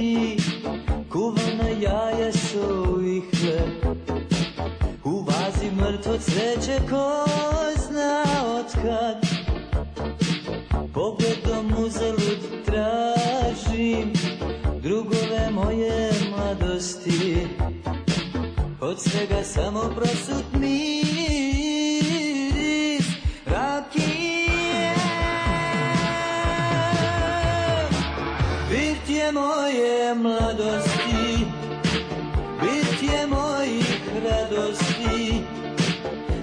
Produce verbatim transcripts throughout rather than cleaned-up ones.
mladosti, kuvana jaja su i hleb. U vazi mrtvo cveće ko zna otkad, pogledom uzalud tražim drugove moje mladosti. Od svega samo prosut miris rakije. Birtje moje mladosti, birtje mojih radosti,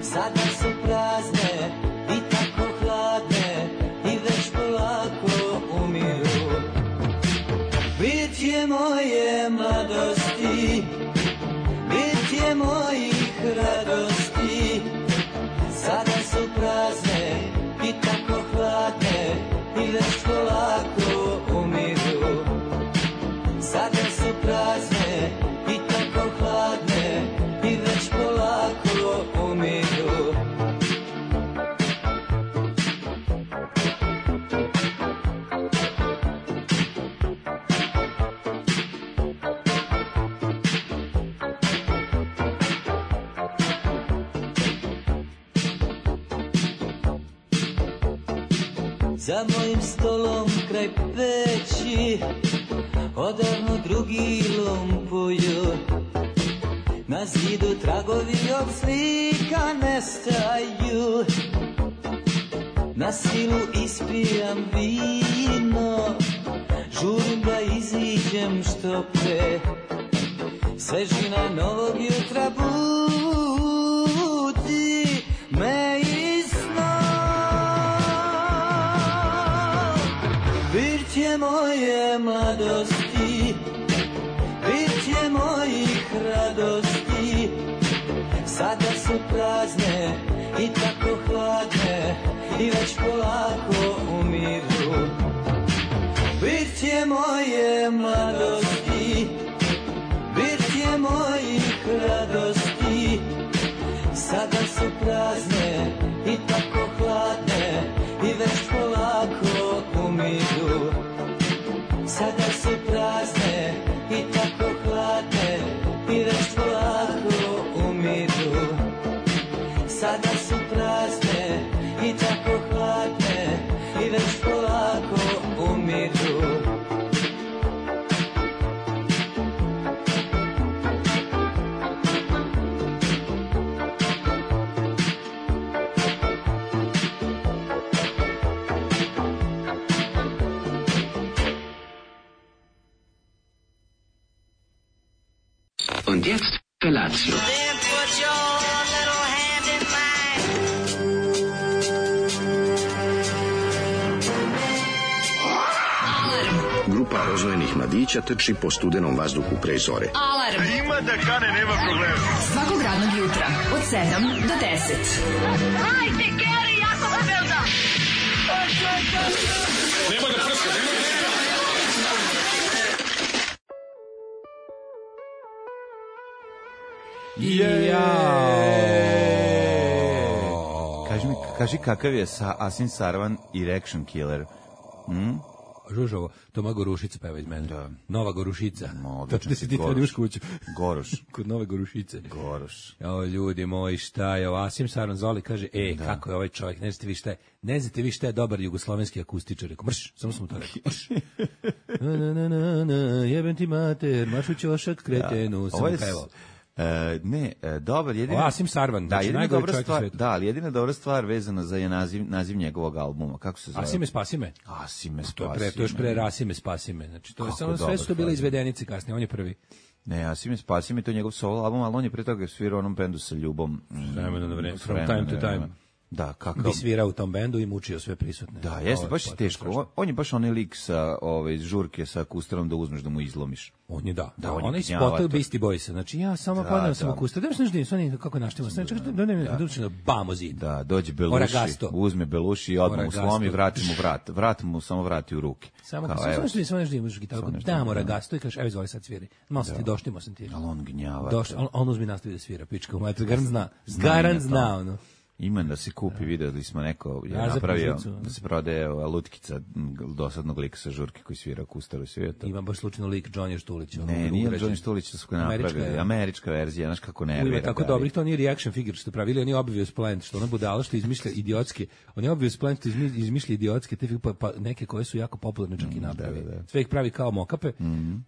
sada su prazne i tako hladne i već polako umiru. Birtje moje mladosti, birtje mojih radosti, sada su prazne i tako hladne i već polako umiru. Sada su prazne i tako hladne i već polako umiru. Za mojim stolom kraj peći odavno drugi lumpuju. Na zidu tragovi od slika nestaju. Na silu ispijam vino, žurim da iziđem što pre. Svežina novog jutra budi me iz sna. Birtje moje mladosti, birtje mojih radosti, sada su prazne i tako hladne i već polako umiru. Birtje moje mladosti, birtje mojih radosti, sada su prazne i tako hladne i već polako umiru. Sada su prazne i tako hladne i već polako umiru. Sada su prazne i tako hladne i već polako umiru. Und jetzt Felatio. Then put your little hand in mine. Grupa rozvojenih mladića trči po studenom vazduhu pre zore. Alarm. Ima da kane, nema problema. Svakog radnog jutra od sedam do deset. Hajde, Geri, jako se velda. Nemoj da prska, nemoj da prska. Jao. Kaži mi, kaži kakav je sa Asin Sarvan Erection Killer? Hm? Žužovo, Toma Gorušica peva iz mene. Da. Nova Gorušica. No, Tačno si ti tada uš kuću. Goroš. Kod Nove Gorušice. Goroš. O, ljudi moji, šta je ovo? Asim Sarvan Zoli kaže, e, da. Kako je ovaj čovjek, ne znate vi šta je, ne znate vi šta je dobar jugoslovenski akustičar. Rekao, mrš, samo sam mu to rekao, mrš. Na, na, na, na, na, jebem ti mater, mašu ćošak kretenu, da. Sam mu pevao. E, ne, e, dobar, jedina... O, Asim Sarvan, da, znači najgori čovjek u svetu. Da, ali jedina dobra stvar vezana za je naziv, naziv njegovog albuma. Kako se zove? Asime spasime. Asime spasime. To je pre, to je još pre Rasime spasime. Znači, to je samo sve su to bile izvedenice kasnije, on je prvi. Ne, Asime spasime, to je njegov solo album, ali on je pre toga svirao onom bendu sa Ljubom. Vremena na vreme, from time to time. Da, kakav... Bi svirao u tom bendu i mučio sve prisutne. Da, jeste, baš je teško. On, on je baš onaj lik sa ove, iz žurke sa kustarom da uzmeš da mu izlomiš. On je, da. Da, on, on je je spotao Beastie Boysa. Znači, ja samo padam sam u kustar. Da mi se nešto divim, kako naštimo. Znači, da ne mi odlučeno, bamo zid. Da, dođe Beluši, Oragasto. uzme Beluši i odmah mu slomi, vrati mu vrat. Vrat mu samo vrati u ruke. Samo kao, samo nešto divim, samo nešto divim, možeš gitaru. Damo Oragasto i kažeš, evo izvoli sad sviri. Malo sam ti doštimo sam ti. Ali on gnjava. On uzmi nastavi da svira, pička u mater. Garan zna. Garan zna, ono. Ima da se kupi, videli smo neko je Ja, za napravio poziciju, da se prodaje ova lutkica m, dosadnog lika sa žurke koji svira kustaru svijeta. Ima baš slučajno lik Johnny Štulić. ono, Ne, nije ugrađen. Johnny Štulić su ga Američka napravili. je. Američka verzija, znaš kako nervira. Ima tako ga. dobrih, to nije reaction figure što pravili, oni obvious plant, što ona budala što izmišlja idiotske. Oni obvious plant što izmi- izmišlja idiotske, te pa, pa neke koje su jako popularne čak i napravi. da, da. Sve ih pravi kao mokape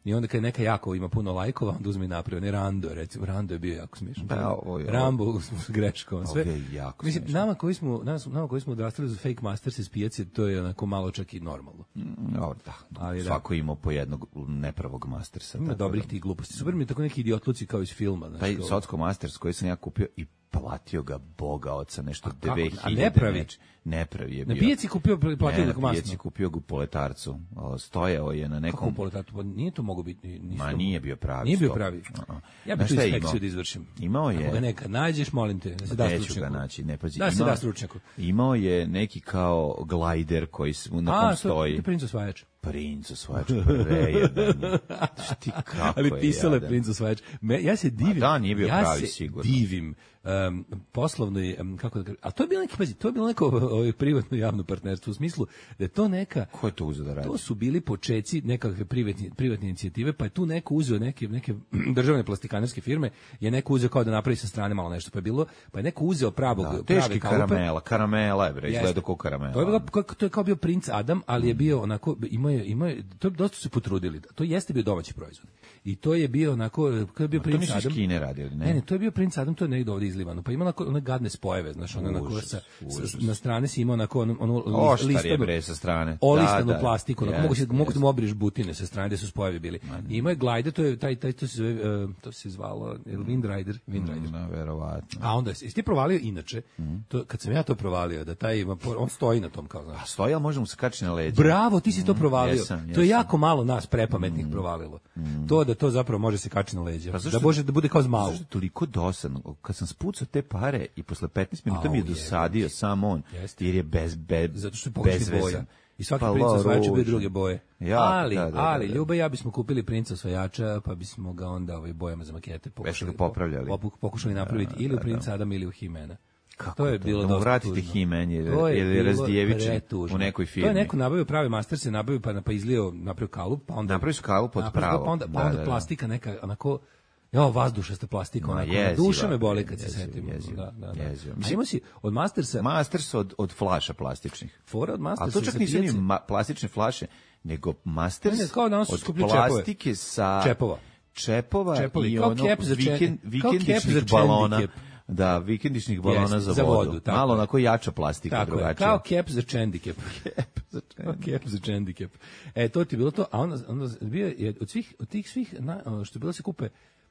i onda kad je neka jako ima puno lajkova, onda uzme i napravi. Ne Rando, recimo, Rando je bio jako smiješan. Pa, ovo je- Rambo s greškom. Sve. Ovo je jako Mislim, smiješno. nama koji smo, nama, nama koji smo odrastali za Fake Masters iz pijace, to je onako malo čak i normalno. Dobro, da. Ali da. Svako ima po jednog nepravog mastersa. Ima tako dobrih da. tih gluposti. Super mi je tako neki idiotluci kao iz filma. Znaš, Taj kao- Socko Masters koji sam ja kupio i platio ga Boga oca nešto A kako? dve hiljade. A ne pravi? neč- Ne pravi je Na bio. pijaci kupio, platio Ne, ga na pijaci masno. kupio ga u Poletarcu. O, Stojao je na Kako nekom... poletatu? Pa nije to mogo biti. nisu Ma to- nije bio pravi. Nije bio stop. pravi. A-a. Ja bih Znaš tu šta je inspekciju imao? da izvršim. Imao je... Ako ga neka nađeš, molim te, da se da Neću ga stručnjaku. naći, ne pazi. Da se Imao- da stručnjaku. Imao je neki kao glajder koji s- na kom A, to stoji. je princ osvajač. Princ osvajač, prejedan je. Šti kako Ali je pisalo je jadan. princ osvajač. Me, ja se divim. da, nije bio ja pravi, se sigurno. divim um, poslovnoj, um, kako da kažem, a to je bilo neki, pazi, to je bilo neko ovaj, privatno javno partnerstvo u smislu da je to neka, Ko je to uzeo da radi? to su bili počeci nekakve privatne, privatne inicijative, pa je tu neko uzeo neke, neke državne plastikanerske firme, je neko uzeo kao da napravi sa strane malo nešto, pa je bilo, pa je neko uzeo pravog, Da, prave teški kalupe. karamela, karamela je bre, Jeste. izgleda kao karamela. To je, bilo, kako- to je kao bio princ Adam, ali je bio onako, imao je, imao je, to je dosta su se potrudili. To jeste bio domaći proizvod. I to je bio onako, kad je bio To princ nisu iz Adam. Kine radili, ne? Ne, ne, to je bio princ Adam, to je negdje ovdje izlivano. Pa ima onako one gadne spojeve, znaš, ono onako Užas, sa, užas. sa, na strane si imao onako onu, onu Oštar je listanu, bre sa strane. olistanu Da, da, plastiku, onako, jeste, mogu, se, mogu da jeste. mu obriš butine sa strane gde su spojevi bili. I ima je glajde, to je taj, taj to se zove, uh, to se zvalo, je li Windrider? Windrider. No, verovatno. A onda, jesi ti provalio inače, to, kad sam ja to provalio, da taj, ima por- on stoji na tom kao, znaš. A stoji, ali može mu se kači na leđa. Bravo, ti si to provalio. jesam, To je jesam. jako malo nas prepametnih provalilo. To da to zapravo može se kači na leđa. Pa zašto- Da može da bude kao zmau. Zašto je toliko dosadno? Kad sam spucao te pare i posle petnaest minuta mi je Au, dosadio sam on, Jeste. jer je bez, be, Zato što je pogrešnih bezvezan. boja. I svaki Pa, princ la, osvajač je bio ružno. druge boje. Jako, ali, da, da, da, ali, da. Ljuba i ja bismo kupili princa osvajača, pa bismo ga onda ovaj bojama za makete pokušali, ga popravljali. po- pokušali napraviti ili u princa Adama ili u Himena. Kako to je to? bilo Da mu dosta vratite tužno. He-Man jer- To je jer je bilo Razdijevičin pretužno. u nekoj To je firmi. neko nabavio pravi master se nabavio pa pa izlio napravio kalup, pa onda Napravio su kalup od napravio, pravo. Pa onda, pa Da, onda da, da. plastika neka onako Jo, vazdušasta plastika, Ma, onako, jeziva, duša me boli kad se jeziva, setim. jeziva, Da, da, da. jeziva. A Mislim- imao si od Mastersa, Masters od, od flaša plastičnih. fora od Mastersa. Ali to čak sa nisu ni pijace- ma- plastične flaše, nego Masters Ne, ne, kao danas su od skuplji čepove. plastike sa... Čepova. Čepova Čepovi, i kao ono kep za čen- vikend, kao kep vikendičnih za balona. čendikep. Da, vikendičnih balona Jeste, za, za vodu. vodu, tako Malo je. onako jača plastika, Tako je, drugačija. kao kep za čendikep. Kep za čendikep. Kep za čendikep. E, to ti je bilo to, a onda, onda bio je od svih, od tih svih, na, ono, što je bilo da se kupe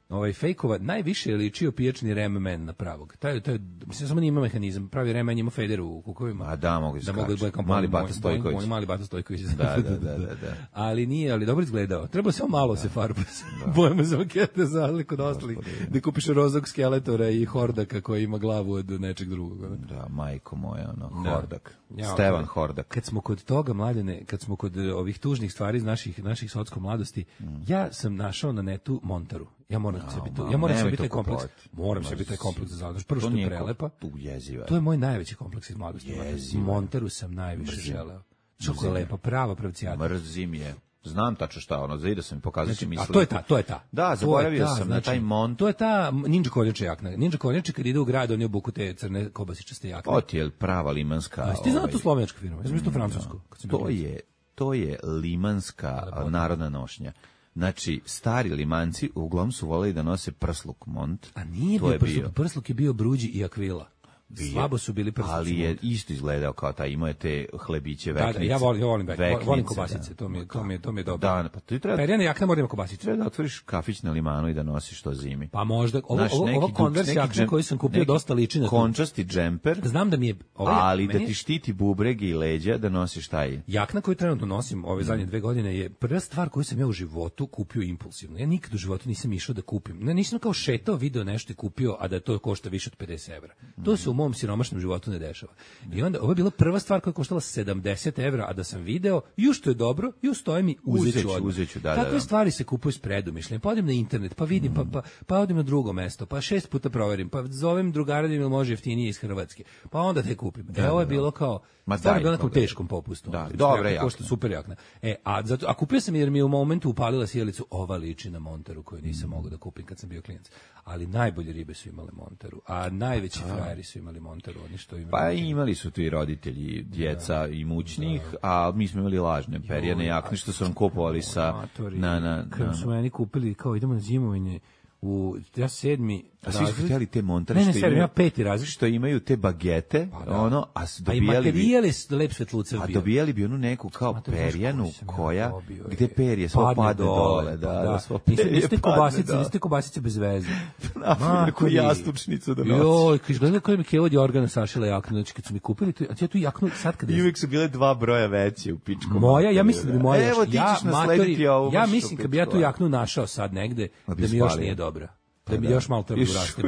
ovaj fejkova, najviše je ličio pijačni remen na pravog. Taj, taj, mislim, samo nije ima mehanizam, pravi remen ima federu u kukovima. A da, mogu da skače. mogu da bude kao Mali moj- Bata moj- Stojković. Moj mali Bata Stojković. Da, da, da, da, da. Ali nije, ali dobro izgledao. Treba samo malo se farba. Bojamo za makete za razliku od ostalih. Da kupiš rozog skeletora i hordaka koji ima glavu od nečeg drugog. ono. Da, majko moja, ono, Da. Hordak. Ja, Stevan ok. Hordak. Kad smo kod toga, mladene, kad smo kod eh, ovih tužnih stvari iz naših naših socko mladosti, ja sam našao na netu Montaru. Ja moram se biti, ja moram se nemoj biti to taj kompleks. kupovati. Moram se biti taj kompleks za zadrž. Prvo što je nije prelepa. ko- tu jeziva. To je moj najveći kompleks iz mladosti. Jeziva. Montaru sam najviše želeo. Što je lepa, prava pravcijata. Mrzim je. Znam tačno šta ono, zaida sam mi pokazat će mi A sliku. to je ta, to je ta. Da, To je zaboravio ta, sam na taj Mont. To je ta ninja kornjača jakna. Ninja kornjača kad ide u grad, on je obuku te crne kobasičaste jakne. To ti je prava limanska... A jesi ti znao ovaj, to slovenska firma? Ja sam mislio to francusku. kad sam bio To klinac. je, to je limanska a, narodna nošnja. Znači, stari limanci uglavnom su voleli da nose prsluk Mont. A nije To bio je prsluk, prsluk je bio Bruđi i Akvila. Bio. Slabo su bili prsluci. Ali je Mont. isto izgledao kao taj, imao je te hlebiće, Da, da, veknice. ja volim, ja volim, vek, veknice, volim kobasice, da. to mi je, to mi je, to mi je dobro. Da, pa ti treba, Perjana jakna mora ima kobasice. treba da otvoriš kafić na limanu i da nosiš to zimi. Pa možda, ovo, Znaš, ovo, neki ovo duks, Converse neki jakna džem- koju sam kupio neki dosta liči na to. končasti džemper, Znam da mi je... Ovaj, ali da meni je- ti štiti bubrege i leđa da nosiš taj. Jakna koju trenutno nosim ove zadnje dve godine je prva stvar koju sam ja u životu kupio impulsivno. Ja nikad u životu nisam išao da kupim. Ne, nisam kao šetao, video nešto i kupio, a da to košta više od pedeset evra. To se u mom mom siromašnom životu ne dešava. I onda, ovo je bila prva stvar koja je koštala sedamdeset evra, a da sam video, ju što je dobro, ju stoje mi, uzeću odmah. Uzeću, da, Takve da, da. stvari se kupuju s predumišljem. Pa odem na internet, pa vidim, pa, pa, pa odem na drugo mesto, pa šest puta proverim, pa zovem drugara da mi može jeftinije iz Hrvatske, pa onda te kupim. E, ovo je bilo kao, stvarno je bilo na nekom teškom popustu. Da, dobra jakna. Košta super jakna. E, a, zato, a kupio sam jer mi je u momentu upalila sjelicu, ova liči na Monteru koju nisam mogao da kupim kad sam bio klijent. Ali najbolje ribe su imale Monteru, a najveći frajeri su imali Monteru, oni što imali. Pa imali su tu i roditelji, djeca i mućnih, a mi smo imali lažne perijane jakne što su nam kupovali sa na na kad su meni kupili kao idemo na zimovanje u ja sedmi. A svi su htjeli te Montere ne, ne, što, imaju, imaju, peti razred. što imaju te bagete, pa da. ono, a su dobijali a i materijali su lep svetlucev a bio. dobijali bi onu neku kao Mate, perjanu koja, dobio, gde perje svo padne, padne dole, da, da, da svo perje niste padne, kobasice, da. Niste kobasice bez veze. Na neku jastučnicu da nosi. Joj, kad gledam koji mi Kevo Jorgana sašila jaknu, znači kad su mi kupili, tu, a ja tu jaknu sad kad... I uvijek su bile dva broja veće u pičku. Moja, ja mislim da bi moja... Evo ti ćeš naslediti ovu. Ja mislim kad bi ja tu jaknu našao sad negde, da mi još nije dobra. Da mi još malo treba urasti.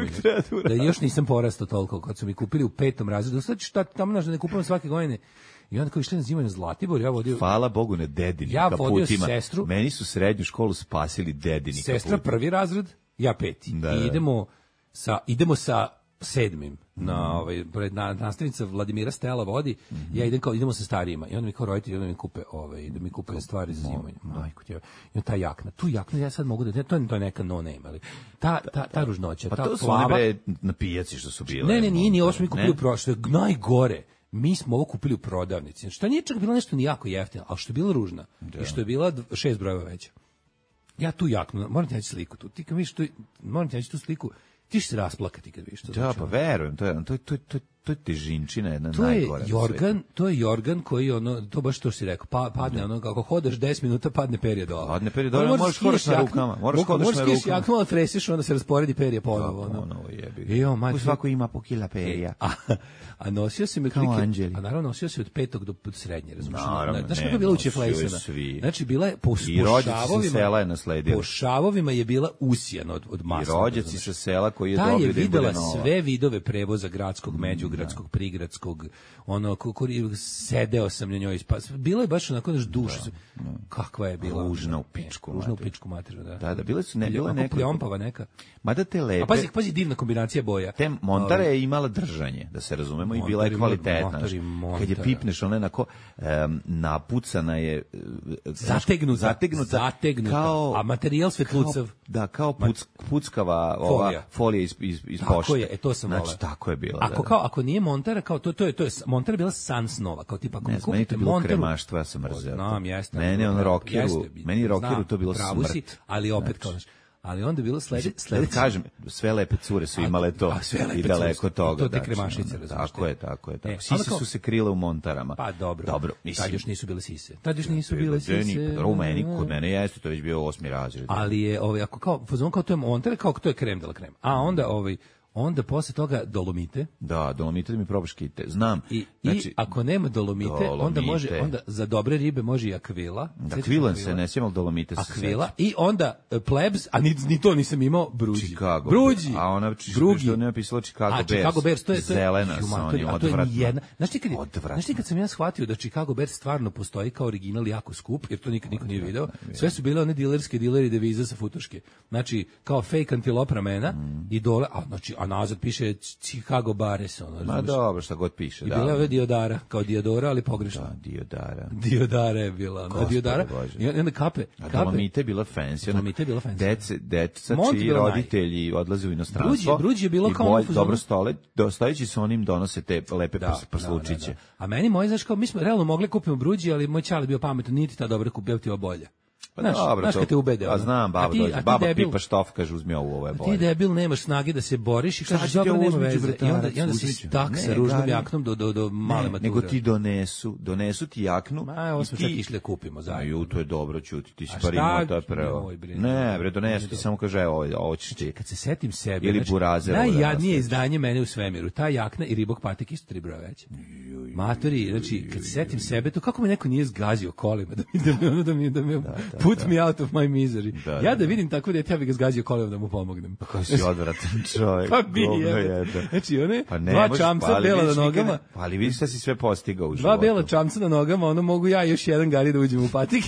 Da još nisam porastao toliko kad su mi kupili u petom razredu. Sad ću tamo naš da ne kupujem svake godine. I onda kao išli na zimanje Zlatibor, ja vodio... Hvala Bogu ne dedini ja kaputima. Sestru, meni su srednju školu spasili dedini sestra kaputima. Prvi razred, ja peti. Da, I da. idemo sa, idemo sa sedmim. Na ovaj pred na, nastavnica Vladimira Stela vodi, mm -hmm. ja idem kao idemo sa starijima i onda mi kao roditelji onda mi kupe ovaj da mi kupe stvari za zimanje. Majko ti. I ta jakna, tu jaknu ja sad mogu da to je to je neka no name, ali ta ta ta ružnoća, pa ta to su plava, bre na pijaci što su bile. Ne, ne, nije, nije, ovo smo mi kupili u prošle, najgore. Mi smo ovo kupili u prodavnici. Što nije čak bilo nešto ni jako jeftino, al što je bilo ružna da. I što je bila šest brojeva veća. Ja tu jaknu, moram ti naći sliku tu. Ti kad vidiš tu, moram ti naći tu sliku. Ti ćeš se rasplakati kad vidiš to. Da, pa verujem, to je to to to to je težinčina jedna to najgora. Je jorgan, to je jorgan koji ono to baš što si rekao, pa padne ono kako hodaš deset minuta padne perje dole. Padne perje dole, možeš hodati na rukama, možeš hodati na rukama. Možeš jaknu tresiš onda se rasporedi perje ponovo, ono. Ono jebi. Jo, majko, svako ima po kila perja. A, a nosio se me klike, a naravno nosio se od petog do srednje, razumiješ? Znaš kako je bila učeflejsana? Znači bila je po šavovima, po šavovima je bila usijana od od masa. I rođaci sa sela koji je dobio da je videla sve vidove prevoza gradskog, međugradskog, prigradskog, ono koji sedeo sam na njoj, pa bilo je baš onako naš duša. Kakva je bila ružna u pičku, ružna u pičku materiju, da. Da, da bile su ne bila neka pljompava neka. Mada te lepe. A pazi, pazi divna kombinacija boja. Te Montare je imala držanje, da se razumemo, i bila je kvalitetna. Kad je pipneš, ona onako um, napucana je zategnuta, zategnuta, zategnuta. Kao, a materijal svetlucav. Da, kao puc, puckava ova folija, folija iz, iz, iz tako pošte. Je, e, to sam znači, vola. tako je bila. Ako, da, kao, ako nije Montara, kao to, to je, to je, Montara je bila sans nova, kao tipa, ako ne, meni to bilo Montaru, kremaštvo, ja sam mrzeo. Znam, jeste. Meni on rockeru, meni rockeru to bilo pravu smrt. Si, ali opet, znači, kao znaš, ali onda je bilo sledeće, sledeće. Kažem, sve lepe cure su imale to a, a i daleko toga. To te kremašice, razumiješ. Tako je, tako je. Tako. E, sise kao, su se krile u Montarama. Pa dobro, dobro mislim, tad još nisu bile sise. Tad još nisu bile sise. U meni, kod mene jeste, to je već bio osmi razred. Ali je, ovaj, ako kao, fazon kao to je Montare, kao to je krem de la krem. A onda, ovaj, onda posle toga Dolomite. Da, Dolomite da mi probaš kite. Znam. I, znači, i ako nema Dolomite, dolomite, onda može onda za dobre ribe može i akvila. Da, akvilan se ne sjemal Dolomite se. Akvila i onda uh, plebs, a ni, ni to nisam imao, bruđi. Chicago. Bruđi. A ona drugi što ne napisalo Chicago Bears. A Chicago Bears to je zelena sa onim odvratno. Znaš ti kad znaš ti kad sam ja shvatio da Chicago Bears stvarno postoji kao original jako skup, jer to nikad niko nije video. Sve su bile one dilerske dileri deviza sa futoške. Znači kao fake antilop ramena mm. i dole, a znači a nazad piše Chicago Bares, ono. Ma dobro, šta god piše, I da. I bila je Diodara, kao Diodora, ali pogrešno. Da, Diodara. Diodara je bila, no, Diodara. I onda kape, kape. A Dolomite je bila fancy. Dolomite je bila fancy. Dece, deca čiji roditelji naj... odlaze u inostranstvo. Bruđi, Bruđi je bilo kao bolj, dobro stole, dostajući se onim donose te lepe da, prslučiće. Da, da, da. A meni moji, znaš, kao, mi smo realno mogli kupiti Bruđi, ali moj čale bio pametan, niti ta dobra kupio ti bolje. Pa znaš, dobro, znaš kad te ubede. A znam, baba dođe, baba debil, pipa štof, kaže uzmi ovo, ovo je bolje. Ti debil nemaš snage da se boriš i kažeš dobro nema veze. I onda, i onda si stak sa ružnom jaknom do, do, do male mature. Nego ti donesu, donesu ti jaknu. Ma, ovo smo čak išli kupimo zajedno. Ju, to je dobro, čuti, ti si par imao, to je prvo. Ne, bre, donesu ti, samo kaže, evo, ovo ćeš ti. Kad se setim sebe, ili burazer. Najjadnije izdanje mene u svemiru, ta jakna i ribok patik isto tri broja veće. Matori, znači, kad se setim sebe, to kako me neko nije zgazio kolima, da mi, da mi, da mi, da mi, da, Put da. me out of my misery. Da, ja da, da vidim tako dete, ja bih ga zgazio kolenom da mu pomognem. Pa koji si odvratan čovjek. Pa bi govno je. jedan. Znači, one Pa ne dva možeš, čamca pa ali bela na vidiš nikada- nogama, Pa ali vidiš šta si sve postigao u dva životu. bela čamca na nogama, ono mogu ja i još jedan gari da uđem u patike.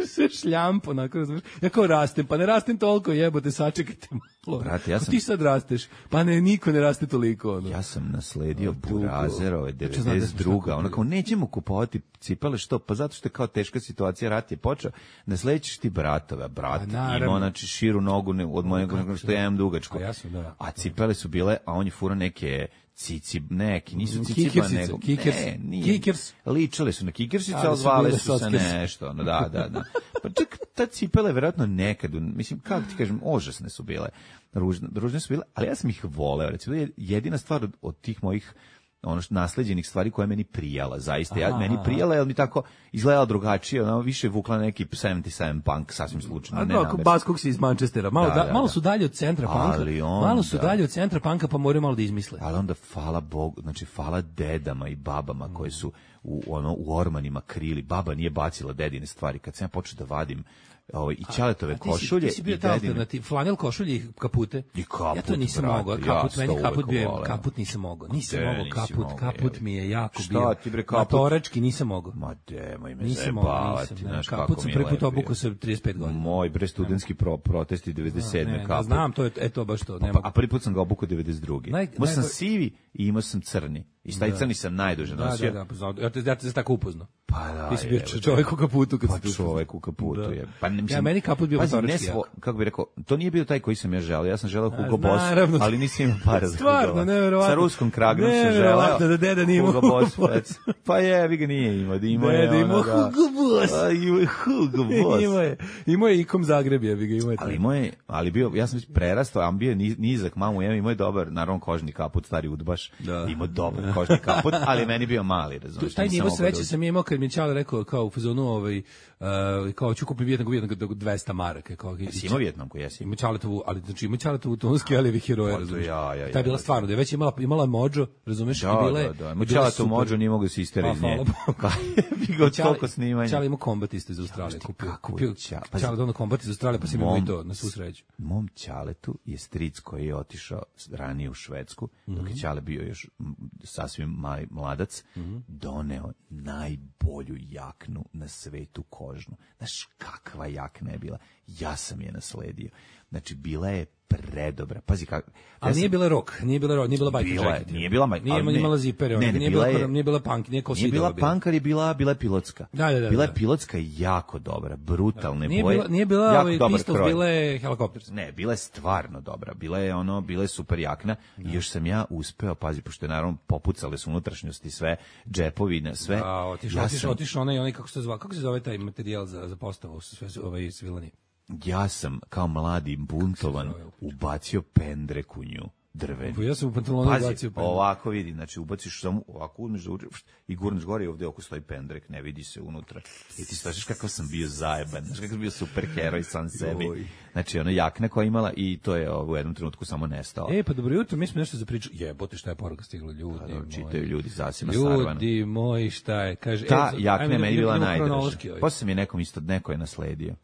Sve šljampo, onako, razumiješ. Ja kao rastem, pa ne rastem toliko, jebote, sačekajte malo. Brate, ja Ako sam- ti sad rasteš, pa ne, niko ne raste toliko. Ono. Ja sam nasledio Dugo. Burazerove Znači, znam da smo devedeset druga. šta Ono kupili. kao nećemo kupovati cipele, što? Pa zato što je kao teška situacija, rat je počeo. Nasledećeš ti bratove, a brat A, naravno. ima znači širu nogu ne- od mojeg nego što ja imam dugačku. A ja sam, da. A cipele su bile, a on je furao neke cici, neki, nisu cici, Kikersice, nego, kikers, ne, nije. kikers. Ličale su na kikersice, Ali ali su zvale bile su se sockers. nešto, ono, da, da, da. Pa čak ta cipela je verovatno nekad, u- mislim, kako ti kažem, užasne su bile, ružne, ružne su bile, ali ja sam ih voleo, recimo, to je jedina stvar od, od tih mojih ono što nasleđenih stvari koja je meni prijala, zaista. Ja, Aha, meni aha. prijala, jer mi tako izgledala drugačije, ono, više je vukla neki sedamdeset sedam punk, sasvim slučajno, A ne da, namerno. bas kog si iz Manchestera. Malo, Da, da, da, malo da. su dalje od centra panka. Ali onda- Malo su dalje od centra panka, pa moraju malo da izmisle. Ali onda hvala Bogu, znači hvala dedama i babama koje su u ono u ormanima krili. Baba nije bacila dedine stvari. Kad sam ja počeo da vadim ovaj i ćaletove A ti si- košulje ti si bio i ta dedine. alternativ, flanel košulje i kapute. I kaput, ja to nisam brate, mogao, ja kaput, sam meni to kaput uvek bio, voleo. kaput nisam mogao, nisam De, mogao nisi kaput, mogao, kaput je. mi je jako Šta bio. ti, bre, kaput? Matorački nisam mogao. Ma demoj me Nisam mogao, zajebavati, nisam. znaš Kaput kako sam mi je prvi put lepo obukao bio. sa trideset pet godina. Moj bre studentski pro, protesti devedeset sedme Ne, kaput. znam, to je eto baš to, ne Pa, mogu. a prvi put sam ga obukao devedeset druge. Naj- Imao sam najbolj- sivi i imao sam crni. I taj crni sam najduže Da, nosio. da, da, poznao. Ja te, ja te tako upoznao. Pa da, Ti si bio evo, čovjek u kaputu kad Pa si tu čovek u kaputu Da. je. Pa ne, mislim, Ja, meni kaput bio pazi, ne motorički svo, jako. kako bih rekao, to nije bio taj koji sam ja želeo. Ja sam želeo Hugo A, Boss, naravno. ali nisam imao para za Stvarno, Hugo Boss. neverovatno. Sa ruskom kragnom sam želeo. Neverovatno da deda nije imao Hugo Boss. Hugo pa- Boss. Pa je, vi ga nije imao. Da imao je Deda ono, imao da. Hugo Boss. A, imao je Hugo Boss. Imao je, imao je ikom Zagreb, ja bi ga imao je. Ali imao je, ali bio, ja sam već prerastao, a bio je ni- nizak, mamu jem, imao je dobar, naravno kožni kaput, stari udbaš, Da. imao dobar kožni kaput, ali meni bio mali, razumiješ. Taj nisam nivo mogao sreće da- sam imao kad mi je Čale rekao kao u fazonu ovaj uh, kao ću kupiti Vijetnamku Vijetnamku dvesta maraka kao Jesi imao Vijetnamku, jesi? ima Čaletovu, ali znači ima Čaletovu tonski alivi heroje, Pa to razumiješ. ja, ja, ja, Ta je bila ja. stvarno, da je već imala imala mođo, razumeš, Da, i bila je. da, da. i Mo bila je Čale to super. mođo nije mogu da se istera Pa, iz nje. hvala Bogu. Bi ga od toliko snimanja. Čale ima kombat isto iz Australije, znaš ti kupio, kako kupio je Čale- pazi. Čale dono kombat iz Australije, pa sam imao Mom- i to na svu sreću. Mom Ćaletu je stric koji je otišao ranije u Švedsku, dok Mhm. je Ćale bio još m, sasvim mali mladac, Mhm. doneo najbolju jaknu na svetu kožnu. Znaš kakva jakna je bila? Ja sam je nasledio. Znači, bila je predobra. Pazi kako... Ali nije bila rok, nije bila rok, nije bila bajka. Bila je, jacket. nije bila bajka, Nije ali ne. imala zipere, Ne, ne, nije bila bila je- nije bila punk, nije kao Nije bila sidova punk, ali je bila, bila je pilotska. Da, da, da, bila da. je pilotska jako dobra, brutalne Nije boje. bila, nije bila jako ovaj dobar Pistols, kroj. bila je Helicopters. Ne, bila je stvarno dobra. Bila je ono, bila je super jakna i još sam ja uspeo, pazi, pošto je naravno popucale su unutrašnjosti sve, džepovi, na sve. A, otišao, ja otišao, sam, otišao onaj, onaj, kako se to zva, kako se zove taj materijal za, za postavu, sve su, ovaj, svilani. ja sam kao mladi buntovan ubacio pendrek u nju. Drveni. Pa ja sam u pantalonu Pazi, ubacio pendrek. ovako vidi, znači ubaciš samo, ovako uzmeš da uđeš i gurneš gore i ovdje oko stoji pendrek, ne vidi se unutra. I ti slažeš kakav sam bio zajeban, znaš kakav sam bio super heroj sam sebi. Oj. Znači, ono jakna koja je imala i to je ovo, u jednom trenutku samo nestao. E, pa dobro jutro, mi smo nešto za priču. Jebote, šta je poruka stigla, ljudi Da, moji. čitaju ljudi zasima Sarvana. Ljudi moji, šta je? Kaže, Ta e, jakna ajmo je da- meni idemo bila kronološki najdraža. ovaj. Posle mi je nekom isto, neko je nasledio.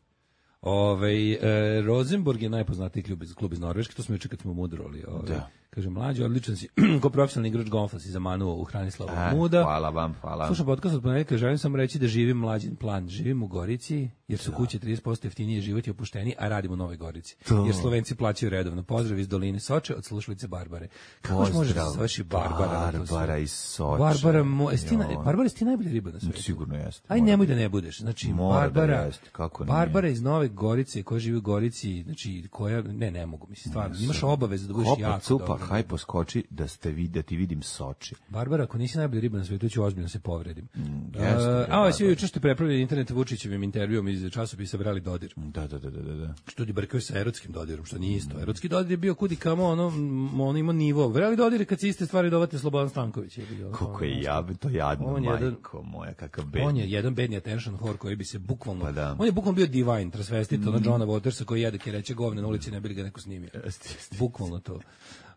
Ovaj e, Rosenborg je najpoznatiji klub iz klub iz Norveške, to smo juče kad smo mudroli. Ovaj. Da. Kaže mlađi, odličan si, ko profesionalni igrač golfa si zamanuo u Hranislava E, Muda. hvala vam, hvala. Slušam podcast od ponedjeljka, želim samo reći da živim mlađin plan. Živim u Gorici, jer su kuće trideset posto jeftinije, život je opušteniji, a radim u Novoj Gorici. To. Jer Slovenci plaćaju redovno. Pozdrav iz doline Soče od slušalice Barbare. Kako još možeš da se zoveš i Barbara? na to sve? Barbara iz Soče. Barbara, mo, jesi ti, na- Joj. Barbara, jesi ti najbolja riba na svijetu? Sigurno jeste. Aj mora nemoj biti. da ne budeš. Znači Mora da Barbara, jeste, kako nije. Barbara iz Nove Gorice, koja živi u Gorici, znači koja ne ne mogu, mislim stvarno. Imaš obavezu da budeš Hopa, jako cupa, dobra. haj poskoči da ste vi, da ti vidim Soči. Barbara, ako nisi najbolja riba na svijetu, ću ozbiljno se povredim. jeste, Uh, bre, a ovo Barbara. svi juče ste prepravili internet Vučićevim intervjuom iz časopisa Brali Dodir. Da, da, da, da, da. Što ti brkaju sa erotskim dodirom, što nije isto. Erotski dodir je bio kudi kamo, ono, m, on ima nivo. Vreli dodir je kad se iste stvari dovate Slobodan Stanković. Je bio, Koliko je jab, to jadno, On je jedan- majko moja, kakav bed. On je jedan bedni attention whore koji bi se bukvalno... Pa da. On je bukvalno bio divine, transvestit, mm. ono Johna Watersa koji jede kereće govne na ulici, ne bi li ga neko snimio. Jeste, jeste. Bukvalno to.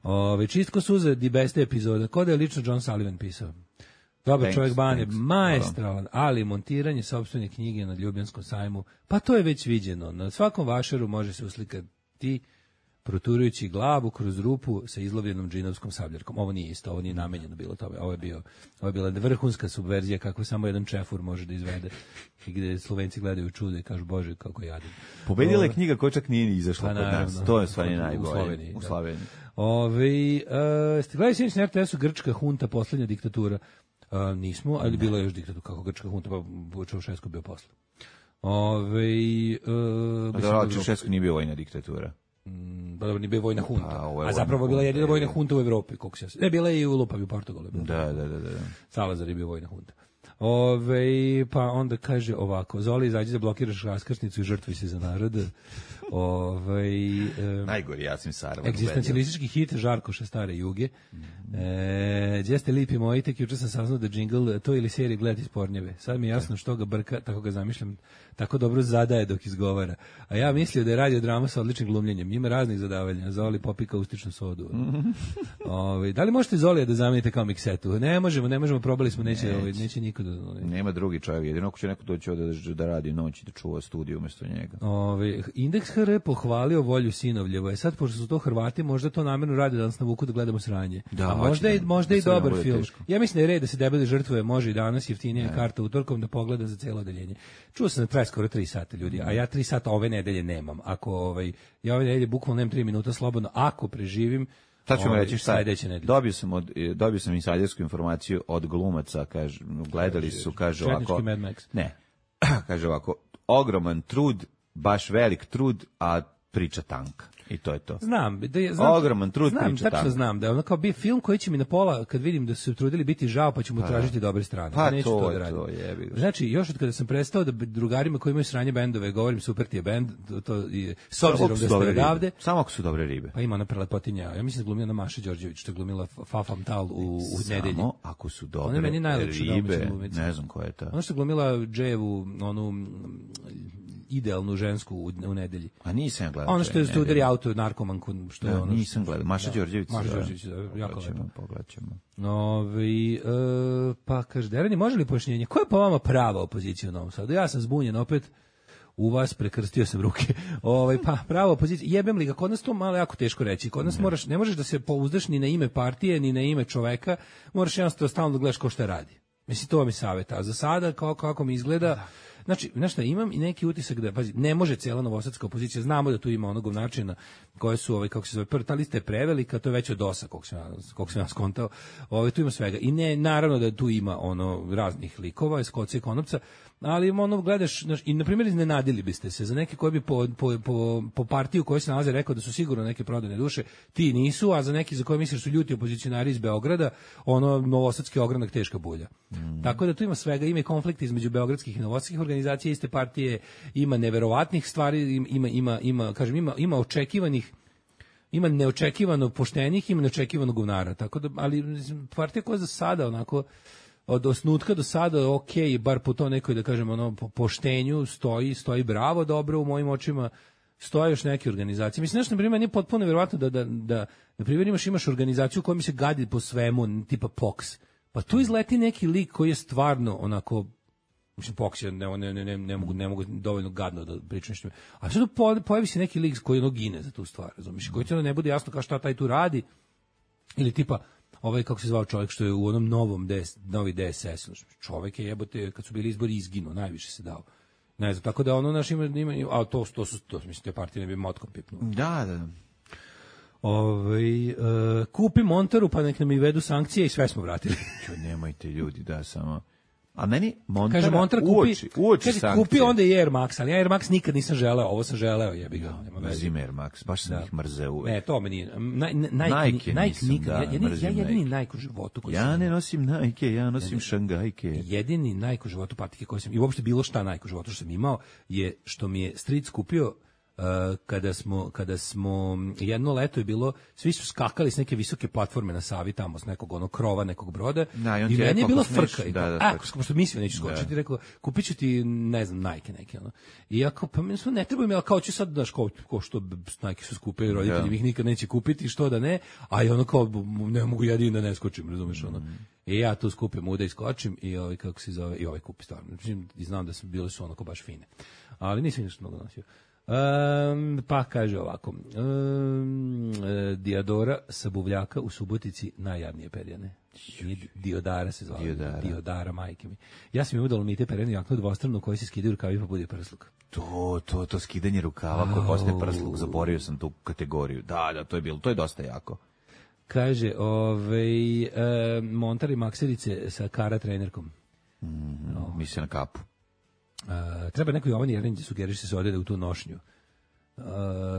Ove, čistko suze, di beste epizoda. Ko da je lično John Sullivan pisao? Dobar Thanks, čovjek Bane, thanks. maestralan, ali montiranje sopstvene knjige na Ljubljanskom sajmu, pa to je već viđeno. Na svakom vašaru može se uslikati proturujući glavu kroz rupu sa izlovljenom džinovskom sabljarkom. Ovo nije isto, ovo nije namenjeno bilo tome. Ovo je bio, ovo je bila vrhunska subverzija kako samo jedan čefur može da izvede i gde Slovenci gledaju čudo i kažu bože kako jadim. Pobedila je Ove- knjiga koja čak nije ni izašla Pa kod nas. naravno. To je stvarno U najbolje. Sloveniji, U da. Sloveniji. Ove, e, ste gledali sinoć na er te esu Grčka hunta, poslednja diktatura? E, nismo, ali bila je još diktatura, kako Grčka hunta, pa Čaušesku bio posle. Ove, e, A mislim dobro, da- Čaušesku nije bio vojna diktatura. Pa dobro, nije bio vojna hunta. Pa, ovo je A zapravo vojna bila hunta, jedina vojna je. hunta u Evropi, koliko se ja se- Ne, bila je i u Lupavi u Portugalu. Da, da, da, da. Salazar je bio vojna hunta. Ove, pa onda kaže ovako, Zoli, izađi da blokiraš raskrsnicu i žrtvi se za narod. Ove, e, Najgori Jasim Sarvan. egzistencijalistički hit Žarkoša Stare Juge. E, gdje ste lipi moji, tek juče sam saznao da džingl to ili seriji gledati iz pornjeve. Sad mi je jasno što ga brka, tako ga zamišljam, tako dobro zadaje dok izgovara. A ja mislio da je radio drama sa odličnim glumljenjem. Ima raznih zadavanja. Zoli popika ustičnu sodu. Ove, da li možete Zolija da zamenite kao miksetu? Ne možemo, ne možemo, probali smo, neće, ovaj, neće niko da... ovaj, Nema drugi čovjek, jedino ako će neko doći ovde da, da radi noć i da čuva studiju umjesto njega. Ove, Indeks ha er pohvalio volju Sinovljevo. E sad, pošto su to Hrvati, možda to namjerno radi da nas navuku da gledamo sranje. Da, A možda, hoće i, da- možda da i sve nam dobar bude film. teško. Ja mislim da je red da se debeli žrtvuje, može i danas, jeftinija je karta utorkom da pogleda za cijelo odeljenje. Čuo sam da traje skoro tri sata, ljudi, a ja tri sata ove nedelje nemam. Ako, ovaj, ja ove nedelje bukvalno nemam tri minuta slobodno, ako preživim, Sad ćemo ovaj, reći šta je. sledeće nedelje. Dobio sam, od, e, dobio sam insajdersku informaciju od glumaca, kaže, gledali su, kaže ovako... Četnički Mad Max. Ne, kaže ovako, ogroman trud, baš velik trud, a priča tanka. I to je to. Znam, da je, znam, Ogroman trud, znam, priča tačno tako. znam da je ono kao bio film koji će mi na pola, kad vidim da su se trudili biti žao, pa ću mu tražiti dobre strane. Pa neću to to, je da radim. to, jebi ga. Znači, još od kada sam prestao da drugarima koji imaju sranje bendove govorim super ti je bend, to, to je, s obzirom da Ako su ste dobre ribe. odavde, Samo ako su dobre ribe. pa ima ona prelepotinja, ja mislim da glumila na Maša Đorđević, što je glumila Fafam Tal u, u nedelji. Samo ako su Ona je dobre meni najlepša domaća ribe, glumica. ne znam koja je ta. Ono što je glumila Dževu, onu mm, idealnu žensku u, u nedelji. A nisam ja gledao. Ono što je ne, što udari ne. auto narkomanku, što je Da, ono. nisam gledao. Maša Da. Đorđević. Maša da. Đorđević, da, jako Pogledaćemo, lepo. pogledaćemo. Ove, e, pa kaže, Derani, može li pojašnjenje? Koja je po vama prava opozicija u Novom Sadu? Ja sam zbunjen opet, u vas prekrstio sam ruke. Ovaj pa prava opozicija, jebem li ga, kod nas to malo jako teško reći. Kod nas moraš, ne možeš da se pouzdaš ni na ime partije, ni na ime čoveka, moraš jednostavno stalno da gledaš ko šta radi. Mislim, to mi savjet. A za sada, kao, kako mi izgleda, znači, znaš šta, imam i neki utisak da, pazi, ne može cijela novosadska opozicija, znamo da tu ima onog načina koje su, ovaj, kako se zove, prva, ta lista je prevelika, to je već od dosa, koliko sam, ja- koliko sam ja skontao, ovaj, tu ima svega. I ne, naravno da tu ima ono raznih likova, iz koca i konopca, ali ono, gledaš, znaš, i na primjer iznenadili biste se za neke koji bi po, po, po, po partiju koji se nalaze rekao da su sigurno neke prodane duše, ti nisu, a za neki za koje misliš su ljuti opozicionari iz Beograda, ono, novosadski ogranak teška bulja. Tako da tu ima svega, ima i konflikt između beogradskih i novosadskih organizacija iste partije, ima neverovatnih stvari, ima, ima, ima, kažem, ima, ima očekivanih ima neočekivano poštenih, ima neočekivano govnara. Tako da, ali mislim, partija koja za sada onako od osnutka do sada ok, bar po to nekoj da kažem ono po poštenju stoji, stoji bravo, dobro u mojim očima. Stoje još neke organizacije. Mislim, znaš, na primjer, nije potpuno vjerovatno da, da, da na primjer, imaš, imaš organizaciju koja mi se gadi po svemu, tipa P O X. Pa tu izleti neki lik koji je stvarno onako, mislim, P O X, ja ne, ne, ne, ne, ne, mogu, ne mogu dovoljno gadno da pričam što. A sad po, pojavi se neki lik koji ono gine za tu stvar, razumiješ, koji ti ono ne bude jasno kao šta taj tu radi, ili tipa, ovaj, kako se zvao čovjek što je u onom novom D S, novi D S S, čovjek je jebote, kad su bili izbori izginuo, najviše se dao. Ne znam, tako da ono naš ima, ima a to, to su, to, mislim, te partije ne bi motkom pipnuo. Da, da. Ovaj, e, kupi Montaru pa nek nam i vedu sankcije i sve smo vratili. Čuj, nemojte ljudi, da, samo... A meni Montara, Kaže Montar kupi, uoči, uoči kaže, sankcije. kupi onda i Air Max, ali ja Air Max nikad nisam želeo, ovo sam želeo, jebi ga, nema veze. Mrzim Air Max, baš sam Da. ih mrzeo uvek. Ne, to me nije. Naj, naj, Nike Nike nisam, nikad, da, ja, ja, mrzim ja jedini Nike. Nike u životu koji Ja sam, ne nosim Nike, ja nosim Šangajke. jedini Nike u životu patike koji sam, i uopšte bilo šta Nike u životu što sam imao, je što mi je stric kupio Uh, kada smo kada smo jedno leto je bilo, svi su skakali s neke visoke platforme na Savi tamo s nekog onog krova nekog broda da, i, i meni je bilo smeš, frka i da, da, a pošto mislio neću skočiti, rekao kupiću ti ne znam Nike neke ono. I ja kao pa meni su ne treba mi, al kao ću sad daš kao ko što Nike su skupe, roditelji ih nikad neće kupiti, što da ne, a i ono kao ne mogu jedini da ne skočim, razumeš ono. Mm. I ja tu skupim ude i skočim i ovaj kako se zove i ovaj kupi stvarno. I znam da su bile su onako baš fine. Ali nisam ništa mnogo nosio. Um, pa kaže ovako um, Diodora sa Buvljaka u Subotici najjadnije perjane. Diodara se zvala. Diodara. Diodara, majke mi. Ja sam im udalo mite perjane jaknu dvostranu koji se skidaju rukavi pa bude prsluk. To, to, to skidanje rukava koje postaje prsluk, zaboravio sam tu kategoriju. Da, da, to je bilo, to je dosta jako. Kaže, ovaj, e, Montar i makserice sa Kara trenerkom. Mm, no. Misli na kapu. Uh, treba neko Jovan Jerinić sugeriše se odede u tu nošnju uh,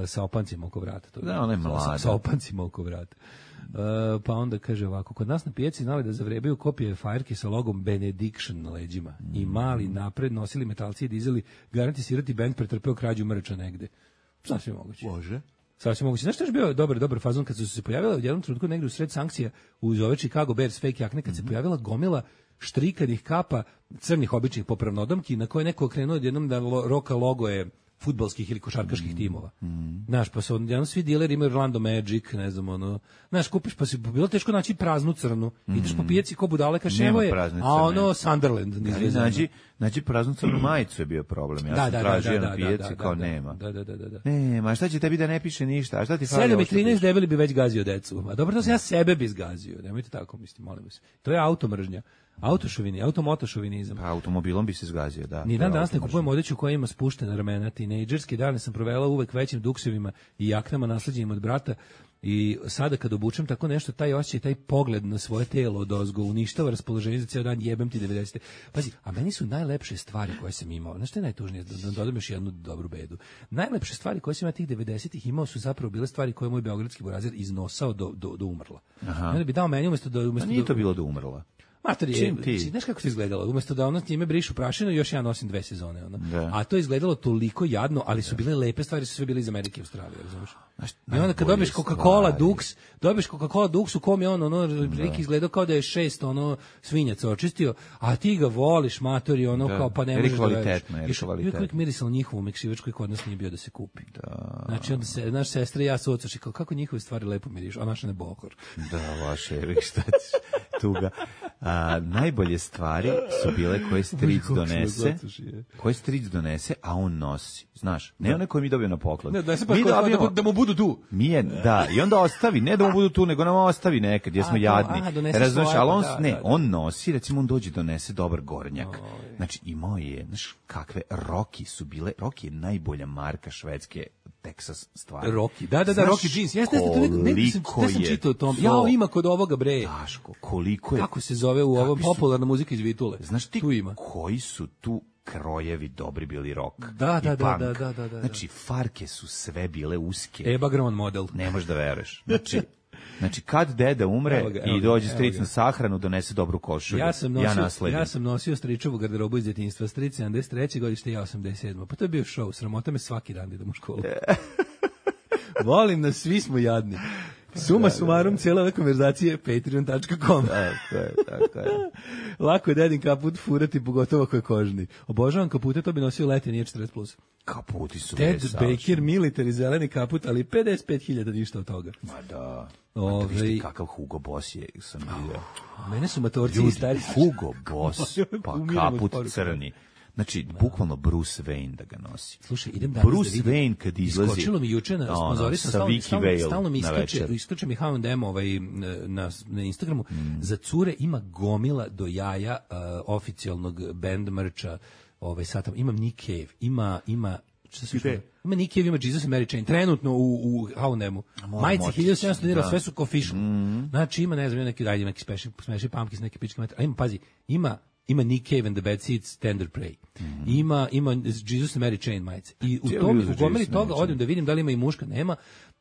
sa opancima oko vrata. To da, ona je mlada. Sa, sa opancima oko vrata. Uh, pa onda kaže ovako, kod nas na pijaci znali da zavrebaju kopije fajrke sa logom Benediction na leđima. Mm. I mali napred nosili metalci i dizeli, garanti sirati bend pretrpeo krađu mrča negde. Sasvim moguće. Bože. Sasvim moguće. Znaš što je bio dobar, dobar fazon kad su se pojavila u jednom trenutku negde u sred sankcija uz ove Chicago Bears fake jakne, kad mm-hmm. se pojavila gomila štrikanih kapa, crnih običnih popravnodomki, na koje neko okrenuo jednom da lo, roka logoje fudbalskih ili košarkaških mm. timova. Mm. Znaš, pa su jednom svi dileri imaju Orlando Magic, ne znam, ono, znaš, kupiš, pa si bilo teško naći praznu crnu, mm. ideš po pijaci ko budale, kaš evo je, a ono Sunderland. Da, znači, znači praznu crnu majicu je bio problem, ja da, sam da, tražio da, na da, pijaci, da, kao da, nema. Da, da, da, da, da. Nema, šta će tebi da ne piše ništa, a šta ti fali? sedam i trinaest debeli bi već gazio decu, a dobro, to sam ja sebe bi zgazio, nemojte tako, mislim, molim vas. To je automržnja. Autošovini, automotošovinizam. Pa automobilom bi se zgazio, da. Ni dan danas ne kupujem odeću koja ima spuštena ramena. Tinejdžerske dane sam provela uvek većim duksevima i jaknama nasleđenim od brata i sada kad obučem tako nešto, taj osjećaj, taj pogled na svoje telo odozgo uništava raspoloženje za ceo dan, jebem ti devedesete. Pazi, a meni su najlepše stvari koje sam imao. Znaš što je najtužnije? Da dodam još jednu dobru bedu. Najlepše stvari koje sam ja tih devedesetih imao su zapravo bile stvari koje je moj beogradski burazer iznosao do, do, do umrla. Aha. Onda bi dao meni umesto da... Umesto a nije do, to bilo do umrla. Mater je, znaš kako to izgledalo? Umesto da ono njime brišu prašinu, još ja nosim dve sezone. Ono. A to je izgledalo toliko jadno, ali su bile lepe stvari, su sve bile iz Amerike i Australije, razumiješ? I onda kad dobiješ Coca-Cola Dux, dobiješ Coca-Cola Dux u kom je on, ono, prilike izgledao kao da je šest, ono, svinjaca očistio, a ti ga voliš, matori, ono, da. Kao, pa ne možeš da veriš. Još uvijek mirisalo njihovu mekšivač koji kod nas nije bio da se kupi. Da. Znači, onda se, naš sestra i ja se ocaši, kao, kako njihove stvari lepo miriš, a naša ne bohor. Da, vaše, šta ćeš, tuga. A, najbolje stvari su bile koje stric donese, koje stric donese, a on nosi. Znaš, ne one koje mi dobio na poklon. Ne, da se pa mi dobijemo, da, da mu budu tu. Mi je, da, i onda ostavi, ne da mu budu tu, nego nam ostavi nekad, jer smo a, jadni. Razumiješ, ali on, da, ne, da, on nosi, recimo on dođe donese dobar gornjak. Oj. Znači, imao je, znaš, kakve Rocky su bile, Rocky je najbolja marka švedske Texas stvari. Rocky, da, da, da, Rocky jeans. Jeste, jeste, ne, ne, ne, sam, ne sam čitao o tom. Jao, ima kod ovoga, bre. Daško, koliko je. Kako se zove u ovom popularna muzika iz Vitule? Znaš ti tu ima. Koji su tu krojevi dobri bili rock da, da, i da, punk. Da, da, da, da. Znači, farke su sve bile uske. Eba Gron model. Ne možeš da veruješ. Znači, znači kad deda umre evo ga, evo i dođe ga, stric na sahranu, donese dobru košulju. Ja sam nosio, ja, ja sam nosio stričevu garderobu iz djetinjstva, stric sedamdeset treće godište, ja osamdeset sedme Pa to je bio show, sramota me svaki dan da idem u školu. Volim nas, svi smo jadni. Suma sumarum, cijela ove konverzacije patreon tačka com. Tako je, tako je. Lako je dedin kaput furati, pogotovo ako je kožni. Obožavam kapute, to bi nosio leti, nije četrdeset plus. Kaputi su Ted Baker, military, zeleni kaput, ali pedeset pet hiljada ništa od toga. Ma da. Ove... Vište kakav Hugo Boss je, sam vidio. Mene su matorci i stari. Hugo Boss, pa kaput crni. Znači, no. Bukvalno Bruce Wayne da ga nosi. Slušaj, idem danas Bruce da vidim. Wayne kad izlazi... Iskočilo mi juče na sponzorisam, no, stalno, stalno, stalno mi iskače, iskače mi H and M ovaj, na, na Instagramu. Mm. Za cure ima gomila do jaja uh, oficijalnog band merča. Ovaj, sad tam, imam Nick Cave, ima... ima šta se što? Ima Nick Cave, ima Jesus and Mary Chain, trenutno u, u H and M-u. Majice hiljadu sedamsto dinara, sve su official. Mm. Znači, ima, ne znam, neki, ajde, neki special, special pumpkins, neki pičke metra. A ima, pazi, ima ima Nick Cave and the Bad Seeds, Tender Prey. Mm. Ima, ima Jesus and Mary Chain majice. I u tom, u gomeri toga odem da vidim da li ima i muška, nema,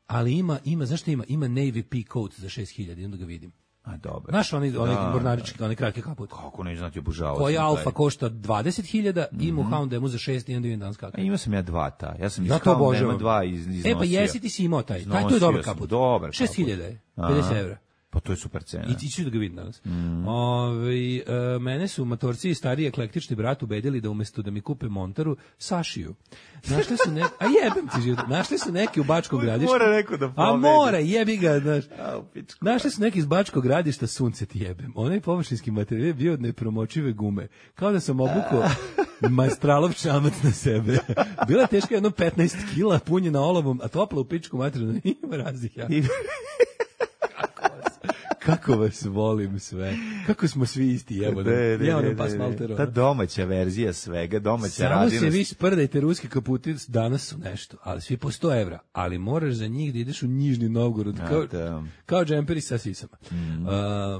ali ima, ima, znaš šta ima? Ima Navy P coat za šest hiljada, i onda ga vidim. A dobro. Znaš, oni, oni Da, mornarički, oni kratke kapute. Kako ne znati, obožavao Koji sam Alfa taj. košta dvadeset hiljada, i Mohound demo za šest i onda vidim danas A kako. imao sam ja dva ta. Ja sam iz Ja to Houndema obožavam. dva iz, iznosio. E pa jesi, ti si imao taj. Taj to je Iznosio dobar sam, kaput. dobar šest hiljada je, pedeset evra. Pa to je super cena. I ti ću da ga vidim danas. Mm. Ove, e, mene su matorci i stariji eklektični brat ubedili da umesto da mi kupe Montaru, Sašiju. Našli su ne, a jebem ti život. Našli su neki u Bačkog gradišta. Mora neko da A pobedi. mora, jebi ga, znaš. A, u pičku. Našli su neki iz Bačkog gradišta, sunce ti jebem. Onaj površinski materijal je bio od nepromočive gume. Kao da sam obukao Maestralov čamac na sebe. Bila je teška jedno petnaest kila, punjena olovom, a topla u pičku materiju. Ima raznih ja. Kako vas volim sve. Kako smo svi isti, jebo. De, de, Ja de, ono pas de, maltero. Ta domaća verzija svega, domaća Samo radinost. se vi sprdajte, ruski kaputi danas su nešto, ali svi po sto evra, ali moraš za njih da ideš u Nižni Novgorod, kao, da. kao džemperi sa sisama. Mm. Uh,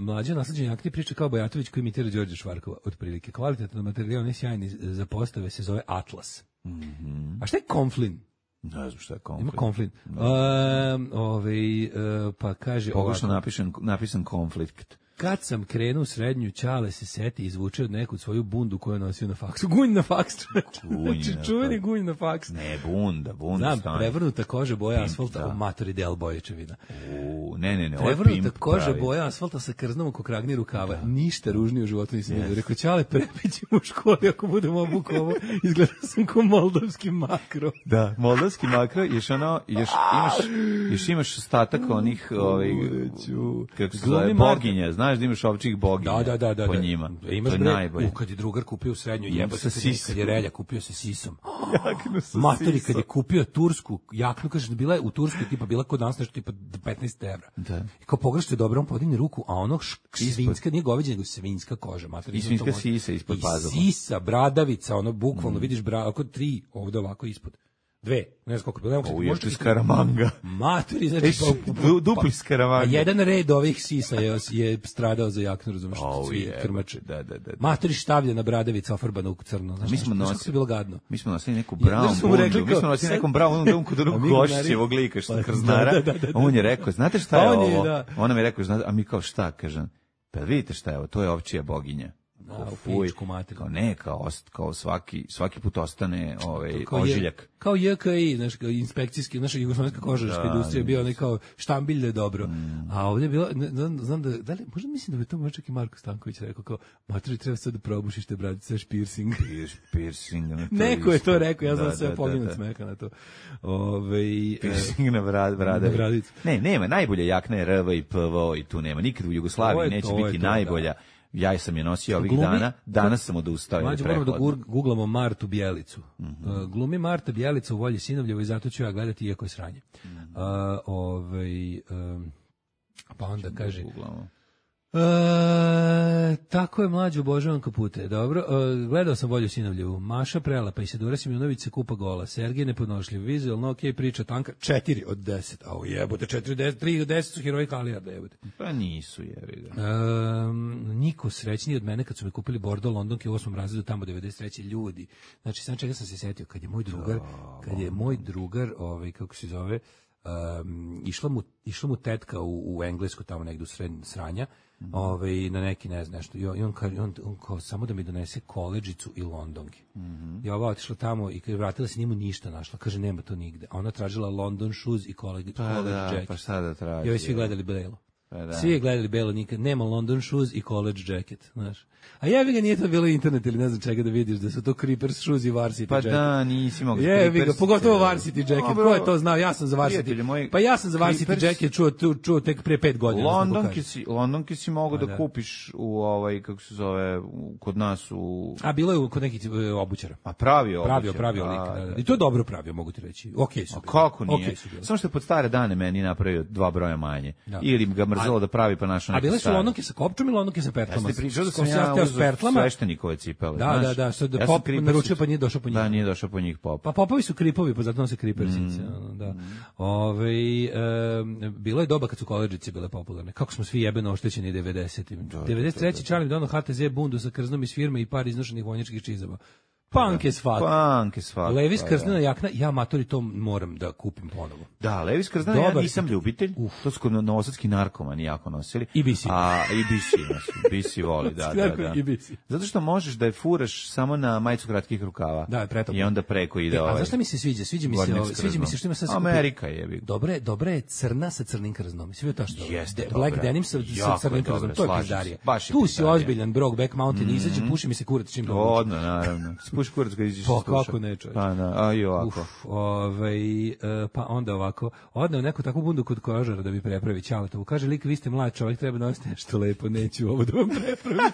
mlađa nasleđenja akti priča kao Bajatović koji imitira Đorđe Švarkova, otprilike. Kvalitetan materijal, ne sjajni za postave, se zove Atlas. Mm-hmm. A šta je Konflin? Ne znam šta je Ima konflikt. Konflin. Uh, ovaj, uh, pa kaže Pogrešno ovako. napisan, napisan konflikt. Kad sam krenuo u srednju, Ćale se seti i izvuče od neku svoju bundu koju je nosio na faksu. Gunj na faks, čoveče. Gunj Znači, na čuveni faks. gunj na faks. Ne, bunda, bunda Znam, stane. prevrnuta koža boja Pimp, asfalta, da. o matori del boječevina. U, ne, ne, ne, ovo je Prevrnuta pimp koža pravi. boja asfalta sa krznom oko kragni rukava. Ništa ružnije u životu nisam vidio. Rekao, Ćale, prepićemo u školi ako budemo obuku ovo. Izgleda sam ko moldavski makro. Da, moldavski makro, još ono, još imaš, još imaš ostatak onih, ovaj, kako se zove, Glumi Marta. boginja, znaš da imaš ovčih boginja Da, da, da, da. po da. njima. Imaš to je bre, najbolje. u, kad je drugar kupio u srednju, Ima jebote, sa kad je- sisom. kad je relja kupio sa sisom. Jaknu sa Matori, sisom. kad je kupio tursku jaknu, kaže, bila je u Turskoj, tipa, bila kod nas nešto tipa petnaest evra. Da. I kao pogrešite dobro, on podigne ruku, a ono š, svinjska, nije goveđe, nego svinjska koža. Matori, I izgleda svinjska to može- sisa ispod I pazuha. sisa, bradavica, ono, bukvalno, vidiš, bra, ako tri, ovde ovako ispod. Dve, ne znam koliko, bilo, O, još tu skaramanga. Matori, znači, Eš, du- dupli skaramanga. a jedan red ovih sisa je, je stradao za jaknu, razumiješ, O, svi jebote, krmače. da, da, da. Matori štavljena bradavica ofarbana u crno. Znaš, Mi smo znaš kako nosili- je bilo gadno. Mi smo nosili neku Ja, brown znaš što mu rekli bundu. Mi kao, smo nosili sad- nekom brown bundu kod A onog mi Gošićevog gunari- lika što Pa, krznara. da, da, da, da. On je rekao, znate šta je On je, ovo? da. On nam je rekao, znate, a mi kao šta, kažem, pa vidite šta je ovo, to je ovčija boginja. Da, Kao, u fuj, pičku materinu. kao ne, kao, ost- kao svaki, svaki put ostane ovaj, Kao je- ožiljak. Kao J K I, znaš, kao inspekcijski, naša jugoslovenska kožarska Da, industrija bio onaj kao štambilj da je dobro. A ovdje je bilo, ne, znam, znam da, da li, možda mislim da bi to možda čak i Marko Stanković rekao, kao, matori, treba sad da probušiš te bradice, piercing. Piercing. na to Neko je to ispod. rekao, ja znam Da, sve da, poginut da, da. smeka na to. Ove, e, Piercing na brad, bradavi. Na bradicu. Ne, nema, najbolja jakna je R V i P V O i tu nema. Nikad u To Jugoslaviji je neće to, je biti to, najbolja. Ja sam je nosio ovih Glumi- dana, danas sam odustao. jer je Mlađe, moramo da prehladno. gur- googlamo Martu Bjelicu. Mhm. Uh, glumi Marta Bjelica u Volji Sinovljevo i zato ću ja gledati iako je sranje. Mhm. Uh, ovaj, um, pa onda kaže... Googlamo. E, tako je, mlađe, obožavam kapute. Dobro, e, gledao sam Volju Sinovljevu. Maša prelapa, Isidora Simjonović se kupa gola. Sergej nepodnošljiv, vizualno ok, priča tanka. četiri od deset. A jebote, četiri od deset, tri od deset su heroji Kalijarda, jebote. Pa nisu, jevi ga. E, niko srećniji od mene kad su mi kupili Bordeaux Londonke u osmom razredu tamo devedeset treće ljudi. Znači, sam čega sam se setio, kad je moj drugar, kad je moj drugar, ovaj, kako se zove, um, išla, mu, išla mu tetka u, u Englesku tamo negdje u sred sranja, mm. ovaj, na neki ne znam nešto, i on, i on, kaže, on, on kao samo da mi donese koledžicu i Londonke. Mm-hmm. I ova otišla tamo i kad je vratila se, nije mu ništa našla, kaže nema to nigde. A ona tražila London shoes i college, Pa college da, jacket. pa šta da traži. I ovi svi gledali Belo. Pa da. Svi je gledali Belo, nikad nema London shoes i college jacket, znaš. A jebi ga, nije to bilo internet ili ne znam čega da vidiš da su to Creepers shoes i varsity Pa jacket. da, nisi mogu. Jebi ga, pogotovo varsity jacket. Dobro. Ko je to znao? Ja sam za Prijatelji varsity. moji, Pa ja sam za varsity Creepers- jacket čuo, čuo, čuo tek pre pet godina. ne znam kako Londonke kažem. si, Londonke si mogu Pa da da. kupiš u ovaj, kako se zove, u- kod nas u... A bilo je kod nekih e, obućara. A pravio Pravio, obućar, pravio da, lik. Da, da. da. I to je dobro pravio, mogu ti reći. Okej su. A bili. kako nije? Okej su bili. Samo što je pod stare dane meni napravio dva broja manje. Da. Ili ga mrzelo A- da pravi pa našao A neke bile su stare. Londonke sa kopčom i Londonke sa pertlama. Ja ste pričao da Ko sam si ja hteo s uzeo pertlama. sveštenikove cipele. Da, znaš? da, da, što da Ja sam pop Creepersice. naručio pa nije došao po njih. Da, nije došao po njih pop. Pa popovi su kripovi, pa zato nose kripersice. ono, da. Ove, e, bilo je doba kad su koledžice bile popularne. Kako smo svi jebeno oštećeni devedesetim. devedeset treće Charlie dono H T Z bundu sa krznom iz firme i par iznošenih vonjačkih čizama. Punk as fuck. Punk as fuck. Levis pa krznena da. jakna, ja matori to moram da kupim ponovo. Da, Levis krznena, ja Dobar. nisam ljubitelj. To su kod novosadski narkomani jako nosili. I B C. A, i B C nosi. B C voli, da, da, da. I B C. Zato što možeš da je furaš samo na majicu kratkih rukava. Da, je pretoplo. I onda preko ide E, ovaj. a zašto mi se sviđa? Sviđa mi se, gornjak ovaj, s sviđa mi se krznom. što ima sad Amerika je. Dobra je, dobra je crna sa crnim krznom. Svi to što. Jeste, De, Black dobra. denim sa, sa Jako crnim je krznom. dobra, To je slažem se. pizdarija. Baš je Tu si pizdarija. ozbiljan Brokeback Mountain, izađe, puši mi se kurac čim to. Odno, naravno. Spuši kurac kad iđeš. Pa iz duša. kako ne, čovječe. Pa na, a i ovako. Uf, ovaj, e, pa onda ovako, odneo neku takvu bundu kod kožara da bi prepravi Ćaletovu. Kaže, lik, vi ste mlad čovjek, treba nositi nešto lepo, neću ovo da vam prepravim.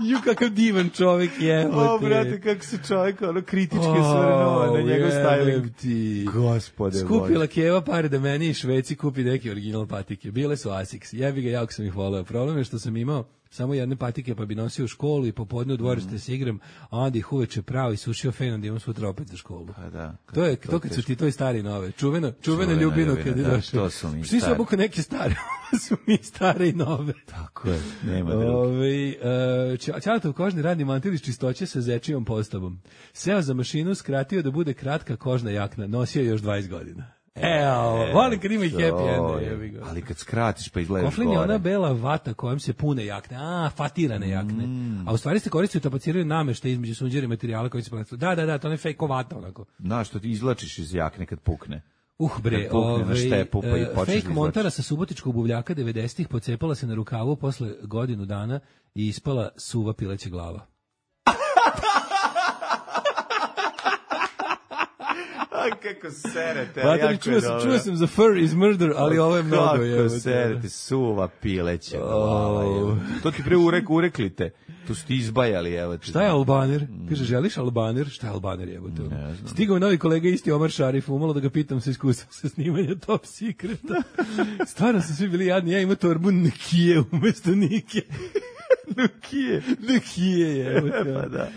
Ju, kakav divan čovjek je. O, brate, kako se čovjek ono kritički osvrnuo na njegov styling. Ti. Gospode Skupila Keva pare da meni i Šveci kupi neki original patike. Bile su Asics. Jebi ga, jako sam ih voleo. Problem je što sam imao samo jedne patike pa bi nosio u školu i popodne u dvorište se igram, a onda ih uveče prao i sušio fenom da imam sutra opet za školu. Pa da. To je to kad su ti to i stari nove. Čuveno, čuveno ljubino ljubina, kad je da, došao. to su mi Svi su stari. obuka neke stare, su mi stare i nove. Tako je, nema druge. Ove, uh, Ćaletov kožni radni mantil iz čistoće sa zečijom postavom. Seo za mašinu, skratio da bude kratka kožna jakna, nosio još dvadeset godina. Evo, volim kad ima i happy end, jebi ga. Ali kad skratiš pa izgledaš Koflin je gore. ona bela vata kojom se pune jakne, a, fatirane jakne. A u stvari se koristio tapaciraju namešta između sunđera i materijala koji se plastiraju. Da, da, da, to ne fake vata onako. Znaš, što ti izlačiš iz jakne kad pukne. Uh bre, Kad pukne na ovaj, štepu, pa i e, počneš fake da montara izvlačiš. sa subotičkog buvljaka devedesetih pocepala se na rukavu posle godinu dana i ispala suva pileća glava. A kako serete, Vatori, čuo sam, čuo sam za fur is murder, ali ovo je mnogo. Kako je, serete, suva pileća glava. evo. To ti pre urek, ureklite. Tu su ti izbajali, evo ti. Šta je Albaner? Kaže, želiš Albaner? Šta je Albaner, jebote? Stigao je novi kolega, isti Omar Šarif, umalo da ga pitam sa iskustvom sa snimanja Top Secreta. Stvarno su svi bili jadni, ja imam torbu Nikije umesto Nike. Nukije. Nikije je, evo te. Pa da.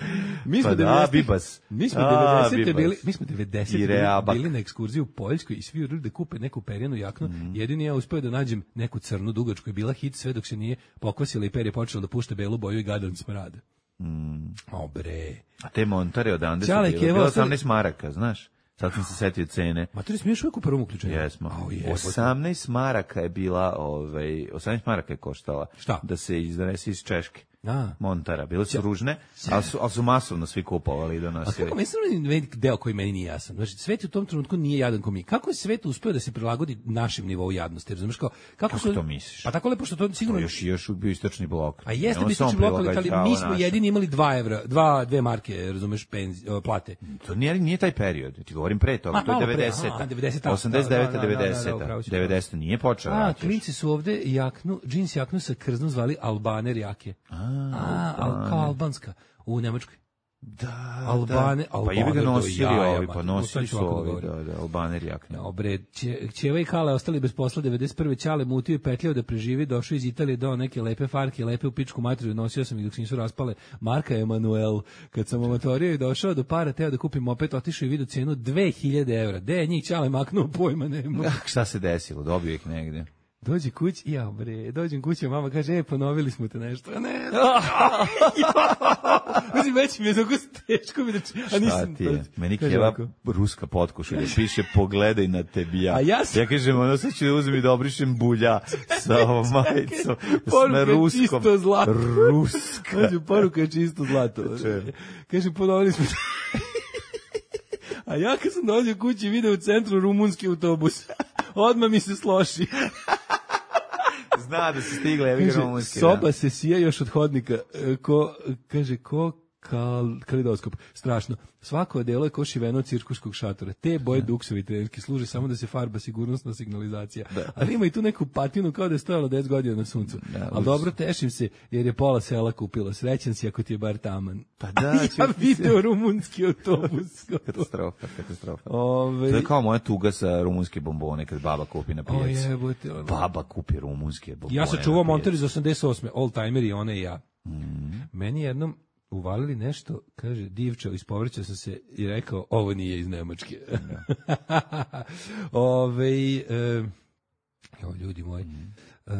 Mi smo Pa da, devedesetih Bibas. Mi smo A, devedesete Bibas. bili, mi smo devedesete I bili, Reabak. bili na ekskurziji u Poljskoj i svi urili da kupe neku perjanu jaknu. Jedini ja uspeo da nađem neku crnu dugačku, je bila hit sve dok se nije pokvasila i perje počelo da pušta belu boju i gadan smrad. Mm. O bre. A te montare odande su Ćale, bile. Keva, Bilo ostali- osamnaest maraka, znaš? Sad sam se setio cene. Ma to smiješ uvijek u prvom uključenju? Jesmo. Au, jebote. osamnaest maraka je bila, ovaj, osamnaest maraka je koštala. Šta? Da se iznese iz Češke. A. Montara. Bile su ružne, ali su, ali su masovno svi kupovali i A donosili. kako mislim deo koji meni nije jasan. Znači, svet u tom trenutku nije jadan ko mi. Kako je svet uspeo da se prilagodi našem nivou jadnosti? Razumeš kao kako, Kako su to misliš? Pa tako lepo što to To sigurno još, još bio istočni blok. A jeste Ne, bi on samo istočni blok, ali, prilagođavao ali mi smo našem. jedini imali dva evra, dva, dve marke, razumeš, penzi, o, plate. To nije, nije taj period, ti govorim pre toga, Ma, to je malo pre, devedeseta. aha, devedeseta, osamdeset deveta, da, da, da, da, da, devedeseta. upravo si. devedeseta nije počeo. A, rat još. klinci su ovde jaknu, džins jaknu sa krznom zvali Albaner jake. A, al, kao albanska, u Nemačkoj. Da, Albane, da. Pa Albaner i bi ga do nosili jaja, ovi, pa mate, nosili to sad ću su ovako da ovi, govorim. da, da, Albaner jakne. Dobre, Ćeva i Kale ostali bez posla devedeset prve. Ćale mutio i petljao da preživi, došao iz Italije, dao neke lepe farke, lepe u pičku materiju, nosio sam ih dok se nisu raspale. Marka Emanuel, kad sam omatorio i došao do para, teo da kupim opet, otišao i vidio cenu dve hiljade evra. De je njih Ćale maknuo, pojma nema. Ah, šta se desilo, dobio ih negde. Dođe kući, ja bre, dođem kući, a mama kaže, e, ponovili smo te nešto. A ne, mislim, već mi je tako teško mi da či, a Šta nisam. ti je? Meni Kaže Keva ovako. ruska potkošulja, piše pogledaj na tebi ja. A ja sam- Ja kažem, ono sad ću da uzem i da obrišem bulja sa ovom majicom. Poruka Na je ruskom. čisto zlato. Ruska. Kaže, poruka je čisto zlato. Kaže, ponovili smo. A ja kad sam dolazio kući video u centru rumunski autobus. Odmah mi se sloši. Zna da se stigle, evi Kaže, romunski. soba se sija još od hodnika. E, Ko, kaže, ko kal, kalidoskop. Strašno. Svako odelo je ko šiveno od cirkuskog šatora. Te boje duksovi trenerski služe samo da se farba sigurnosna signalizacija. Ali ima i tu neku patinu kao da je stojala deset godina na suncu. Ali dobro, tešim se jer je pola sela kupila. Srećan si ako ti je bar taman. Pa da, Ja ću- video rumunski autobus. Katastrofa, katastrofa. Ove, To je kao moja tuga sa rumunske bombone kad baba kupi na o pijaci. jebote, ono. Baba kupi rumunske bombone. Ja sam na čuvao pijaci. monter iz osamdeset osme. All timer i ona i ja. Meni jednom uvalili nešto, kaže, divčao, ispovrćao sam se i rekao, ovo nije iz Nemačke. Ove, e, jo, ljudi moji. Uh,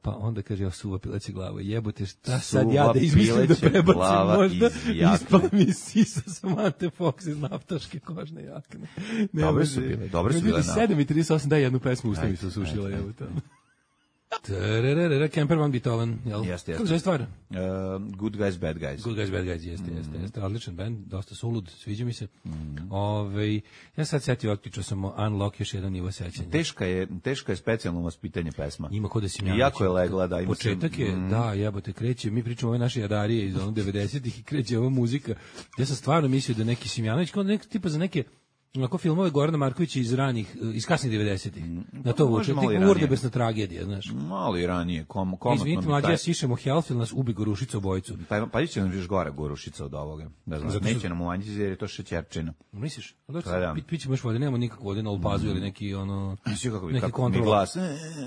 pa onda kaže, ja suva pileće glava, jebote, šta Suva sad ja da izmislim da pileće prebacim glava možda, iz jakne. ispala mi sisa Samante Fox iz naftaške kožne jakne. Ne Dobre može. su bile, dobre su Ljudi, bile. sedam i trideset osam, daj jednu pesmu, usta mi se osušila, jebote. Tararara, Kemper van Beethoven, jel? Jeste, Kako jeste. zove stvar? Uh, Good Guys, Bad Guys. Good Guys, Bad Guys, jeste, jeste, jeste. Odličan band, dosta sulud, sviđa mi se. Ove, ja sad setio, otključao sam Unlock, još jedan nivo sećanja. Teška je, teška je specijalno vaspitanje pesma. Ima kod da si I jako je legla, da. Ima Početak je, mm. da, jebote, kreće, mi pričamo ove naše jadarije iz onog devedesetih i kreće ova muzika. Ja sam stvarno mislio da neki Simjanović, kao neki tipa za neke onako filmove Gorana Markovića iz ranih, iz kasnih devedesetih. Na to vuče, tik urdebesna tragedija, znaš. Malo i ranije, kom, komotno. Izvinite, mlađe, ja sišemo Hellfield, nas ubi Gorušica obojicu. Pa, pa će nam još gore Gorušica od ovoga. Ne znam, Zato što- neće nam umanjiti jer je to šećerčina. Misliš? Pa da. Pit, pićemo još vode, nemamo nikakvu vode na Olpazu ili neki ono, Mislim kako, bi- neki kako mi kontrol. glas. E,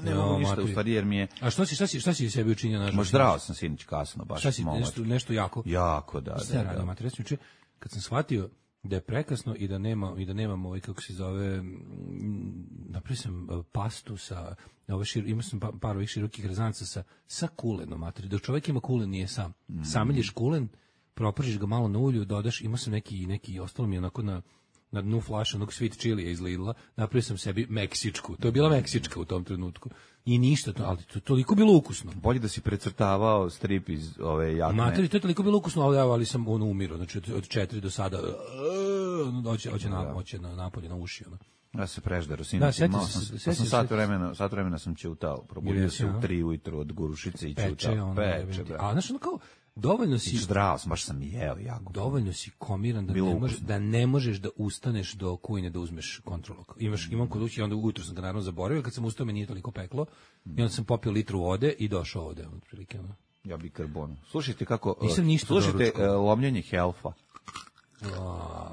ne Jo, mogu ništa, maturi. u stvari jer mi je... A što si, šta si, šta si sebi učinio nažalost? Možda zdravo sam sinić kasno, baš. Šta si, malo. nešto, nešto jako? Jako, da, Šta da, ja radim, da. mater, recimo juče, kad sam shvatio da je prekasno i da nema i da nemam ovaj kako se zove mm, napravio sam uh, pastu sa ove šir, imao sam pa, par ovih širokih rezanca sa sa kulenom, mater, dok čovjek ima kulen nije sam. Mm. Sameljiš kulen, propržiš ga malo na ulju, dodaš, imao sam neki neki ostalo mi je onako na na dnu flaša onog sweet chilija iz Lidla, napravio sam sebi meksičku. To je bila meksička u tom trenutku. I ništa, to, ali to je toliko bilo ukusno. Bolje da si precrtavao strip iz ove jakne. Materi, to je toliko bilo ukusno, ali, ali sam ono umirao, znači od, od četiri do sada, ono, hoće, hoće, na, hoće na napolje, na uši, ono. Ja se preždero, Da, sinoć, sjetio malo se- sam, sjetio pa sam se- sat vremena, sat vremena sam ćutao, probudio Jesi, se a? u tri ujutru od Gorušice i Peče, ćutao. ono, Peče, jebem ti. bre. A znaš, ono kao, dovoljno I si, zdravo sam, baš sam jeo jako. dovoljno si komiran da Bilo ne, može, ukusno. da ne možeš da ustaneš do kujne da uzmeš kontrolok. Imaš, imam kod kuće, onda ujutro sam ga naravno zaboravio, kad sam ustao me nije toliko peklo, i onda sam popio litru vode i došao ovde, otprilike, ono. Ja bi karbon. Slušajte kako... Nisam uh, ništa Slušajte doručkovao. uh, lomljenje helfa. A,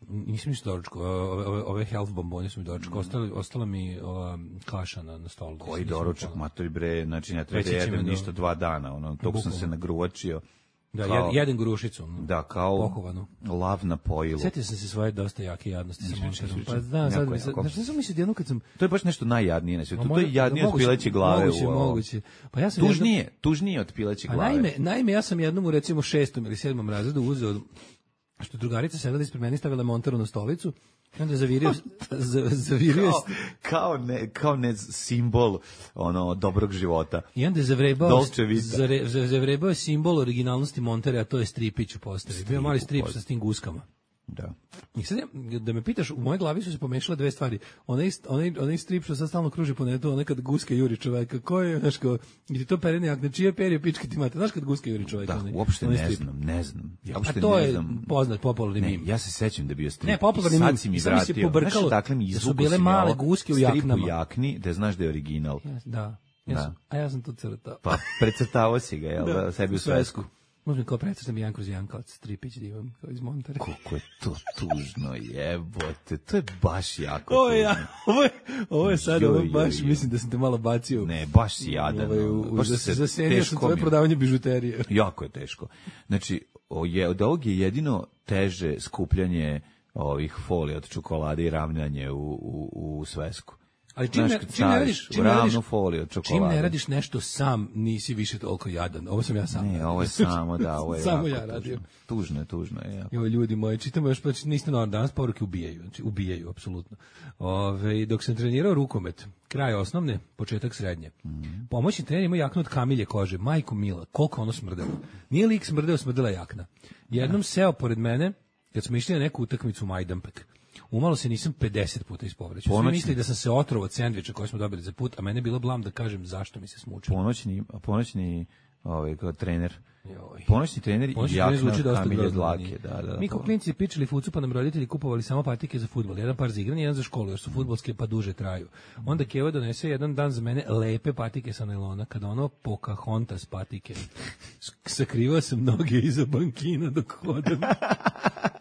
nisam ništa doručko, ove, ove, ove health bombone su mi doručko, ostala, ostala mi ova kaša na, na stolu. Koji Nisam doručak, upala. matori bre, znači ne treba Reći da će me jedem da- ništa dva dana, ono, tog sam Bukvalno. se nagruvačio. Da, kao- jed, jedan grušicu. ono. Da, kao Pohovanu. lav na pojilu. Sjetio sam se svoje dosta jake jadnosti sa Ispričaj, monterom. ispričaj. Pa znam, sad Jako, mi se, jako. znači nisam mislio da jednom kad sam... To je baš nešto najjadnije na svijetu. Ma To možda- je jadnije od moguće- pileće glave. Moguće, u ovo. moguće. Pa ja sam Tužnije, tužnije od pileće jednom, a glave. naime, naime, ja sam jednom u recimo šestom ili sedmom razredu uzeo, što drugarica sedela ispred mene, stavila monteru na stolicu, i onda zavirio, za- zavirio, Kao, kao, ne, kao ne simbol ono dobrog života. i onda je zavrebao, Dolce Vita. zare- za- zavrebao je simbol originalnosti Montere, a to je stripić u postavi. Bio mali strip postavi. sa s tim guskama. Da. I sad ja, da me pitaš, u mojoj glavi su se pomešale dve stvari. Onaj, onaj, onaj strip što sad stalno kruži po netu, onaj kad guska juri čoveka, ko je, znaš kao, i ti to perene jakne, čije perje pičke ti mate, znaš kad guska juri čoveka? Da, onaj- uopšte onaj ne strip? znam, ne znam. Ja A uopšte to ne je znam. poznat, popularni Ne, mim. ja se sećam da je bio strip. Ne, popularni I sad mim. si mi Sad mi se vratio. pobrkalo Znaš, dakle mi da su izvukao bile si mi male ovo, guske u strip jaknama. u jakni, da znaš da je original. Ja, da, ja Da. sam, a ja sam to crtao. Pa precrtavao si ga, jel da, sebi u svesku. Možda mi kao predstavljam Jan kroz Jankovac, stripić divan, kao iz Montere. Koliko je to tužno, jebote. To je baš jako Ovo tužno. je, ja, ovo je, ovo je sad, Joj, ovo joj, baš, joj. mislim da sam te malo bacio. Ne, baš si jadan. Ovaj, u, ono, u, baš za, se zasenio sam teško tvoje mi- prodavanje bižuterije. Jako je teško. Znači, o, je, od ovog je jedino teže skupljanje ovih folija od čokolade i ravnjanje u, u, u svesku. Ali čim Znaš, ne, kad čim ne staviš radiš, u čim ne ravnu radiš, foliju od čim čokolade. ne radiš nešto sam, nisi više toliko jadan. Ovo sam ja sam. Ne, ovo je samo, da, ovo je Samo jako ja radim. tužno. Tužno je, tužno je. Jako. Jo, ljudi moji, čitamo još, pa niste normalno, danas poruke ubijaju, znači ubijaju, apsolutno. Ove, dok sam trenirao rukomet, kraj osnovne, početak srednje, Mhm. pomoćni trener ima jaknu od kamilje kože, majko mila, koliko ono smrdelo. Nije lik smrdeo, smrdela jakna. Jednom seo pored mene, kad smo išli na neku utakmicu u Majdanpek, umalo se nisam pedeset puta ispovrećao. Svi Ponoćni- mislili da sam se otrovao od sendviča koje smo dobili za put, a mene je bilo blam da kažem zašto mi se smučilo. Ponoćni, ponoćni ovaj, kao trener. Joj. Ponoćni trener Ponoćni i trener jakna zvuči od dosta kamilje grozno. dlake. Da, da, Mi kao to- klinci pičili fucu, pa nam roditelji kupovali samo patike za fudbal. Jedan par za igranje, jedan za školu, jer su fudbalske pa duže traju. Onda Keva donese jedan dan za mene lepe patike sa nailona, kada ono Pocahontas patike. S- Sakrivao sam noge iza bankina dok hodam.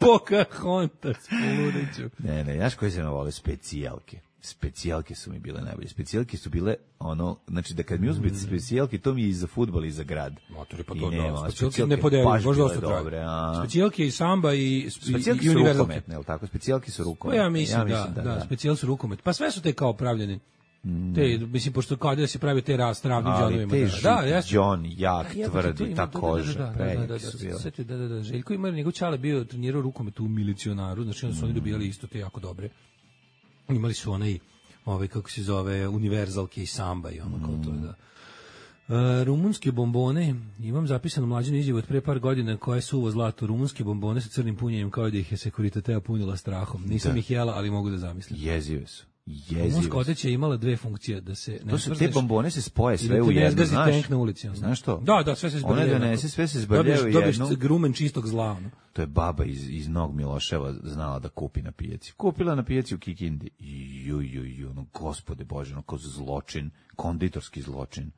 Pocahontas, poludeću. Ne, ne, znaš koji se me vole? Specijalke. Specijalke su mi bile najbolje. Specijalke su bile ono, znači da kad mi uzmete specijalke, to mi je i za fudbal i za grad. Motori, pa I to nema, da, specijalke ne podelju, baš baš bile dosta traju. dobre, a- Specijalke i samba i, i, Specijalke i su univerzalke. rukometne, je li tako? Specijalke su Pa rukometne. ja mislim, da, da, da. specijal su rukomet. Pa sve su te kao pravljene. Te, mislim, pošto kao da se pravi te rastravnim Ali džonovima. te Da, žuti da, ja sam- džon, jak, A jebote, to tvrdi, ima- ta da, da, koža, da, da, da, prejak da, da, su da, bili. setio, da, da, da. Željko ima, njegov čale bio trenirao rukomet u milicionaru, znači onda su oni dobijali isto te jako dobre. Imali su onaj, ovaj, kako se zove, univerzalke i samba i ono kao to, da. E, rumunske bombone, imam zapisano mlađenu izjavu od pre par godina koja je suvo zlato, rumunske bombone sa crnim punjenjem kao da ih je Securitatea punila strahom. Nisam Da. ih jela, ali mogu da zamislim. Jezive su. Jezive Rumunska su. odeća je imala dve funkcije, da se ne To su te smrzneš bombone se spoje i sve da u te ne jedno, zgazi znaš? tank na ulici. ono. Znaš to? Da, da, sve se One zbrljaju. donese, onako. sve se zbrljaju Dobiješ- dobiješ jednu. grumen čistog zla. ono. To je baba iz, iz Nog Miloševa znala da kupi na pijaci. Kupila na pijaci u Kikindi. Ju, ju, ju, ono, gospode Bože, ono, kao zločin, konditorski zločin.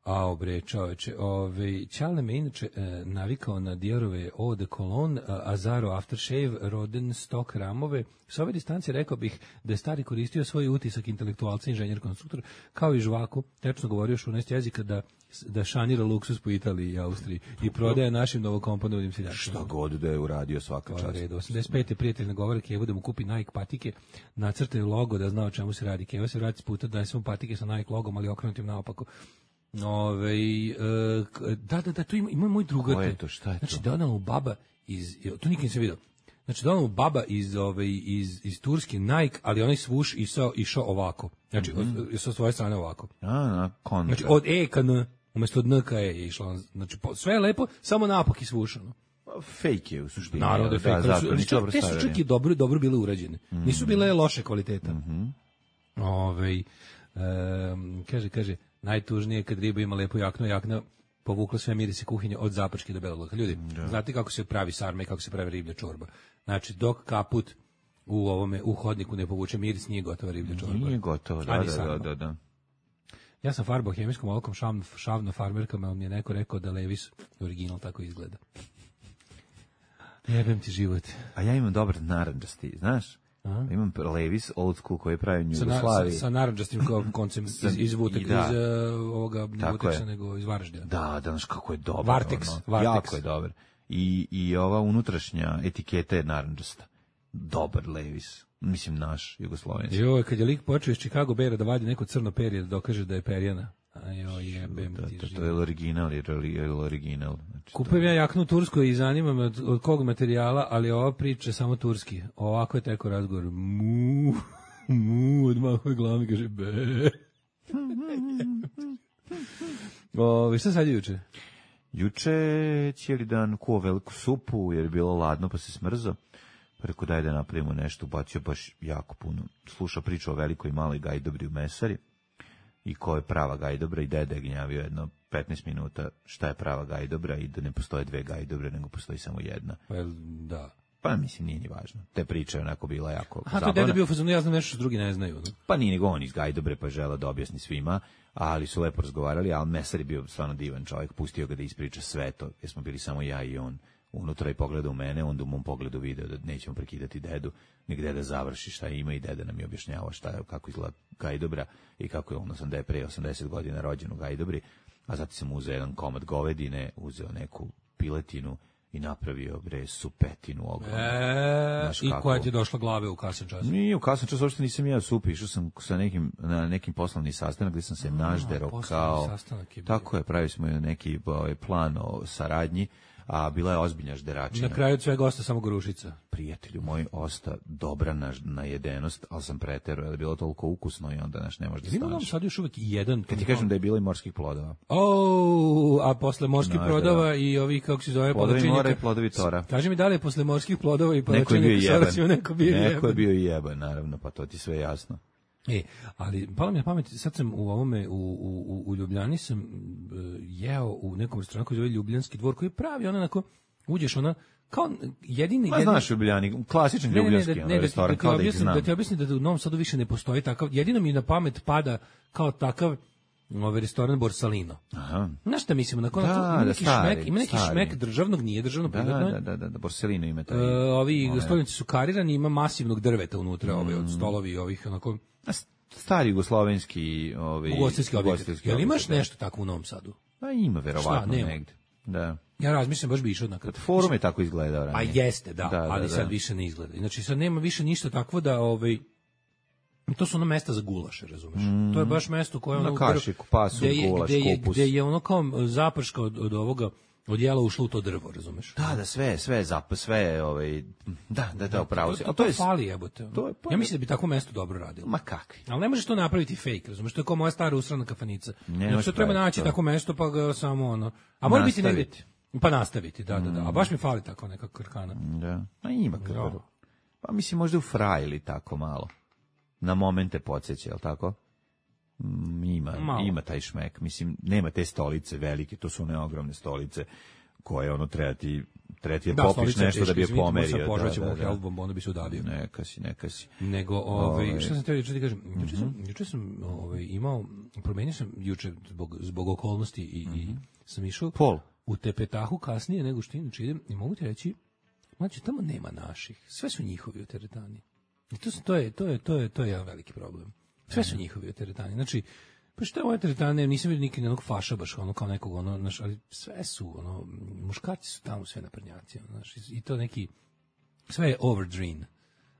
A bre, čoveče, ovaj Ćale me inače e, navikao na Diorove Eau de Cologne, a, Azaro Aftershave, Rodenstock ramove. S ove distancije rekao bih da je stari koristio svoj utisak intelektualca, inženjer, konstruktor, kao i žvaku, tečno govorio šunaest jezika da da šanira luksuz po Italiji i Austriji i prodaje našim novokomponovanim seljačima. Šta god da je uradio svaka To je čast. red. osamdeset pete prijatelj nagovara Kevu da mu kupi Nike patike, nacrtaju logo da zna o čemu se radi. Keva se vrati s puta da mu patike sa Nike logom, ali okrenutim naopako. Ove, e, k- da, da, da, to ima, ima moj drugar. Ko je to? Šta je znači, to? donala mu baba iz, to nikad nisam vidio. Znači, donala mu baba iz, ove, iz, iz Turske Nike, ali onaj svuš išao, išao ovako. Znači, mm -hmm. od, sa svoje strane ovako. A, na, kontra. Znači, od E ka N, umjesto od N ka E je išlo. Znači, po, sve je lepo, samo napak i svušano. Fake je u suštini. Naravno da je fake, ali zato, su- nisu ali dobro te su stavljeni. čak i dobro, dobro bile urađene. Mhm. Nisu bile loše kvaliteta. Ovaj, em, kaže, kaže, najtužnije je kad riba ima lepu jaknu, jakna povukla sve mirise kuhinje od Zapačke do Belog Luka. Ljudi, znate kako se pravi sarma i kako se pravi riblja čorba? Znači, dok kaput u ovome u hodniku ne povuče miris, nije gotova riblja čorba. Nije gotovo, da, A ni da, sarma. da, da, da. Ja sam farbao hemijskom olovkom šavno, šavno farmerkama, ali mi je neko rekao da Levis original tako izgleda. Jebem ti život. A ja imam dobar narandžasti, znaš? Imam Levis old school koji pravi u Sa, na, Jugoslaviji. sa, sa narandžastim ko- koncem iz, iz, Vutek, I da. iz uh, ovoga, ne Tako Vuteksa, je. nego iz Varaždina. Da, da, znaš kako je dobar. Vartex, ono. Vartex. Jako je dobar. I, I ova unutrašnja etiketa je narandžasta. Dobar Levis. Mislim, naš, jugoslovenski. Joj, kad je lik počeo iz Chicago Beara da vadi neko crno perje da dokaže da je perjana. A joj, jebem Da, ti to, to život. je original, je je original. Znači, to- Kupujem ja jaknu u Turskoj i zanima me od, od kog materijala, ali ova priča je samo turski. Ovako je teko razgovor. Mu, mu, odmah je glavi, kaže be. O, šta sad je juče? Juče cijeli dan kuo veliku supu jer je bilo ladno pa se smrzo. Pa rekao daj da napravimo nešto, ubacio baš jako puno. Sluša priču o velikoj i maloj gajdobri u mesari i ko je prava gajdobra i dede je gnjavio jedno petnaest minuta šta je prava gajdobra i da ne postoje dve gajdobre nego postoji samo jedna. Pa, jel, da. Pa mislim nije ni važno. Te priče je onako bila jako A to je zabavna. deda bio u fazonu, ja znam nešto što drugi ne znaju. No? Pa nije nego on iz Gajdobre pa žela da objasni svima, ali su lepo razgovarali, ali mesar je bio stvarno divan čovjek, pustio ga da ispriča sve to, jer smo bili samo ja i on unutra i pogledao u mene, onda u mom pogledu video da nećemo prekidati dedu, nek deda završi šta ima i deda nam je objašnjavao šta je, kako izgleda Gajdobra i kako je on da je pre osamdeset godina rođen u Gajdobri, a zatim sam uzeo jedan komad govedine, uzeo neku piletinu i napravio bre supetinu ogromnu. E, Znaš i kako? koja ti je došla glave u kasan čas? Nije, u kasnom času uopšte nisam ja supi, išao sam sa nekim, na nekim poslovni sastanak gdje sam se naždero poslovni kao... sastanak je bio. Tako je, pravili smo neki ovaj, plan o saradnji, a bila je ozbiljna žderačina. Na kraju od svega osta samo Gorušica. Prijatelju moj, osta dobra na, na jedenost, ali sam preterao, jer je bilo toliko ukusno i onda naš ne može da Ima nam staneš. sad još uvijek jedan. Kad ti kažem da je bilo i morskih plodova. O, a posle morskih Znaš, plodova da. i ovih, kako se zove, Plodovi palačinjaka. mora i plodovi tora. Kaži mi da li je posle morskih plodova i Neko je bio palačinjaka jeban. Saraciju neko bio jeban. Neko je bio i jeban, naravno, pa to ti sve jasno. E, ali palo mi na pamet, sad sam u ovome, u, u, u Ljubljani sam uh, jeo u nekom restoranu koji zove Ljubljanski dvor, koji je pravi, ono onako, uđeš ona, kao jedini... Ma jedini znaš Ljubljani, klasičan Ne, ne, ne, ljubljanski da, ono, ne, da, ti- restoran, da, ti kao da ih objasnim, znam. da ti objasnim da u Novom Sadu više ne postoji takav, jedino mi na pamet pada kao takav ovaj restoran Borsalino. Aha. Znaš šta mislimo, na Da, ima da, neki stari, šmek, ima neki stari. šmek državnog, nije državno, Da, privatno je. da, da, da, da, Borsellino ima taj. E, ovi moment. stolnici su karirani, ima masivnog drveta unutra, ovaj, Mm. od stolovi i ovih, onako, A s- stari jugoslovenski ovaj ugostiteljski objekat. ugostiteljski Jel imaš objekat, da. nešto tako u Novom Sadu? Pa ima verovatno Šta, nema? negde. Da. Ja razmišljam, baš bi išao na kad. Forum je tako izgledao Pa ranije. jeste, da, Da, da, ali da. sad više ne izgleda. Znači sad nema više ništa takvo da ovaj To su ono mesta za gulaše, razumeš? Mm. To je baš mesto koje ono... Na kašiku, pasu, gde je, gulaš, gde je, kupus. gde je ono kao zaprška od, od ovoga, od jela ušlo u to drvo, razumeš? Da, da, sve, sve, zap, sve, ovaj, da, da, da, upravo se. To, to, to, to je fali, jebote. To je, pa, ja mislim da bi tako mesto dobro radilo. Ma kakvi? Ali ne možeš to napraviti fake, razumeš? To je kao moja stara usrana kafanica. Ne, znači, treba naći to. Tako mesto, pa ga samo ono... A mora biti negdje... Pa nastaviti, da, da, da. A baš mi fali tako neka krkana. Da, a ima krkana. Pa mislim možda u Fra ili tako malo. Na momente podsjeća, jel tako? Ima, malo. Ima taj šmek. Mislim, nema te stolice velike, to su one ogromne stolice koje ono treba ti, treba ti je da, popiš nešto teški, da bi je pomerio. Da, požvaćemo da, da. Helbom, onda bi se udavio. Neka si, neka si. Nego, ovaj, ove... šta sam teo juče ti kažem, juče mm-hmm. sam, juče sam ovaj, imao, promenio sam juče zbog, zbog okolnosti i, mm-hmm. i sam išao Pol. u Tepetahu kasnije nego što inače idem i mogu ti reći, znači tamo nema naših, sve su njihovi u teretani. I to, to, je, to, je, to, je, to je jedan veliki problem. Sve su njihovi u teretani. Znači, pa što je ove teretane, nisam vidio nikad jednog faša baš ono kao nekog, ono, znaš, ali sve su, ono, muškarci su tamo sve naprednjaci, ono, znaš, i to neki, sve je overdream.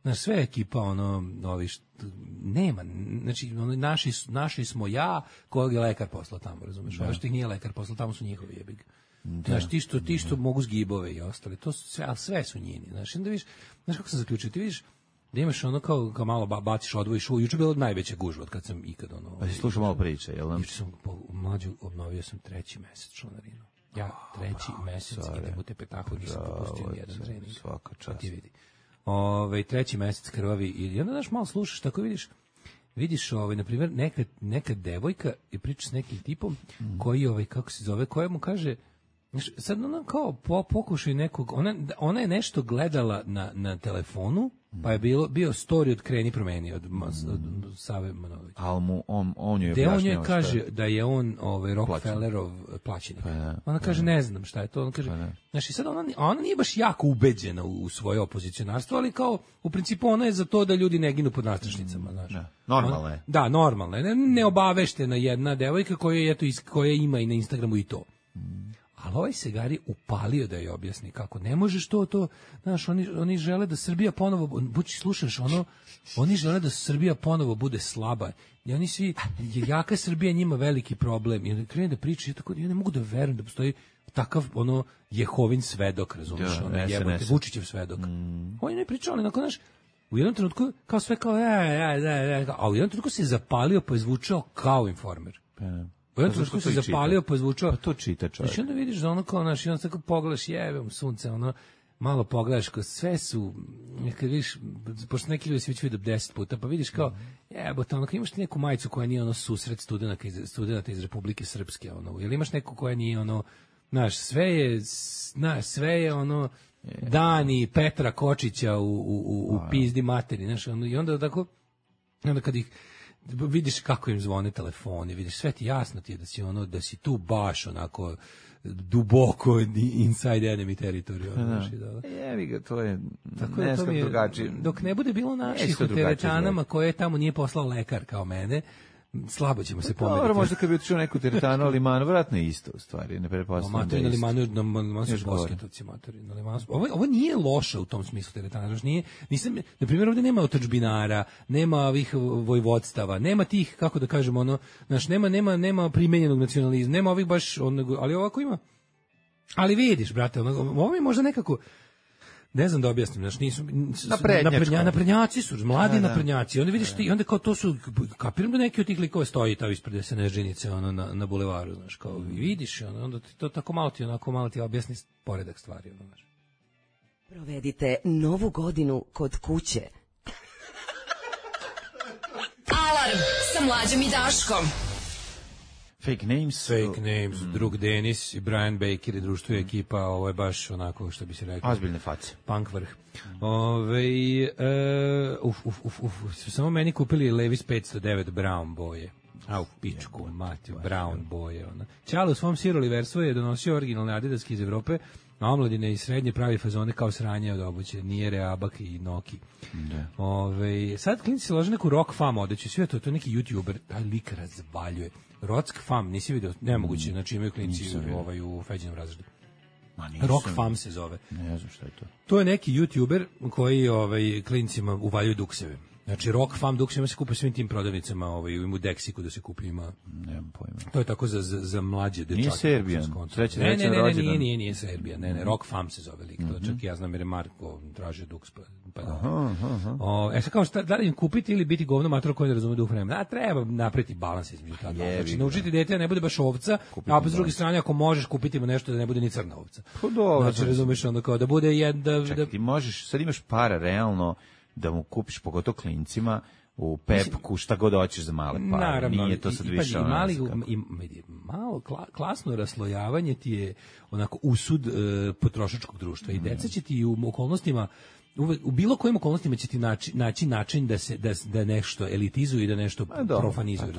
Znaš, sve je ekipa, ono, ovi, što, nema, znači, ono, naši, naši smo ja, kojeg je lekar poslao tamo, razumeš, ovo što ih nije lekar poslao, tamo su njihovi jebig. Da. Znaš, ti što, ti što mogu zgibove i ostali, to su sve, ali sve su njeni, znaš, onda vidiš, znaš kako sam zaključio, ti vidiš, da imaš ono kao, kao malo baciš, odvojiš u, juče bilo najveća gužva od kad sam ikad ono... Pa si slušao malo priče, jel nam? Juče sam, mlađu, obnovio sam treći mesec članarinu. Ja treći oh, mesec idem u Tepetahu, nisam propustio nijedan trening. Svaka čast. Ti vidi. Ove, treći mesec krvavi i onda daš malo slušaš, tako vidiš, vidiš, ovaj, na primjer, neka, neka devojka i priča s nekim tipom mm. koji, ovaj, kako se zove, koja mu kaže, sad ona kao po, pokušaj nekog, ona, ona je nešto gledala na, na telefonu, pa je bilo, bio story od Kreni promeni od, od, od Save Manovića. Ali mu on, on je objašnjao on je kaže je... da je on ovaj, Rockefellerov plaćenik. Pa da, ona kaže pa ne znam šta je to. Ona kaže, pa znači sad ona, ona nije baš jako ubeđena u, u svoje opozicionarstvo, ali kao u principu ona je za to da ljudi ne ginu pod nastrašnicama. Znaš. Da, normalno je. Da, normalno je. Ne, neobaveštena jedna devojka koja, je, eto, koja ima i na Instagramu i to. Mm. Ali ovaj Segari upalio da je objasni kako ne možeš to, to, znaš, oni, oni žele da Srbija ponovo, bući slušaš, ono, oni žele da Srbija ponovo bude slaba. I oni svi, jaka Srbija njima veliki problem. I onda krene da priča, ja, tako, ja ne mogu da verujem da postoji takav, ono, Jehovin svedok, razumiješ, ono, jebote, Vučićev svedok. Mm. Oni ne pričali, onako, znaš, u jednom trenutku, kao sve kao, ja, ja, ja, ja, a u jednom trenutku se zapalio pa je zvučao kao Informer. Pa u jednom trenutku se zapalio pa je zvučao. Pa to čita čovjek. Znači onda vidiš da ono kao, znaš, i onda tako pogledaš, jebem sunce, ono, malo pogledaš, kao sve su, kad vidiš, pošto neki ljudi se već vidio deset puta, pa vidiš kao, jebote, ono, kao imaš ti neku majicu koja nije ono susret studenta iz, studenta iz Republike Srpske, ono, ili imaš neku koja nije ono, znaš, sve je, znaš, sve je ono, Dani Petra Kočića u, u, u, u pizdi materi, znaš, ono, i onda tako, onda kad ih, vidiš kako im zvone telefoni, vidiš, sve ti jasno ti je da si ono, da si tu baš onako duboko inside enemy territory. Ono, da. Jevi ga, to je tako je, to mi je, drugačije. Dok ne bude bilo naših u teretanama koje tamo nije poslao lekar kao mene, slabo ćemo se pomeriti. Dobro, možda kad bi otišao neku teretanu, ali man, vratno je isto u stvari, ne prepostavljam da je isto. Limanu, na limanu su bosketovci, matori, na limanu. Ovo, ovo nije loše u tom smislu teretana, znači nije, nisam, na primjer, ovdje nema otadžbinara, nema ovih vojvodstava, nema tih, kako da kažemo, ono, znači, nema, nema, nema primenjenog nacionalizma, nema ovih baš, onog, ali ovako ima. Ali vidiš, brate, ono, ovo mi možda nekako, ne znam da objasnim, znači nisu naprednja, naprednjaci su, mladi da, naprednjaci. Onda vidiš ti, onda kao to su, kapiram da neki od tih likova stoji tamo ispred Snežinice, ono na na bulevaru, znaš, kao i vidiš, ono, onda ti to tako malo ti onako malo ti objasni poredak stvari, ono, znaš. Provedite novu godinu kod kuće. Alarm sa Mlađom i Daškom. Fake names. Fake names, mm. drug Denis i Brian Baker i društvo i ekipa, ovo je baš onako, što bi se rekao. Ozbiljne face. Punk vrh. Ove, e, uf, uf, uf, uf, su samo meni kupili Levi's petsto devet Brown boje. A u pičku, matiju, Brown boje. Ona. Ćalo u svom Sir Oliversu je donosio originalne adidaske iz Evrope, a omladine i srednje pravi fazone kao sranje od obuće, nije Reabak i Noki. Da. Ove, sad klinci se lože neku rock fam odeću, sve to, to je neki youtuber, taj lik razvaljuje. Rock fam, nisi vidio, nemoguće, znači imaju klinci ovaj, u feđenom razredu. Rock fam se zove. Ne znam šta je to. To je neki youtuber koji ovaj, klincima uvaljuje dukseve. Znači, Rock Fam Dux ima se kupi svim tim prodavnicama, ovaj, ima u Deksiku da se kupi, ima. Nemam pojma. To je tako za, za, za mlađe dečake. Nije Serbijan. Srećan, ne, ne, ne, ne, nije, nije, nije Serbijan. Ne, ne, Rock Fam se zove lik. To čak ja znam jer je Marko tražio Dux. Pa, pa da. Aha, aha. O, e sad kao šta, da li im kupiti ili biti govno mator koji ne razume duh vremena? A treba napraviti balans između ta dva. Znači, naučiti dete da ne bude baš ovca, kupiti a po s druge strane, ako možeš kupiti mu nešto da ne bude ni crna ovca. Pa dobro. Znači, razumeš onda kao da bude jedna... Čekaj, da... ti možeš, sad imaš para realno da mu kupiš, pogotovo klincima, u Pepku, šta god hoćeš za male pare. Naravno, nije to sad i, više i, ono, mali, kako. i, i, malo kla, klasno raslojavanje ti je onako usud e, potrošačkog društva i deca će ti u okolnostima Uve, u bilo kojim okolnostima će ti naći, naći način da se da, da nešto elitizuju i da nešto do, profanizuju.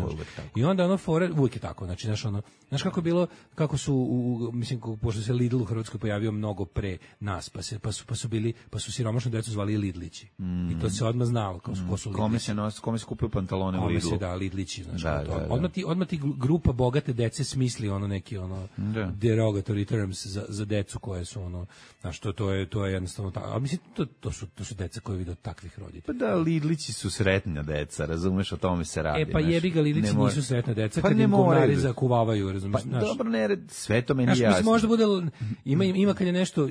I onda ono fore uvijek je tako, znači znaš ono, znaš kako je bilo, kako su u, mislim pošto se Lidl u Hrvatskoj pojavio mnogo pre nas, pa se pa su pa su bili pa su siromašnu decu zvali Lidlići. Mm. I to se odmah znalo kao su ko su Lidlići. Kome se nos, kome se kupio pantalone u Lidlu. Se da Lidlići, znači da, to. Da, da. Odmah ti odmah ti grupa bogate dece smisli ono neki ono da. derogatory terms za za decu koje su ono, znači to to je to je jednostavno tako. A mislim to to su to su deca koje vide od takvih roditelja. Pa da, Lidlići su sretna deca, razumeš, o tome se radi. E pa jebi ga, Lidlići mora... nisu sretna deca, pa kad im govnari zakuvavaju, razumeš. Pa dobro, ne, sve to meni znaš, jasno. Mislim, možda bude, ima, ima kad je nešto,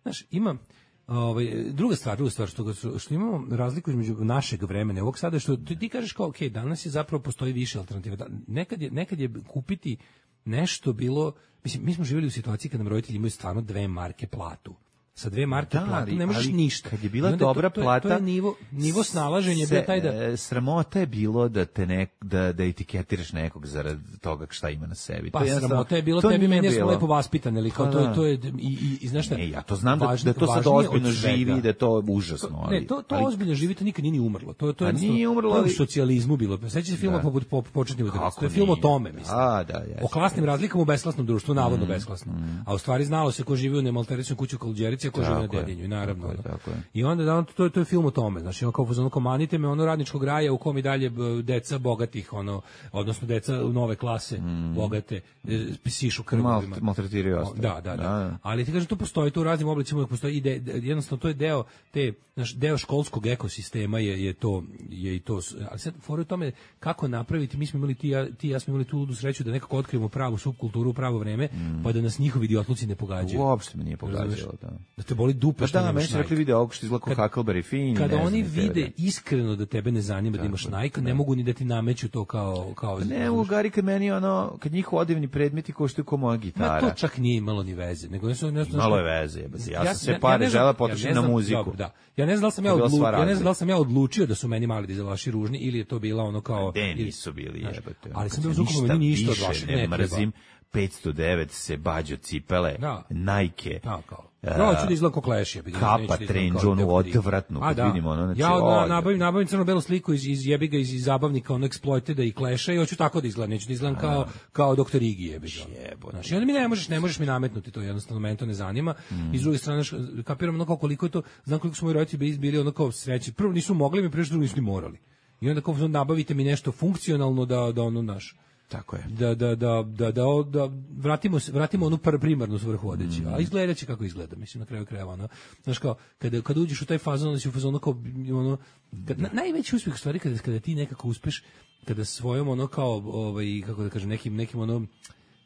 znaš, ima, ovaj, druga stvar, druga stvar, što, što imamo razliku između našeg vremena, ovog sada, što ti, ti kažeš kao, ok, danas je zapravo postoji više alternativa. Da, nekad, je, nekad je kupiti nešto bilo, mislim, mi smo živjeli u situaciji kad nam roditelji imaju stvarno dve marke platu. Sa dve marke da, platu ne možeš ništa. Kad je bila dobra to, to, plata, to je nivo, nivo snalaženja se, bio taj da... Sramota je bilo da te ne, da, da etiketiraš nekog zarad toga šta ima na sebi. Pa to je sramota je bilo, tebi meni smo lepo vaspitani, ali kao pa, to, to je, i, i, i znaš šta... Ne, ja to znam da, da to sad ozbiljno živi, da je to užasno. Ali, ne, to, to ali, ozbiljno živi, to nikad nije ni umrlo. To, to je nije umrlo, ali... ali... u socijalizmu bilo. Sećate se filma poput po, početni udarac. To je film o tome, mislim. A, da, jes, o klasnim razlikama u besklasnom društvu, navodno mm, besklasnom. Mm. A u stvari znalo se ko živi u nemalteričnoj kući u Kaluđerici, a ko živi na Dedinju. Naravno. Tako je, tako je. I onda da on to to je film o tome, znači on kao fuzon komanite me ono radničkog raja u kom i dalje deca bogatih ono odnosno deca nove klase mm. bogate sišu krvovima. Maltretiraju ostale. Da, da, da, da. Ali ti kažeš to postoji to u raznim oblicima, postoji ide jednostavno to je deo te naš deo školskog ekosistema je je to je i to. Ali sad fora u tome kako napraviti, mi smo imali ti ja, ti ja smo imali tu ludu sreću da nekako otkrijemo pravu supkulturu u pravo vreme, mm. pa da nas njihovi idiotluci ne pogađaju. Uopšte me nije pogađalo, da. Da te boli dupe što nemaš Nike. Rekli video ovog što izgleda kao Huckleberry Finn. Kada ne oni znam, vide iskreno da tebe ne zanima da imaš Nike, ne mogu ni da ti nameću to kao... kao ne, u Gari kad meni ono, kad njih odevni predmeti koštaju kao moja gitara. Ma to čak nije imalo ni veze. Nego ne, ne, malo je veze, jebati. Ja, ja sam sve pare ja žela potrošiti ja na muziku. Dobro, da. Ja ne znam da sam ja, odlu, ja ne znam da sam ja odlučio da su meni mali dizelaši ružni ili je to bila ono kao... De nisu bili, jebate. Ali sam bio zvukom, meni ništa od vašeg ne mrzim. petsto devet se bađo cipele, da. Nike. Da, kao. No, ću da izgleda kao Clash, jebi ga. Kapa trenđu, onu odvratnu, kad da. vidimo ono, znači... Ja na, nabavim, nabavim crno-belu sliku iz, iz jebi ga, iz, iz zabavnika, ono Exploiteda i Clasha i hoću tako da izgledam, neću da izgledam kao, kao doktor Igi, jebi ga. Znači, onda mi ne možeš, ne možeš mi nametnuti to, jednostavno, meni to ne zanima. Mm. I s druge strane, kapiram ono kao koliko je to, znam koliko su moji roditelji bili ono kao sreći. Prvo nisu mogli mi, prvo što nisu ni morali. I onda kao nabavite mi nešto funkcionalno da, da ono naš... Tako je. Da da da da da, da vratimo se vratimo onu primarnu svrhu odeći. Mm. A izgledaće kako izgleda, mislim na kraju krajeva, ono. Znaš kao kada kad uđeš u taj fazon, onda si u fazonu kao ono kad, na, najveći uspjeh stvari kada kada ti nekako uspeš, kada svojom ono kao ovaj kako da kažem nekim nekim ono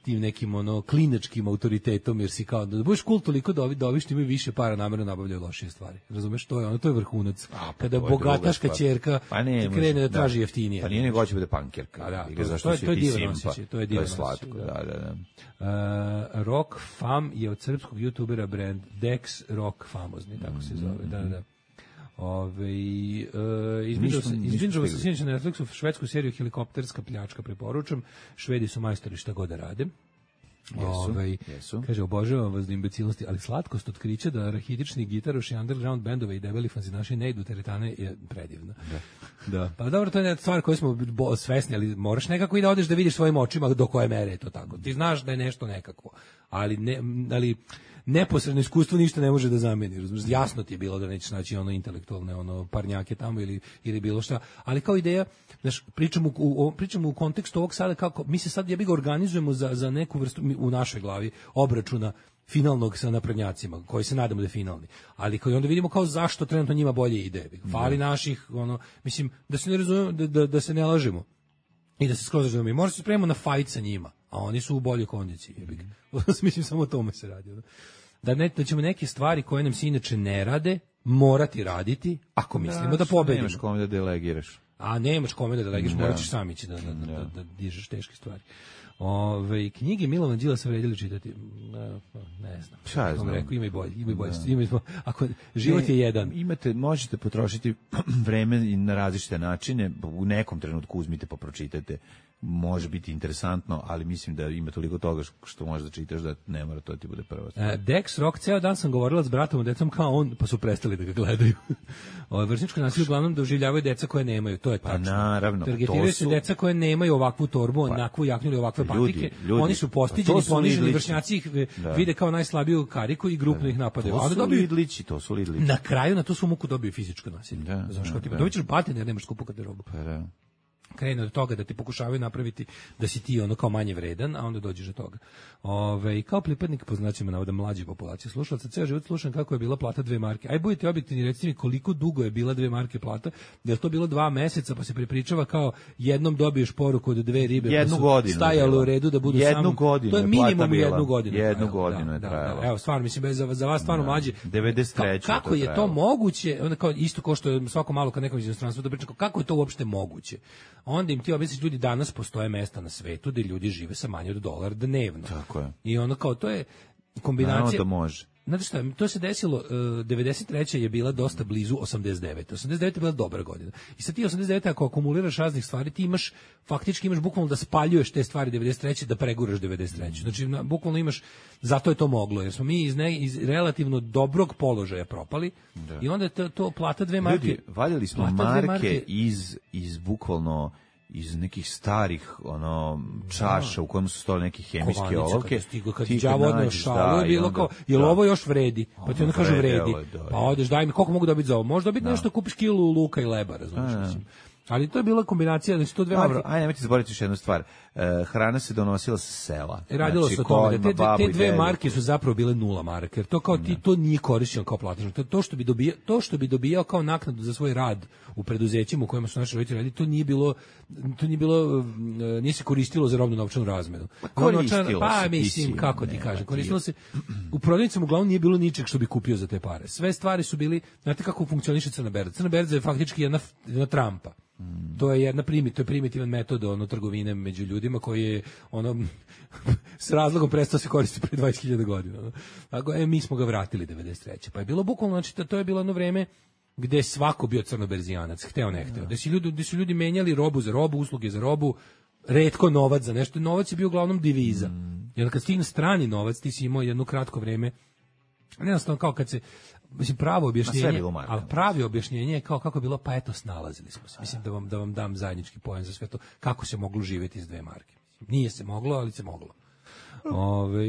tim nekim ono klinačkim autoritetom, jer si kao da budeš cool toliko da ovi da ovi što imaju više para namerno nabavljaju lošije stvari. Razumeš, to je ono, to je vrhunac. A, pa kada bogataška ćerka pa ne, krene da traži da, jeftinije. Pa nije nego hoće bude pankerka. A da, to, zašto to, je, to je divan osjećaj, to je divan to je slatko, da, da, da. Uh, Rock Fam je od srpskog youtubera brand Dex Rock famozni, tako se zove. Mm-hmm. Da, da. Ove, uh, izbinđao sam se sinoć na Netflixu švedsku seriju Helikopterska pljačka, preporučam. Švedi su majstori šta god da rade. Jesu, Ove, jesu. Kaže, obožavam vas do imbecilnosti, ali slatkost otkrića da rahidični gitaroši, underground bendove i debeli fanzinaši ne idu teretane je predivna. Da. Da. Pa dobro, to je stvar koju smo svesni, ali moraš nekako i da odeš da vidiš svojim očima do koje mere je to tako. Ti znaš da je nešto nekako, ali ne, ali neposredno iskustvo ništa ne može da zameni. Razumiješ? Jasno ti je bilo da nećeš naći ono intelektualne ono parnjake tamo ili ili bilo šta, ali kao ideja, znaš, pričamo u pričamo u kontekstu ovog sada kako mi se sad jebi ga organizujemo za za neku vrstu u našoj glavi obračuna finalnog sa naprednjacima, koji se nadamo da je finalni. Ali koji onda vidimo kao zašto trenutno njima bolje ide. Fali naših, ono, mislim, da se ne razumemo, da, da, da se ne lažemo i da se skroz razumemo. Možda se spremamo na fajt sa njima, a oni su u boljoj kondiciji. Mm. Mislim, samo o tome se radi. Da, ne, da ćemo neke stvari koje nam se inače ne rade, morati raditi, ako mislimo da, da pobedimo. Nemaš kome da delegiraš. A nemaš kome da delegiraš, da. Morat ćeš sam ići da, da, da, da, da dižeš teške stvari. Ove, knjige Milovana Đilasa vredili čitati? Ne, ne znam. Šta znam? Rekao, ima i bolje, ima i bolje. Ima i, ako, život ne, je jedan. Imate, možete potrošiti vreme na različite načine, u nekom trenutku uzmite pa pročitajte. Može biti interesantno, ali mislim da ima toliko toga što možeš da čitaš da ne mora to ti bude prva stvar. E, Dex Rock, ceo dan sam govorila s bratom i decom kao on, pa su prestali da ga gledaju. Ovo vršničko nasilje uglavnom doživljavaju deca koje nemaju, to je tačno. Pa naravno. Targetiraju se deca koje nemaju ovakvu torbu, pa, onakvu jaknu ili ovakve ljudi, patike. Ljudi, oni su postiđeni, poniženi, vršnjaci ih da. vide kao najslabiju kariku i grupno da. ih napadaju. To su dobiju, lidlići, to su lidlići. Na kraju na tu su muku dobiju fizičko nasilje. Da, Znaš, kao da, ti da. dobićeš batine jer nemaš skupu garderobu. Pa da. Krene od toga da ti pokušavaju napraviti da si ti ono kao manje vredan, a onda dođeš do toga. Ove, kao pripadnik po znacima navoda mlađe populacije slušalaca, ceo život slušam kako je bila plata dve marke. Aj budite objektivni, recite mi koliko dugo je bila dve marke plata, da je to bilo dva meseca, pa se prepričava kao jednom dobiješ poruku od dve ribe, jednu pa su godinu stajale u redu da budu jednu samo... Godinu to je minimum bila, jednu godinu. Jednu trajalo, godinu je da, trajalo. Da, da. Evo, stvarno, mislim, bez, za, za vas stvarno da. mlađi. devedeset treće Kako to je trajalo. to moguće, onda kao isto kao što je svako malo kad nekom iz inostranstva da priča, kako je to uopšte moguće? Onda im ti objasniš, ljudi, danas postoje mesta na svetu gde ljudi žive sa manje od dolara dnevno. Tako je. I ono kao, to je kombinacija... Naravno da može. Znate šta, to se desilo, uh, devedeset treća je bila dosta blizu osamdeset devete. osamdeset deveta je bila dobra godina. I sad ti osamdeset devete ako akumuliraš raznih stvari, ti imaš, faktički imaš bukvalno da spaljuješ te stvari devedeset treće da preguraš devedeset treće. Znači, na, bukvalno imaš, zato je to moglo, jer smo mi iz, ne, iz relativno dobrog položaja propali da. I onda je to, to plata dve marke. Ljudi, valjali smo marke, marke iz, iz bukvalno iz nekih starih ono čaša da. U kojima su stojale neke hemijske olovke. Stigo kad ti đavo odneo šalu, je bilo kao, jel ovo još vredi? Pa ti onda kažu vredi. Pa odeš, daj mi, koliko mogu dobiti za ovo? Može dobiti nešto, kupiš kilu luka i leba, razumiješ, mislim. Ali to je bila kombinacija, znači to dve Dobro, marke. ajde, nemojte zaboraviti još jednu stvar. E, hrana se donosila sa sela. Radilo znači, se o tome da te, te dve dedu. Marke su zapravo bile nula marke. Jer to kao ti to nije korišćeno kao platežno. To, to što bi dobijao, to što bi dobijao kao naknadu za svoj rad u preduzećima u kojima su naši roditelji radili, to nije bilo to nije bilo nije se koristilo za robnu novčanu razmenu. Koristilo pa se, mislim si, kako ne, ti kažem, koristilo se u prodavnicama uglavnom nije bilo ničeg što bi kupio za te pare. Sve stvari su bili, znate kako funkcioniše crna berza. Crna berza je faktički jedna, jedna trampa. Mm. To je jedna primi, to je primitivan metod ono trgovine među ljudima koji je ono s razlogom prestao se koristiti pre dvadeset hiljada godina. Ono. Tako, e, mi smo ga vratili devedeset treće. Pa je bilo bukvalno, znači to je bilo ono vreme gde je svako bio crnoberzijanac, hteo ne hteo. Gde su ljudi, gde su ljudi menjali robu za robu, usluge za robu, retko novac za nešto. Novac je bio uglavnom diviza. Mm. I onda kad stigne strani novac, ti si imao jedno kratko vreme, jednostavno kao kad se mislim pravo objašnjenje, ali pravi objašnjenje je kao kako je bilo, pa eto snalazili smo se. Mislim da vam da vam dam zajednički poen za sve to, kako se moglo živjeti iz dve marke. Nije se moglo, ali se moglo. Ove,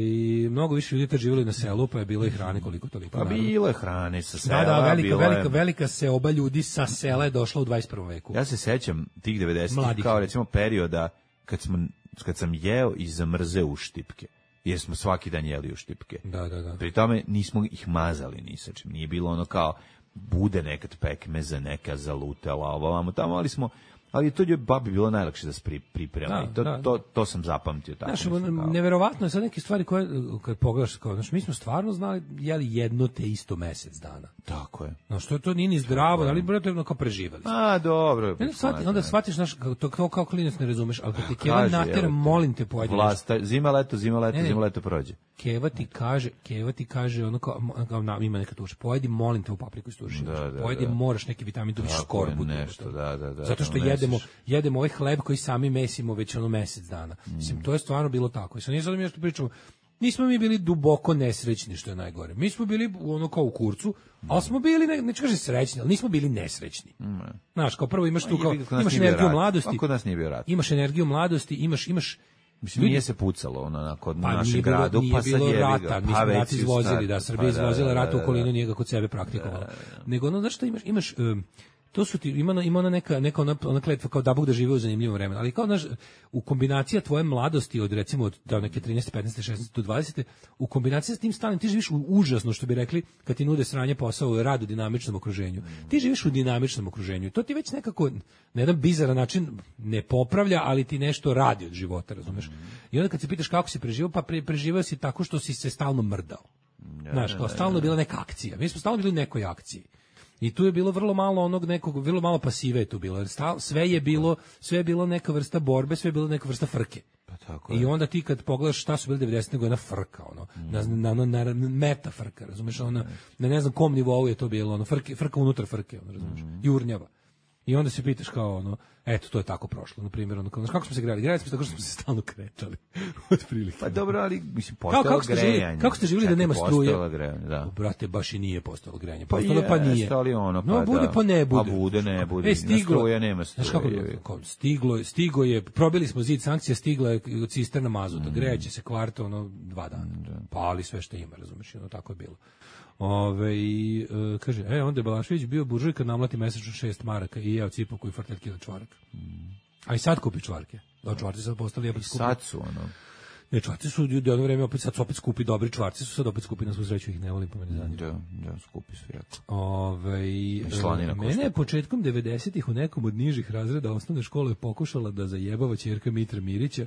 mnogo više ljudi živjeli na selu, pa je bilo i hrane koliko toliko. Pa bilo je hrane sa sela. Da, da, velika, bilo velika, je... velika seoba ljudi sa sela je došla u dvadeset prvom veku. Ja se sećam tih devedesetih kao recimo perioda kad, smo, kad sam jeo i zamrzeo u štipke. Jer smo svaki dan jeli u štipke. Da, da, da. Pri tome nismo ih mazali ni sa čim. Nije bilo ono kao bude nekad pekmeza, neka zalutela, ovo vamo tamo, ali smo ali to je babi bilo najlakše da se priprema. Da, I to, da. to, to sam zapamtio. Tako znaš, mislim, kao... neverovatno je sad neke stvari koje, kad pogledaš, kao, znaš, mi smo stvarno znali, jeli jedno te isto mesec dana. Tako je. Znaš, to, to nije ni zdravo, ali relativno kao preživali. A, dobro. Ne, shvati, onda shvatiš, znaš, to kao, kao klinac ne razumeš, ali kad ti Keva natera, molim te, pojedi Vlasta, zima, leto, zima, leto, ne, zima, leto prođe. Keva ti kaže, Keva ti kaže, ono kao, kao na, ima neka tuša, pojedi, molim te u papriku istuši. Da, da, pojedi, da. moraš neki vitamin, dobiš skorbu. Nešto, da, da, da. Zato što jedemo, jedemo ovaj hleb koji sami mesimo već ono mesec dana. Mm. Mislim, to je stvarno bilo tako. I sad nije sad mi nešto pričamo, nismo mi bili duboko nesrećni, što je najgore. Mi smo bili ono kao u kurcu, ali smo bili, ne, neću kaže srećni, ali nismo bili nesrećni. Mm. Znaš, kao prvo imaš tu, kao, imaš energiju mladosti. Kod nas nije bio rat. Imaš energiju mladosti, imaš, imaš Mislim, nije se pucalo ono na kod pa našem gradu, nije pa sad bilo je rata, mi smo rati izvozili, da, Srbija pa izvozila da, rata da, u okolinu, da, nije ga kod sebe praktikovala. Da, da, da. Nego ono, znaš što imaš, imaš um, to su ti, ima, ima ona neka, neka ona, ona kletva kao da Bog da žive u zanimljivom vremenu, ali kao naš, u kombinacija tvoje mladosti od recimo od da neke trinaeste, petnaeste, šesnaeste do dvadesete u kombinaciji s tim stalnim ti živiš u užasno, što bi rekli, kad ti nude sranje posao u radu u dinamičnom okruženju. Ti živiš u dinamičnom okruženju i to ti već nekako na jedan bizaran način ne popravlja, ali ti nešto radi od života, razumeš? I onda kad se pitaš kako si preživao, pa pre, preživao si tako što si se stalno mrdao. Znaš, kao stalno je bila neka akcija. Mi smo stalno bili u nekoj akciji. I tu je bilo vrlo malo onog nekog, vrlo malo pasive je tu bilo. Stal, sve je bilo, sve je bilo neka vrsta borbe, sve je bilo neka vrsta frke. Pa tako I onda ti kad pogledaš šta su bili devedesete nego jedna frka, ono, mm. na, na, na, na meta frka, razumeš, ona, na ne znam kom nivou je to bilo, ono, frke, frka unutar frke, ono, razumeš, mm. jurnjava. I onda se pitaš kao, ono, eto, to je tako prošlo, na primjer, ono, kako smo se grali? Grali smo se tako što smo se stalno kretali, otprilike. Pa dobro, ali, mislim, postalo kako ste grejanje. Živjeli, kako ste živjeli da nema struje? Postalo grejanje, da. O, brate, baš i nije postalo grejanje. Pa Postalo je, pa nije. Stali ono, pa no, bude da. pa ne bude. Pa bude, ne bude. E, stiglo, struje, nema struje. Znaš kako, kako, stiglo, stigo je, probili smo zid sankcija, stigla je cisterna mazuta, mm. grejaće se kvarto, ono, dva dana. Mm, da. Pali sve što ima, razumiješ, ono, tako je bilo. Ove, i, e, kaže, e, onda je Balašević bio buržuj kad namlati mesečno šest maraka i jeo cipu koji fartet kilo čvarak. Mm. A i sad kupi čvarke. Da, čvarci sad postali jebati skupi. Sad su, ono. Ne, čvarci su ljudi jedno vreme opet, sad su opet skupi, dobri čvarci su sad opet skupi, na svu sreću ih ne volim, pa meni zanima. Da, da, skupi su jako. Ove, e, mene je početkom devedesetih u nekom od nižih razreda osnovne škole pokušala da zajebava ćerka Mitra Mirića,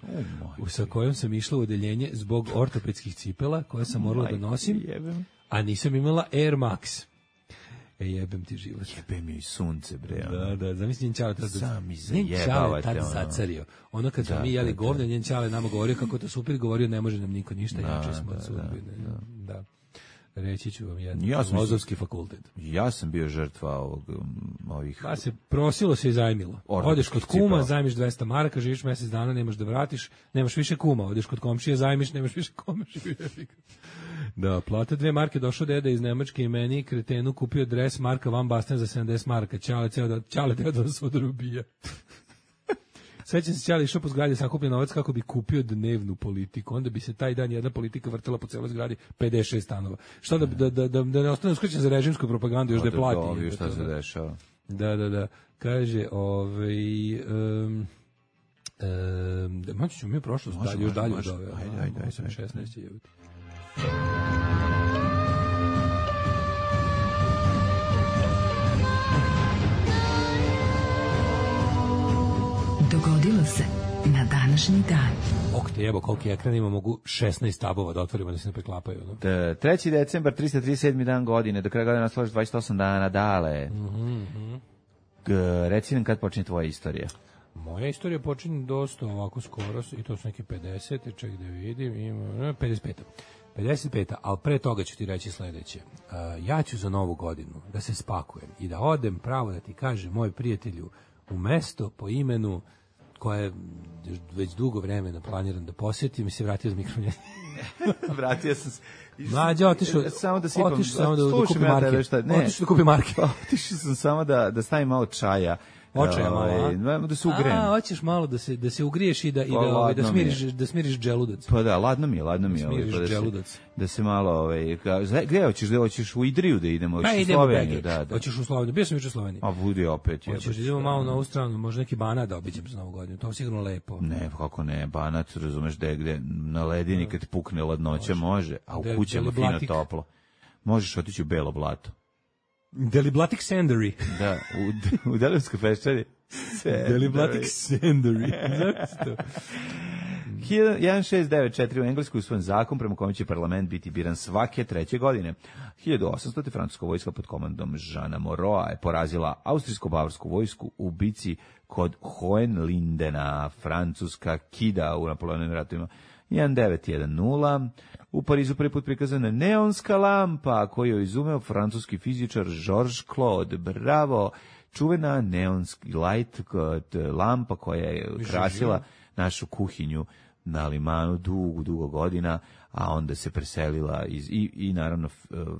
oh, sa kojom sam išla u odeljenje zbog ortopedskih cipela koje sam morala da nosim. Jebem. A nisam imala Air Max. E, jebem ti život. Jebem mi sunce, bre. Da, da, zamisli njen čale tad, sami zajebavate. Tad zacario. Ono kad smo mi jeli govne, njen čale nama govorio kako to super, govorio ne može nam niko ništa, jače smo od sudbine. Da, da. Reći ću vam jedan ja filozofski fakultet. Ja sam bio žrtva ovog, ovih... Pa se prosilo se i zajmilo. Odeš kod kuma, zajmiš dvesta maraka, živiš mesec dana, nemaš da vratiš, nemaš više kuma, odeš kod komšije, zajmiš, nemaš više kome živjeti. Da, plata dve marke, došao deda iz Nemačke i meni kretenu kupio dres Marka Van Basten za sedamdeset maraka. Ćale, ceo da, ćale teo da nas odrubija. Svećam se Ćale išao po zgradi sakupljen novac kako bi kupio dnevnu politiku. Onda bi se taj dan jedna politika vrtela po celoj zgradi pedeset šest stanova. Što da, da, da, da, da ne ostane uskraćen za režimsku propagandu, još da je plati. Da, šta se dešava. Da, da, da. Kaže, ovaj... Um, um, maći ćemo mi prošlost, dalje, još dalje od ove. Ajde, ajde, ajde. šesnaest je. Dogodilo se na današnji dan. Ok, te jebo, koliki ekran ima, mogu šesnaest tabova da otvorimo da se ne preklapaju. No? Da, treći decembar, tristo trideset sedmi dan godine, do kraja godine nas složiš dvadeset osam dana, dale. Mm-hmm. G, reci nam kad počne tvoja istorija. Moja istorija počinje dosta ovako skoro, i to su neke pedeset, ček da vidim, ima pedeset pet. pedeset pet, ali pre toga ću ti reći sledeće. Uh, ja ću za novu godinu da se spakujem i da odem pravo da ti kažem, moj prijatelju, u mesto po imenu koje već dugo vremena planiram da posjetim i se vratio za mikrofon. Vratio sam se. Mlađe, otišao samo da sipam. Otišao samo da, da kupi marke. Otišao da kupi marke. Otišao sam samo da, da stavim malo čaja. Očaja malo, da se ugrijem. A, hoćeš malo da se da se ugriješ i da i da, ovaj, da smiriš da smiriš dželudac. Pa da, ladno mi je, ladno mi je, ovaj, da, se, da se malo ovaj gde hoćeš, da hoćeš u Idriju da idemo, hoćeš u Sloveniju, da, da. Hoćeš u Sloveniju, bio sam juče u Sloveniji. A budi opet je. Hoćeš idemo malo na ovu stranu, možda neki Banat da obiđem za Novu godinu. To je sigurno lepo. Ne, kako ne, Banat, razumeš da je gde na ledini kad pukne ladnoća može, a u kućama fino toplo. Možeš otići u Belo Blato. Deliblatic Sandary. Da, u, u Delivskoj peščari. Deliblatic Sandary. Zašto? jedan šest devet četiri u Engleskoj usvojen zakon prema kome će parlament biti biran svake treće godine. hiljadu osamsto. francuska vojska pod komandom Žana Moroa je porazila austrijsko-bavarsku vojsku u bici kod Hohenlindena. Francuska kida u Napoleonovim ratovima. jedan devet jedan nula. U Parizu prvi put prikazana neonska lampa koju je izumeo francuski fizičar Georges Claude. Bravo! Čuvena neonski light lampa koja je krasila našu kuhinju na Limanu dugo, dugo godina, a onda se preselila iz, i, i naravno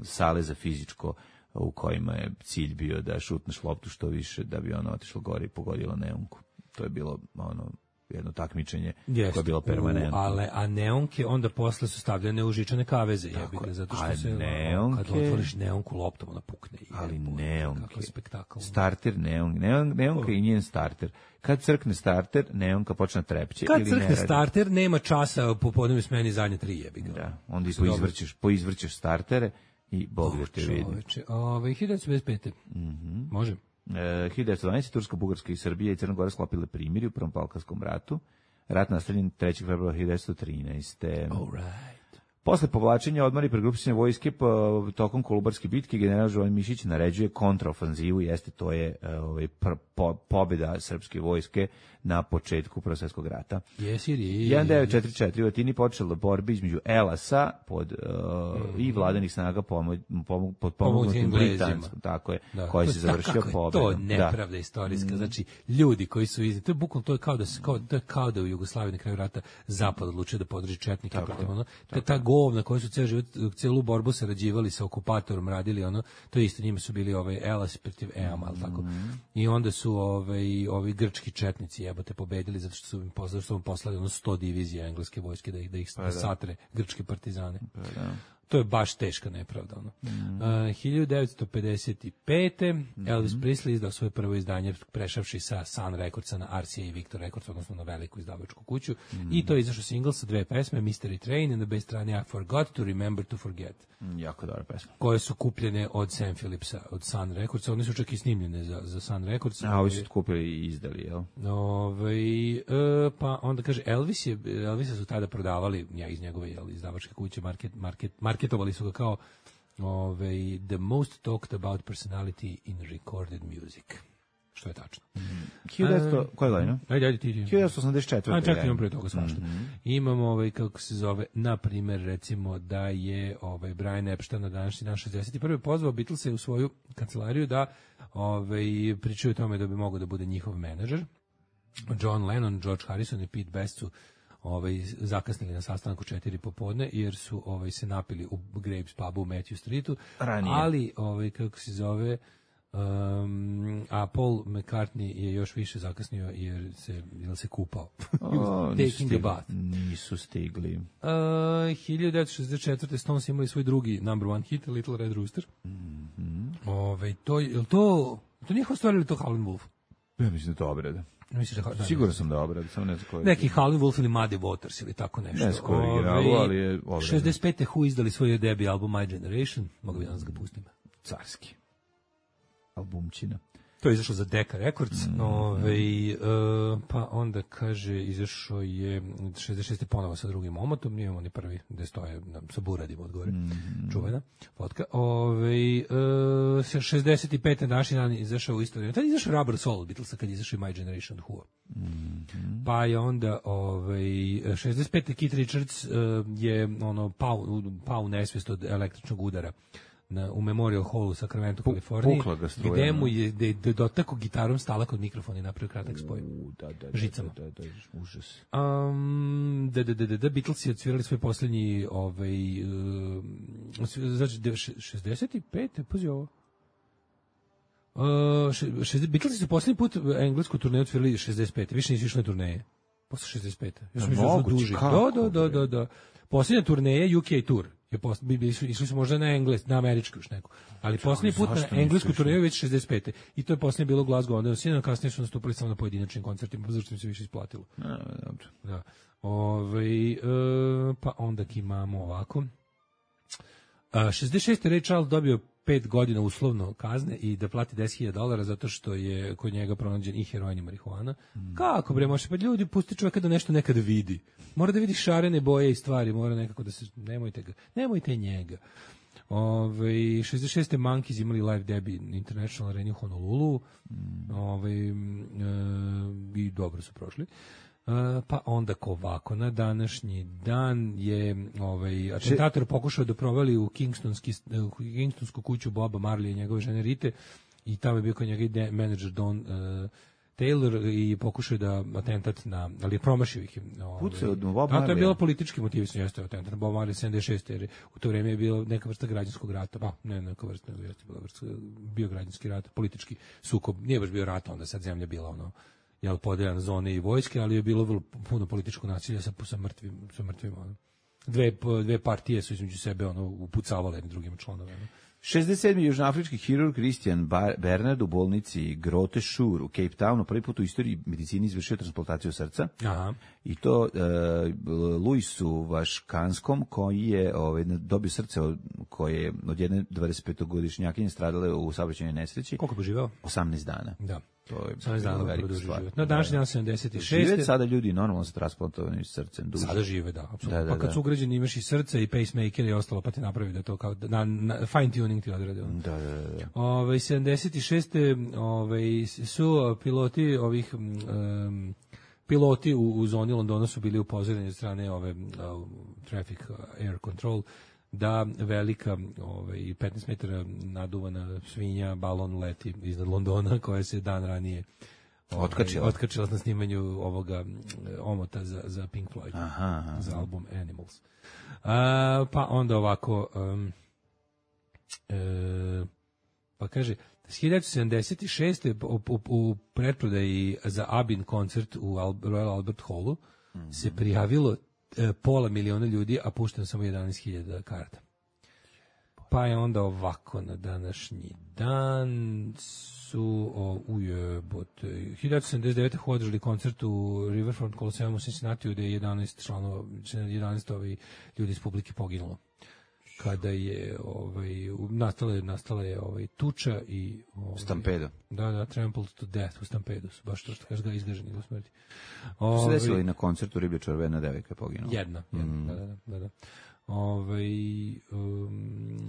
sale za fizičko u kojima je cilj bio da šutneš loptu što više da bi ona otišla gore i pogodila neonku. To je bilo ono jedno takmičenje Jest, koje je bilo permanentno. u- Ale, a neonke onda posle su stavljene u žičane kaveze, jebi ga, zato što a se, neonke- kad otvoriš neonku loptom, ona pukne. Ali jebote, neonke. Kakav spektakl. Starter neon, neon, neonka i njen starter. Kad crkne starter, neonka počne trepće Kad ili ne crkne radi. starter, nema časa po podnevnoj smeni zadnje tri, jebi ga. Da, onda i Su dobro. poizvrćeš, poizvrćeš startere i Bog da te vidi. Čoveče, ove, hiljadu devetsto pedeset pete. Mhm. Može. E, hiljadu devetsto dvanaeste. Turska, Bugarska i Srbija i Crna Gora sklopile primirje u Prvom Balkanskom ratu. Rat nastavljen trećeg februara hiljadu devetsto trinaeste. All right. Posle povlačenja odmora i pregrupisanja vojske po, tokom Kolubarske bitke general Žovan Mišić naređuje kontraofanzivu, jeste to je e, ovaj pr, po, pobjeda srpske vojske na početku Prvog svjetskog rata. Jesi li? hiljadu devetsto četrdeset četvrte. u Atini počela borba između Elasa pod, uh, i vladanih snaga pomo, pomo, pod pomognutim Britanskom, tako je, Da. koja se Da, završio kako je pobjedom. To nepravda istorijska, znači ljudi koji su iz, to je bukvalno to je kao da se kao, to je kao da u Jugoslaviji na kraju rata zapad odlučio da podrži četnike protiv ono, to je ta govna koji su ceo život, celu borbu sarađivali sa okupatorom, radili ono, to je isto njima su bili ovaj Elas protiv Eama, al tako. I onda su ovaj ovi grčki četnici jebote pobedili zato što su im poslali, što su im poslali ono sto divizija engleske vojske da ih da ih Pa da. satre grčke partizane. Pa da. To je baš teška nepravda. Ono. Mm. Uh, hiljadu devetsto pedeset pete. Elvis Presley izdao svoje prvo izdanje prešavši sa Sun Recordsa na R C A i Victor Records, odnosno na veliku izdavačku kuću. Mm. I to je izašao singl sa dve pesme, Mystery Train i na B strani I Forgot to Remember to Forget, Mm, jako dobra pesma. koje su kupljene od Sam Phillipsa, od Sun Recordsa. One su čak i snimljene za, za Sun Records. A ovi su kupili i izdali, jel? Ovaj, e, pa onda kaže Elvis je Elvisa su tada prodavali ja iz njegove jel, izdavačke kuće market market marketovali su ga kao ovaj the most talked about personality in recorded music. Što je tačno. hiljadu devetsto koje godine? Ajde, ajde ti. hiljadu devetsto osamdeset četvrte. A čekaj, imam pre toga svašta. Imamo ovaj kako se zove, na primer recimo da je ovaj Brian Epstein na današnji dan šezdeset prvi pozvao Beatlese u svoju kancelariju da ovaj pričaju o tome da bi mogao da bude njihov menadžer. John Lennon, George Harrison i Pete Best su ovaj zakasnili na sastanku četiri popodne jer su ovaj se napili u Grapes pubu u Matthew Streetu. Ranije. Ali ovaj kako se zove Um, a Paul McCartney je još više zakasnio jer se, jer se kupao. O, nisu Taking a stigli. bath. Nisu stigli. Uh, hiljadu devetsto šezdeset četvrte. Stones imali svoj drugi number one hit, Little Red Rooster. Mhm. Ove, to, je li to, to njihova stvar ili to Howlin' Wolf? Ja mislim da to obrada. Misliš da, da, Siguran sam da obrada, samo ne znam koji. neki Howlin' Wolf ili Muddy Waters ili tako nešto. Ne znam koji je originalu, Ove, ali je obrada. šezdeset pete. Who izdali svoj debi album My Generation. Mogu bi danas ga pustim. Carski. Albumčina. To je izašlo za Decca Records. Mm, Ove, e, pa onda kaže, izašao je šezdeset šeste. ponovo sa drugim omotom. Nije oni prvi gde stoje na, sa buradima odgore. Mm. Čuvena fotka. Ove, e, šezdeset pete. naši dan izašao u istoriju. Tad je izašao Rubber Soul Beatlesa kad je izašao i My Generation Who. Mm. Pa je onda ovaj šezdeset pete. Keith Richards e, je ono pao, pao u nesvest od električnog udara na, u Memorial Hallu u Sacramento, Kaliforniji, pukla ga struja, gde mu no. je de, de dotako gitarom stala kod mikrofona i napravio kratak spoj. U, da, da, da, Žicama. Da, da, da, užas. Um, da, da, da, da, da, Beatlesi odsvirali svoj posljednji, ovaj, uh, znači, šezdeset pete. Pazi ovo. Uh, še, šezdeset, Beatlesi su posljednji put englesku turneju odsvirali šezdeset pete. Više nisu išli na turneje. Posle šezdeset pete. Ja sam mislio da su Moguće, duži. kako, Da, da, da, da, da. Posljednja turneja U K tour. Je posle, bi- išli, išli su možda na engles, na američku još neku. Ali posljednji put zašto na nisu englesku išli? turneju je već šezdeset pete. I to je posljednje bilo u Glasgow. Onda sinoć kasnije su nastupili samo na pojedinačnim koncertima, zašto im se više isplatilo. A, dobro. Da. Ove, e, pa onda imamo ovako. A, šezdeset šeste. Ray Charles dobio pet godina uslovno kazne i da plati deset hiljada dolara zato što je kod njega pronađen i heroin i marihuana. Mm. Kako bre, može, pa ljudi, pusti čovjeka da nešto nekad vidi. Mora da vidi šarene boje i stvari, mora nekako da se, nemojte ga, nemojte njega. Ove, šezdeset šeste. Monkeys imali live debut International Arena u Honolulu. Mm. Ove, e, i dobro su prošli. Uh, pa onda ko ovako, na današnji dan je ovaj, atentator pokušao da provali u Kingstonski, u Kingstonsku kuću Boba Marley i njegove žene Rite i tamo je bio kod njega i menadžer Don uh, Taylor i pokušao da atentat na, ali je promašio ih. Ovaj, Pucao od Boba a to je Marleya? bilo politički motivisan, jeste atentat na Boba Marley sedamdeset šeste. jer u to vrijeme je bilo neka vrsta građanskog rata, pa ne neka vrsta, nego jeste bila vrsta, bio građanski rat, politički sukob, nije baš bio rat, onda sad zemlja bila ono jel, podeljena zone i vojske, ali je bilo vrlo puno političkog nasilja sa, sa mrtvim, sa mrtvim, ono. Dve, dve partije su između sebe, ono, upucavale jednim drugim članovima. šezdeset sedmi južnoafrički hirurg Christian Bernard u bolnici Grote Schuur u Cape Townu prvi put u istoriji medicini izvršio transplantaciju srca. Aha. I to e, Luisu Vaškanskom, koji je ovaj, dobio srce od, koje je od jedne dvadesetpetogodišnjakinje stradale u saobraćajnoj nesreći. Koliko bi živeo? osamnaest dana. Da. To je osamnaest dana velika stvar. Na današnji dan sedamdeset šeste. Žive sada ljudi normalno sa transplantovanim srcem duže. Sada žive, da, apsolutno. Da, da, pa kad da. su ugrađeni imaš i srce i pacemaker i ostalo, pa ti napravi da to kao na, na fine tuning ti odradi. Da, da, da. Ove, sedamdeset šeste. Ove, su piloti ovih um, piloti u, u zoni Londona su bili upozoreni od strane ove uh, traffic air control da velika ovaj petnaest metara naduvana svinja balon leti iznad Londona koja se dan ranije ovaj, otkačila otkačila na snimanju ovoga omota za za Pink Floyd. Aha, aha. Za album Animals. A, pa onda ovako um, e, pa kaže hiljadu sedamdeset šeste. u, u, u pretprodaji za Abin koncert u Al, Royal Albert Hallu mm-hmm. se prijavilo e, pola miliona ljudi, a pušteno samo jedanaest hiljada karta. Pa je onda ovako na današnji dan su o, ujebote hiljadu sedamdeset devete. održali koncert u Riverfront Coliseum u Cincinnati gde je jedanaest članova, jedanaest ovaj, ljudi iz publike poginulo. Kada je ovaj nastala je nastala je ovaj tuča i ovaj, stampedo. Da, da, trampled to death u stampedu, baš to što kaže ga izgaženi do smrti. Ovaj se desilo i na koncertu Riblja červena devojka poginula. Jedna, jedna, mm. da, da, da, da. Ovaj um,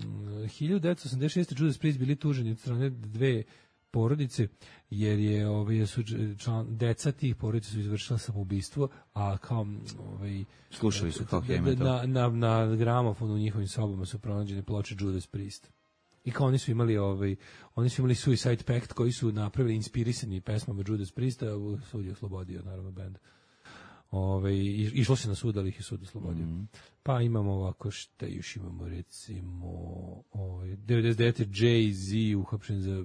hiljadu devetsto osamdeset šeste. Judas Priest bili tuženi od strane dve porodice, jer je ovaj su član, deca tih porodica su izvršila samoubistvo, a kao ovaj slušali su kao heavy na, metal. Na, na, na gramofonu u njihovim sobama su pronađene ploče Judas Priest. I kao oni su imali ovaj oni su imali Suicide Pact koji su napravili inspirisani pesmama Judas Priesta, sud je oslobodio naravno bend. Ove, išlo se na sud, ali ih je sud oslobodio. Mm. Pa imamo ovako, šta još imamo, recimo, ovaj, devedeset devete. Jay-Z uhapšen za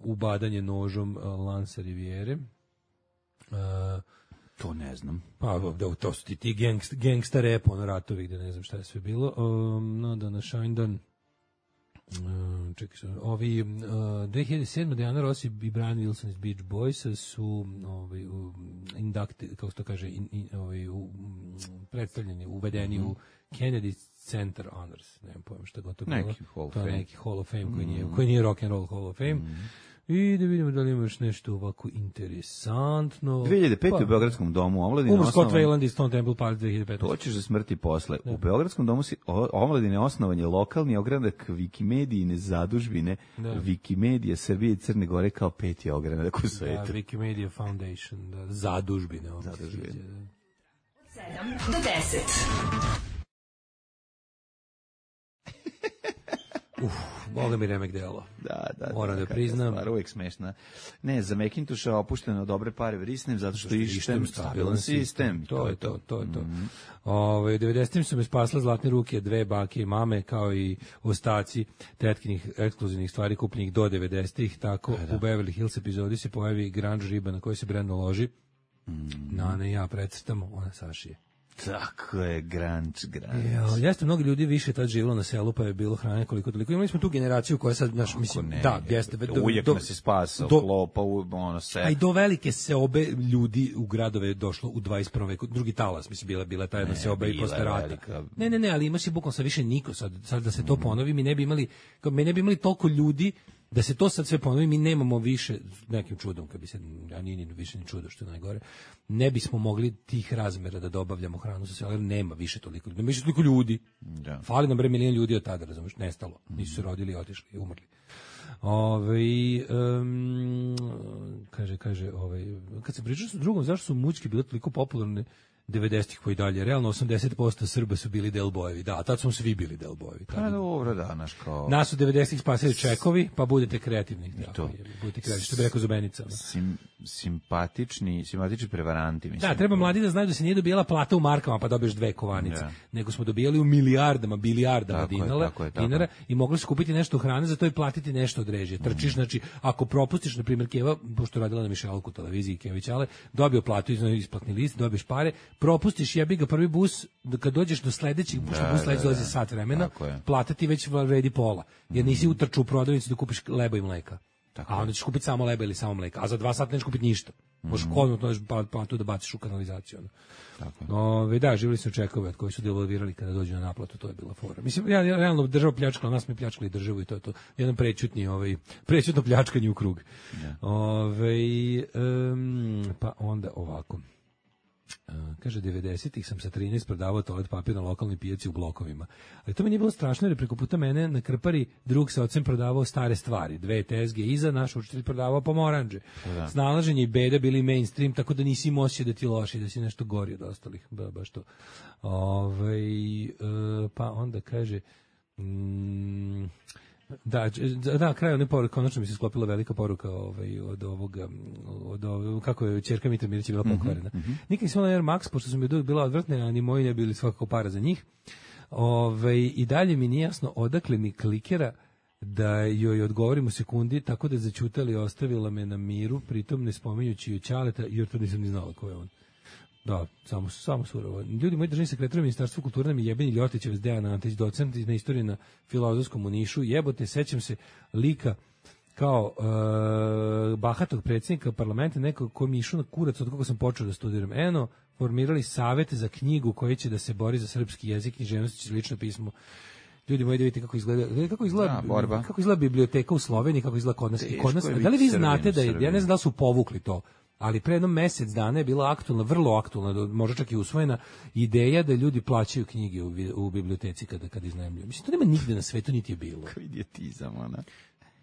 ubadanje nožom uh, Lansa Riviere. Uh, to ne znam. Pa, da, to su ti, ti gangsta, gangsta rap, ono ratovi, gde ne znam šta je sve bilo. Um, no, da na Shinedown, Uh, čekaj se, ovi uh, dve hiljade sedme. Diana Ross i Brian Wilson iz Beach Boysa su ovaj u inducted, kako se to kaže, in, in, ovaj u predstavljeni, uvedeni mm-hmm. u Kennedy Center Honors, ne znam pojma šta god to bilo. Neki Hall of to Fame. Neki Hall of Fame koji nije, mm-hmm. koji nije rock and roll Hall of Fame. Mm-hmm. I da vidimo da li imaš nešto ovako interesantno. dve hiljade pete. Pa, u Beogradskom domu omladine Umar Scott osnovan... Weiland iz Stone Temple Pilots dve hiljade petnaeste. To ćeš za smrti posle. Da. U Beogradskom domu si omladine osnovan je lokalni ogranak Wikimedijine zadužbine da. Wikimedija Srbije i Crne Gore kao peti ogranak u svetu. Da, Wikimedia Foundation, da, zadužbine. Zadužbine. sedam do deset. Uf, Boga mi remek delo. Da, da. Moram da, da priznam. Stvar, uvijek smešna. Ne, za Macintoša opušteno dobre pare vrisnem, zato što ištem stabilan sistem. To je to, to je to. Mm-hmm. Ove, devedesetim su me spasle zlatne ruke, dve bake i mame, kao i ostaci tetkinih ekskluzivnih stvari kupljenih do devedesetih. Tako da, da. U Beverly Hills epizodi se pojavi grunge riba na kojoj se Brenda loži. Mm-hmm. Nana i ja precrtamo, ona sašije. Tako je, grunge, grunge. Jo, jeste, mnogo ljudi više tad živjelo na selu, pa je bilo hrane koliko toliko. Imali smo tu generaciju koja sad, naš, mislim, ne, da, jeste. Do, uvijek do, nas je spasao, do, klopa, ono se. A i do velike seobe ljudi u gradove je došlo u dvadeset prvom veku. Drugi talas, mislim, bila, bila ta jedna seoba i posle rata. Ne, ne, ne, ali imaš i bukvalno sad više niko, sad, sad da se to ponovi, mi ne bi imali, mi ne bi imali toliko ljudi. Da se to sad sve ponovi, mi nemamo više, nekim čudom, kad bi se, a nije ni više ni čudo što je najgore, ne bismo mogli tih razmera da dobavljamo hranu sa sela, jer nema više toliko ljudi, nema više toliko ljudi. Da. Fali nam bre milion ljudi od tada, razumiješ, nestalo, nisu se rodili, otišli, umrli. Ove, um, kaže, kaže, ovaj, kad se pričao s drugom, zašto su mućke bile toliko popularne, devedesetih pa i dalje. Realno osamdeset posto Srba su bili delbojevi. Da, tad smo svi bili delbojevi. Pa dobro, da, naš kao... Nas u devedesetih spasili čekovi, pa budete kreativni. I Tako, to. je, budete kreativni, što bi rekao Zubenica. Sim, simpatični, simpatični prevaranti, mislim. Da, treba mladi da znaju da se nije dobijala plata u markama pa dobiješ dve kovanice, Ja. nego smo dobijali u milijardama, bilijardama Tako je, dinara, tako je, tako dinara je. i mogli su kupiti nešto hrane, za to i platiti nešto od režije. Trčiš, znači, ako propustiš, na primjer, Keva, pošto je radila na Mišeluku televiziji Kević, ale dobio platu, iz isplatni list, dobiješ pare, propustiš, jebi ga prvi bus, da kad dođeš do sledećeg, pošto Da, bus da, sledeći da. dolazi sat vremena, Tako je. plata ti već vredi pola, jer nisi utrčao u prodavnicu da kupiš leba i mleka. Tako A je. onda ćeš kupiti samo leba ili samo mleka, a za dva sata nećeš kupiti ništa. Možeš kodno to platu da baciš u kanalizaciju. Ono. Tako je. Ove, da, živjeli su čekove od koji su devalvirali kada dođu na naplatu, to je bila fora. Mislim, ja, ja realno država pljačkala, nas mi pljačkali državu i to je to. Jedan prećutni, ovaj, prećutno pljačkanje u krug. Ove, um, pa onda ovako. Uh, kaže, devedesetih sam sa trinaest prodavao toalet papir na lokalnoj pijaci u blokovima. Ali to mi nije bilo strašno jer je preko puta mene na Krpari drug sa ocem prodavao stare stvari. Dve tezge iza, naš učitelj prodavao pomoranđe. Da. Snalaženje i beda bili mainstream, tako da nisi imao osjećaj da ti loši, da si nešto gori od ostalih. Ba, baš to. Ove, uh, pa onda kaže... Mm, Da, da, na kraju ne poruka, konačno mi se sklopila velika poruka ovaj, od ovoga, od ovoga, kako je ćerka Mitra Mirić bila pokvarena. Mm -hmm. Nikad nisam imala Air Max, pošto su mi uvijek bila odvrtne, a ni moji ne bili svakako para za njih. Ove, I dalje mi nije jasno odakle mi klikera da joj odgovorim u sekundi, tako da je začutala i ostavila me na miru, pritom ne spominjući joj Ćaleta, jer to nisam ni znala ko je on. Da, samo, samo surovo. Ljudi moji, državni sekretar u Ministarstvu kulture nam je jebeni Ljotićev s Dejan Antić, docent na istoriji na Filozofskom u Nišu. Jebote, sećam se lika kao uh, bahatog predsjednika parlamenta, nekog ko mi išao na kurac od koga sam počeo da studiram. Eno, formirali savete za knjigu koji će da se bori za srpski jezik, književnost i lično pismo. Ljudi moji, da vidite kako izgleda, kako izgleda, Da, borba. kako izgleda biblioteka u Sloveniji, kako izgleda kod nas. I kod nas, Teško je da li vi biti znate Srbin da u je, ja Srbiji. ne znam da li su povukli to, ali pre jedno mesec dana je bila aktualna, vrlo aktualna, možda čak i usvojena ideja da ljudi plaćaju knjige u, vi- u biblioteci kada, kada iznajmljuju. Mislim, to nema nigde na svetu, niti je bilo. Idiotizam, ona.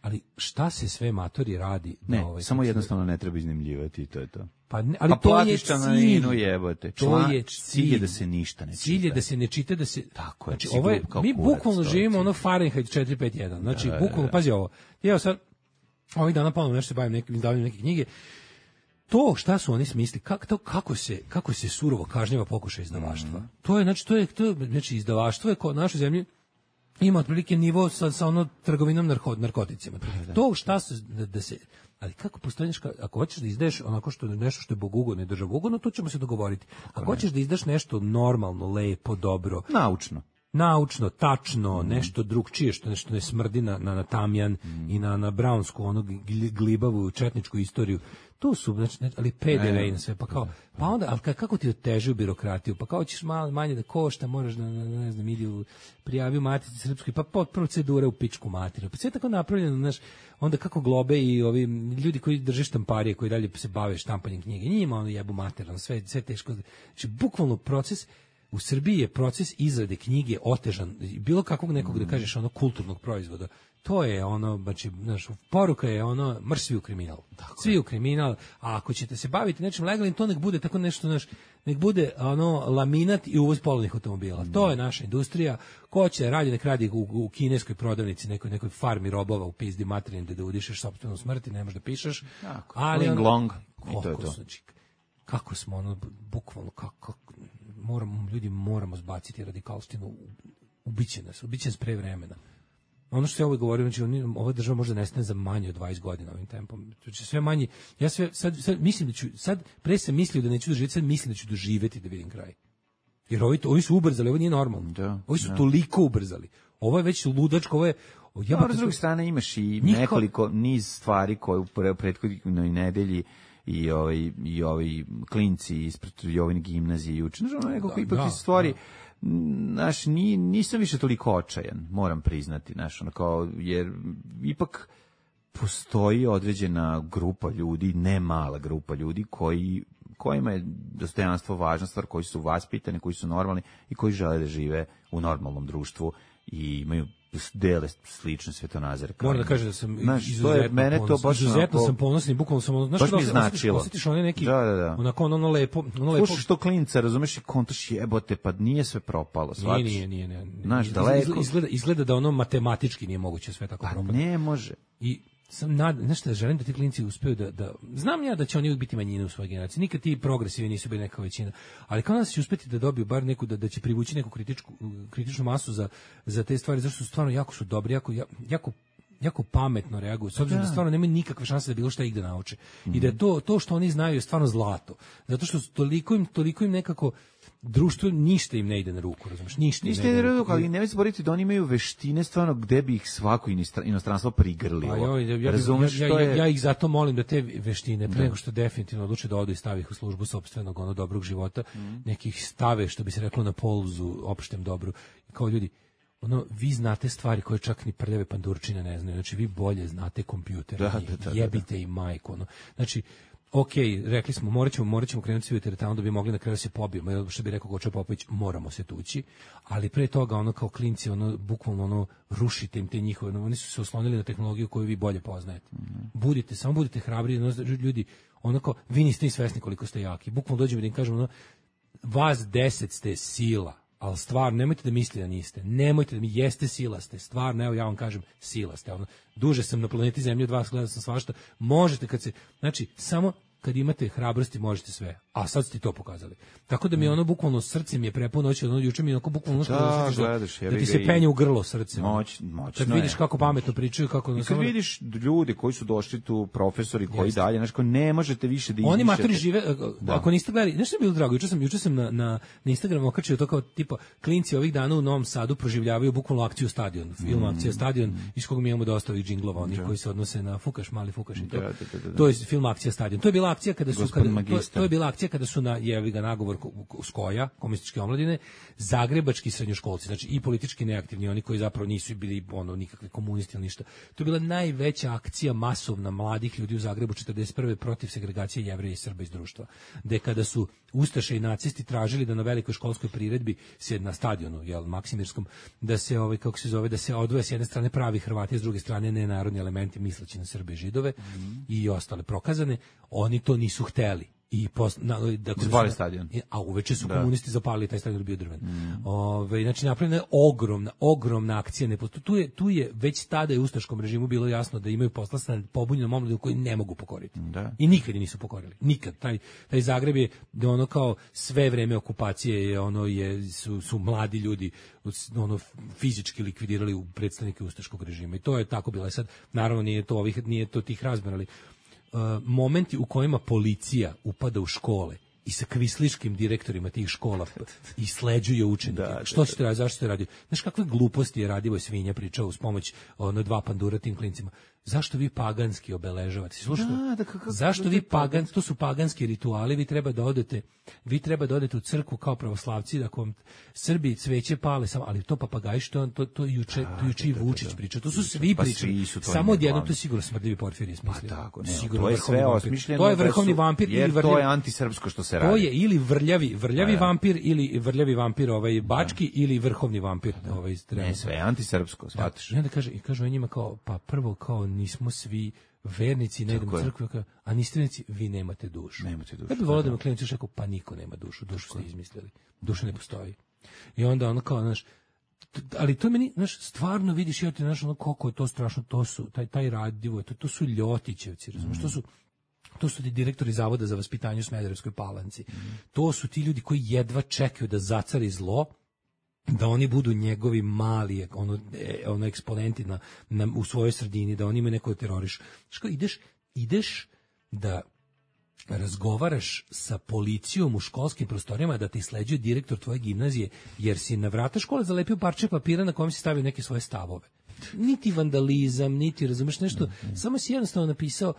Ali šta se sve matori radi? Da Ne, ovaj, samo kako se- jednostavno ne treba iznajmljivati i to je to. Pa ne, ali A to je platiš cilj. članarinu, jebote. To Član- je cilj je da se ništa ne Cilj je čita. da se ne čita, da se... Tako je, Znači, si ovo je, glup kao mi kurac, bukvalno to je živimo cilj. ono Fahrenheit četiri pet jedan. Znači, Da, da, bukvalno, da. pazi ovo. Ja sad, ovih dana ponovno nešto se bavim nekim izdavanjem neke knjige. To šta su oni smisli, kako to kako se kako se surovo kažnjava pokušaj izdavaštva. Mhm. To je znači to je to je, znači izdavaštvo je kod našoj zemlji ima otprilike nivo sa sa ono trgovinom narko, narkoticima. To šta se da, da se ali kako postoji nešto, ako hoćeš da izdaješ onako što je nešto što je bogugodno i državogodno, to ćemo se dogovoriti. Ako hoćeš da izdaš nešto normalno, lepo, dobro, Naučno. naučno, tačno, nešto drugčije, što nešto ne smrdi na, na, na tamjan i na, na brownsku, ono gl- glibavu četničku istoriju, to su, znači, ne- ali P D V i na sve, pa kao, pa onda, ali ka- kako ti otežuju birokratiju, pa kao ćeš malo manje da košta, moraš da, na, na, ne znam, idi u prijavi u Matici Srpskoj, pa pod procedure u pičku materiju, pa sve je tako napravljeno, znaš, onda kako globe i ovi ljudi koji drže štamparije, koji dalje se bave štampanjem knjige, njima ono jebu materijalno, sve, sve teško, znači, bukvalno proces. U Srbiji je proces izrade knjige otežan, bilo kakvog nekog, da kažeš, ono kulturnog proizvoda. To je ono, znači, znaš, poruka je ono, mrš svi u kriminal. Svi u kriminal, a ako ćete se baviti nečim legalnim, to nek bude tako nešto, znaš, nek bude ono laminat i uvoz polovnih automobila. To je naša industrija. Ko će radi, nek radi u, u kineskoj prodavnici, nekoj, nekoj farmi robova u pizdi materijem da, da udišeš sopstvenu smrt i ne možeš da pišeš. Tako, Ali ling ono- long, i to je koliko to. su, znači, kako smo ono, bukvalno, kako, moramo, ljudi moramo zbaciti radikalštinu, ubiće nas, ubiće nas pre vremena. Ono što ja uvijek govorim, znači, oni- ova država možda nestane za manje od dvadeset godina ovim tempom. Znači, sve manje, ja sve, sad, sad mislim da ću, sad, pre sam mislio da neću doživjeti, sad mislim da ću doživjeti da vidim kraj. Jer ovi, ovi su ubrzali, ovo nije normalno. Da, ovi su da. toliko ubrzali. Ovo je već ludačko, ovo je... Ja, s druge strane imaš i Niko- nekoliko niz stvari koje u pre- prethodnoj nedelji i ovaj i ovi klinci ispred Jovine gimnazije juče. Znači, ono nekako Da, ipak da, iz stvari da. naš ni nisam više toliko očajan, moram priznati, znaš, ono kao jer ipak postoji određena grupa ljudi, ne mala grupa ljudi koji kojima je dostojanstvo važna stvar, koji su vaspitani, koji su normalni i koji žele da žive u normalnom društvu i imaju dele slične svetonazore. Moram da kažem da sam znaš, izuzetno, to je, mene to baš izuzetno onako, sam ponosan i bukvalno sam ono, znaš baš što mi značilo. Osjetiš onaj neki, da, da, da. onako ono, ono lepo, ono lepo. Slušaš to klinca, razumeš i kontaš jebote, pa nije sve propalo, shvatiš? Nije, nije, nije. nije. Znaš, Izgleda, daleko. izgleda, izgleda da ono matematički nije moguće sve tako Pa propati. ne može. I sam nad, znaš šta, želim da ti klinci uspeju da, da, znam ja da će oni uvijek biti manjina u svojoj generaciji, nikad ti progresivi nisu bili neka većina, ali kao nas će uspeti da dobiju bar neku, da, da će privući neku kritičku, kritičnu masu za, za te stvari, zašto su stvarno jako su dobri, jako, jako jako pametno reaguju, s obzirom da, da stvarno nemaju nikakve šanse da bilo šta ih da nauče. Mm-hmm. I da je to, to što oni znaju je stvarno zlato. Zato što toliko im, toliko im nekako društvo ništa im ne ide na ruku, razumiješ? Ništa, ništa im ne ide na ruku, ali nemoj se boriti da oni imaju veštine stvarno gde bi ih svako inostranstvo prigrlilo. Pa ja, ja, razumiješ, ja, ja, to je... ja ih zato molim da te veštine, pre nego što definitivno odluče da odu i stavi ih u službu sopstvenog ono dobrog života, mm. nekih stave, što bi se reklo, na polzu opštem dobru. Kao ljudi, ono, vi znate stvari koje čak ni prljave pandurčine ne znaju, znači vi bolje znate kompjuter, da, da, da, jebite da. i majku, ono. Znači, ok, rekli smo, morat ćemo, morat ćemo krenuti svi u teretanu da bi mogli na kraju se pobijemo, jer što bi rekao Goča Popović, moramo se tući, ali pre toga, ono, kao klinci, ono, bukvalno, ono, rušite im te njihove, ono, oni su se oslonili na tehnologiju koju vi bolje poznajete. Mm-hmm. Budite, samo budite hrabri, ono, ljudi, ono, kao, vi niste ni svesni koliko ste jaki, bukvalno dođemo da im kažemo, ono, vas deset ste sila, ali stvarno, nemojte da mislite da niste. Nemojte da mi jeste sila ste. Stvarno, evo ja vam kažem, sila ste. Ono, duže sam na planeti Zemlji od vas, gledao sam svašta. Možete kad se, znači, samo kad imate hrabrosti možete sve. A sad ste to pokazali. Tako da mi je ono bukvalno srce mi je prepuno noći, ono juče mi je onako bukvalno ono da, što gledaš, da, da ti se penje u grlo srce. Moć, moćno kad vidiš je. kako pametno pričaju, kako i kad samo... vidiš ljude koji su došli tu, profesori koji Jeste. dalje, znači ne možete više da izmišljate. Oni matori žive, da. Ako niste gledali, nešto je bilo drago, juče sam, juče sam na, na, na Instagramu okačio to kao tipa klinci ovih dana u Novom Sadu proživljavaju bukvalno akciju Stadion, film mm. akcija Stadion, mm. iz koga mi imamo dosta ovih džinglova, oni koji se odnose na Fukaš, mali Fukaš i to. Da, da, da, da. To je film akcija Stadion. To je bila akcija kada su kada, to, to je bila akcija kada su na jevi ga nagovor Skoja, komunističke omladine, zagrebački srednjoškolci, znači i politički neaktivni, oni koji zapravo nisu bili ono nikakvi komunisti ili ništa. To je bila najveća akcija masovna mladih ljudi u Zagrebu četrdeset prve protiv segregacije Jevreja i Srba iz društva. Gde kada su ustaše i nacisti tražili da na velikoj školskoj priredbi se na stadionu, jel, Maksimirskom, da se ovaj kako se zove, da se odvoje s jedne strane pravi Hrvati, s druge strane nenarodni elementi misleći na Srbe i Židove mm-hmm. i ostale prokazane, oni to nisu hteli. I pos, na, dakle, zapali stadion. A uveče su da. komunisti zapalili taj stadion, bio drven. Mm. Ove, znači napravljena je ogromna, ogromna akcija. Tu je, tu je već tada je ustaškom režimu bilo jasno da imaju posla sa pobunjenom omladom koji ne mogu pokoriti. Da. I nikad je nisu pokorili. Nikad. Taj, taj Zagreb je ono kao sve vreme okupacije je ono je su, su mladi ljudi ono fizički likvidirali u predstavnike ustaškog režima. I to je tako bilo. Sad naravno nije to ovih nije to tih razmjera, ali Uh, momenti u kojima policija upada u škole i sa kvisliškim direktorima tih škola i sleđuje učenike. Da, što ćete raditi, zašto ste radio? Znaš kakve gluposti je Radivoj Svinja pričao uz pomoć ono dva pandura tim klincima. Zašto vi paganski obeležavate? Slušajte, da, da, kako, zašto vi pagan, to su paganski rituali, vi treba da odete, vi treba da odete u crkvu kao pravoslavci, da ako vam Srbi cveće pale, samo, ali to papagaji što to to juče, to juče i Vučić priča. To su svi pa pričali. Samo odjednom to sigurno smrdljivi Porfirije smislio. Pa tako, ne, sigurno to je sve osmišljeno. To je vrhovni vampir ili vrljavi, to je antisrpsko što se radi. To je ili vrljavi, vrljavi ja. vampir ili vrljavi vampir ovaj bački ja. ili vrhovni vampir ovaj ne, sve antisrpsko, shvataš. I onda kaže i kažu njima kao pa prvo kao nismo svi vernici, ne idemo u crkvu, a niste vernici, vi nemate dušu. Nemate dušu. Ja bih volio da mi klijent još rekao, pa niko nema dušu, dušu ste izmislili, duša ne postoji. I onda ono kao, znaš, ali to meni, znaš, stvarno vidiš, ja ti, znaš, ono koliko je to strašno, to su, taj, taj Radivo, to, to su Ljotićevci, razumiješ, to su to su ti direktori Zavoda za vaspitanje u Smederevskoj Palanci. Mm. To su ti ljudi koji jedva čekaju da zacari zlo, da oni budu njegovi mali ono, ono eksponenti na, na, u svojoj sredini, da oni imaju neko teroriš. Što ideš, ideš da razgovaraš sa policijom u školskim prostorijama, da te sleđuje direktor tvoje gimnazije, jer si na vrata škole zalepio parče papira na kojem si stavio neke svoje stavove. Niti vandalizam, niti razumeš nešto, mm-hmm. samo si jednostavno napisao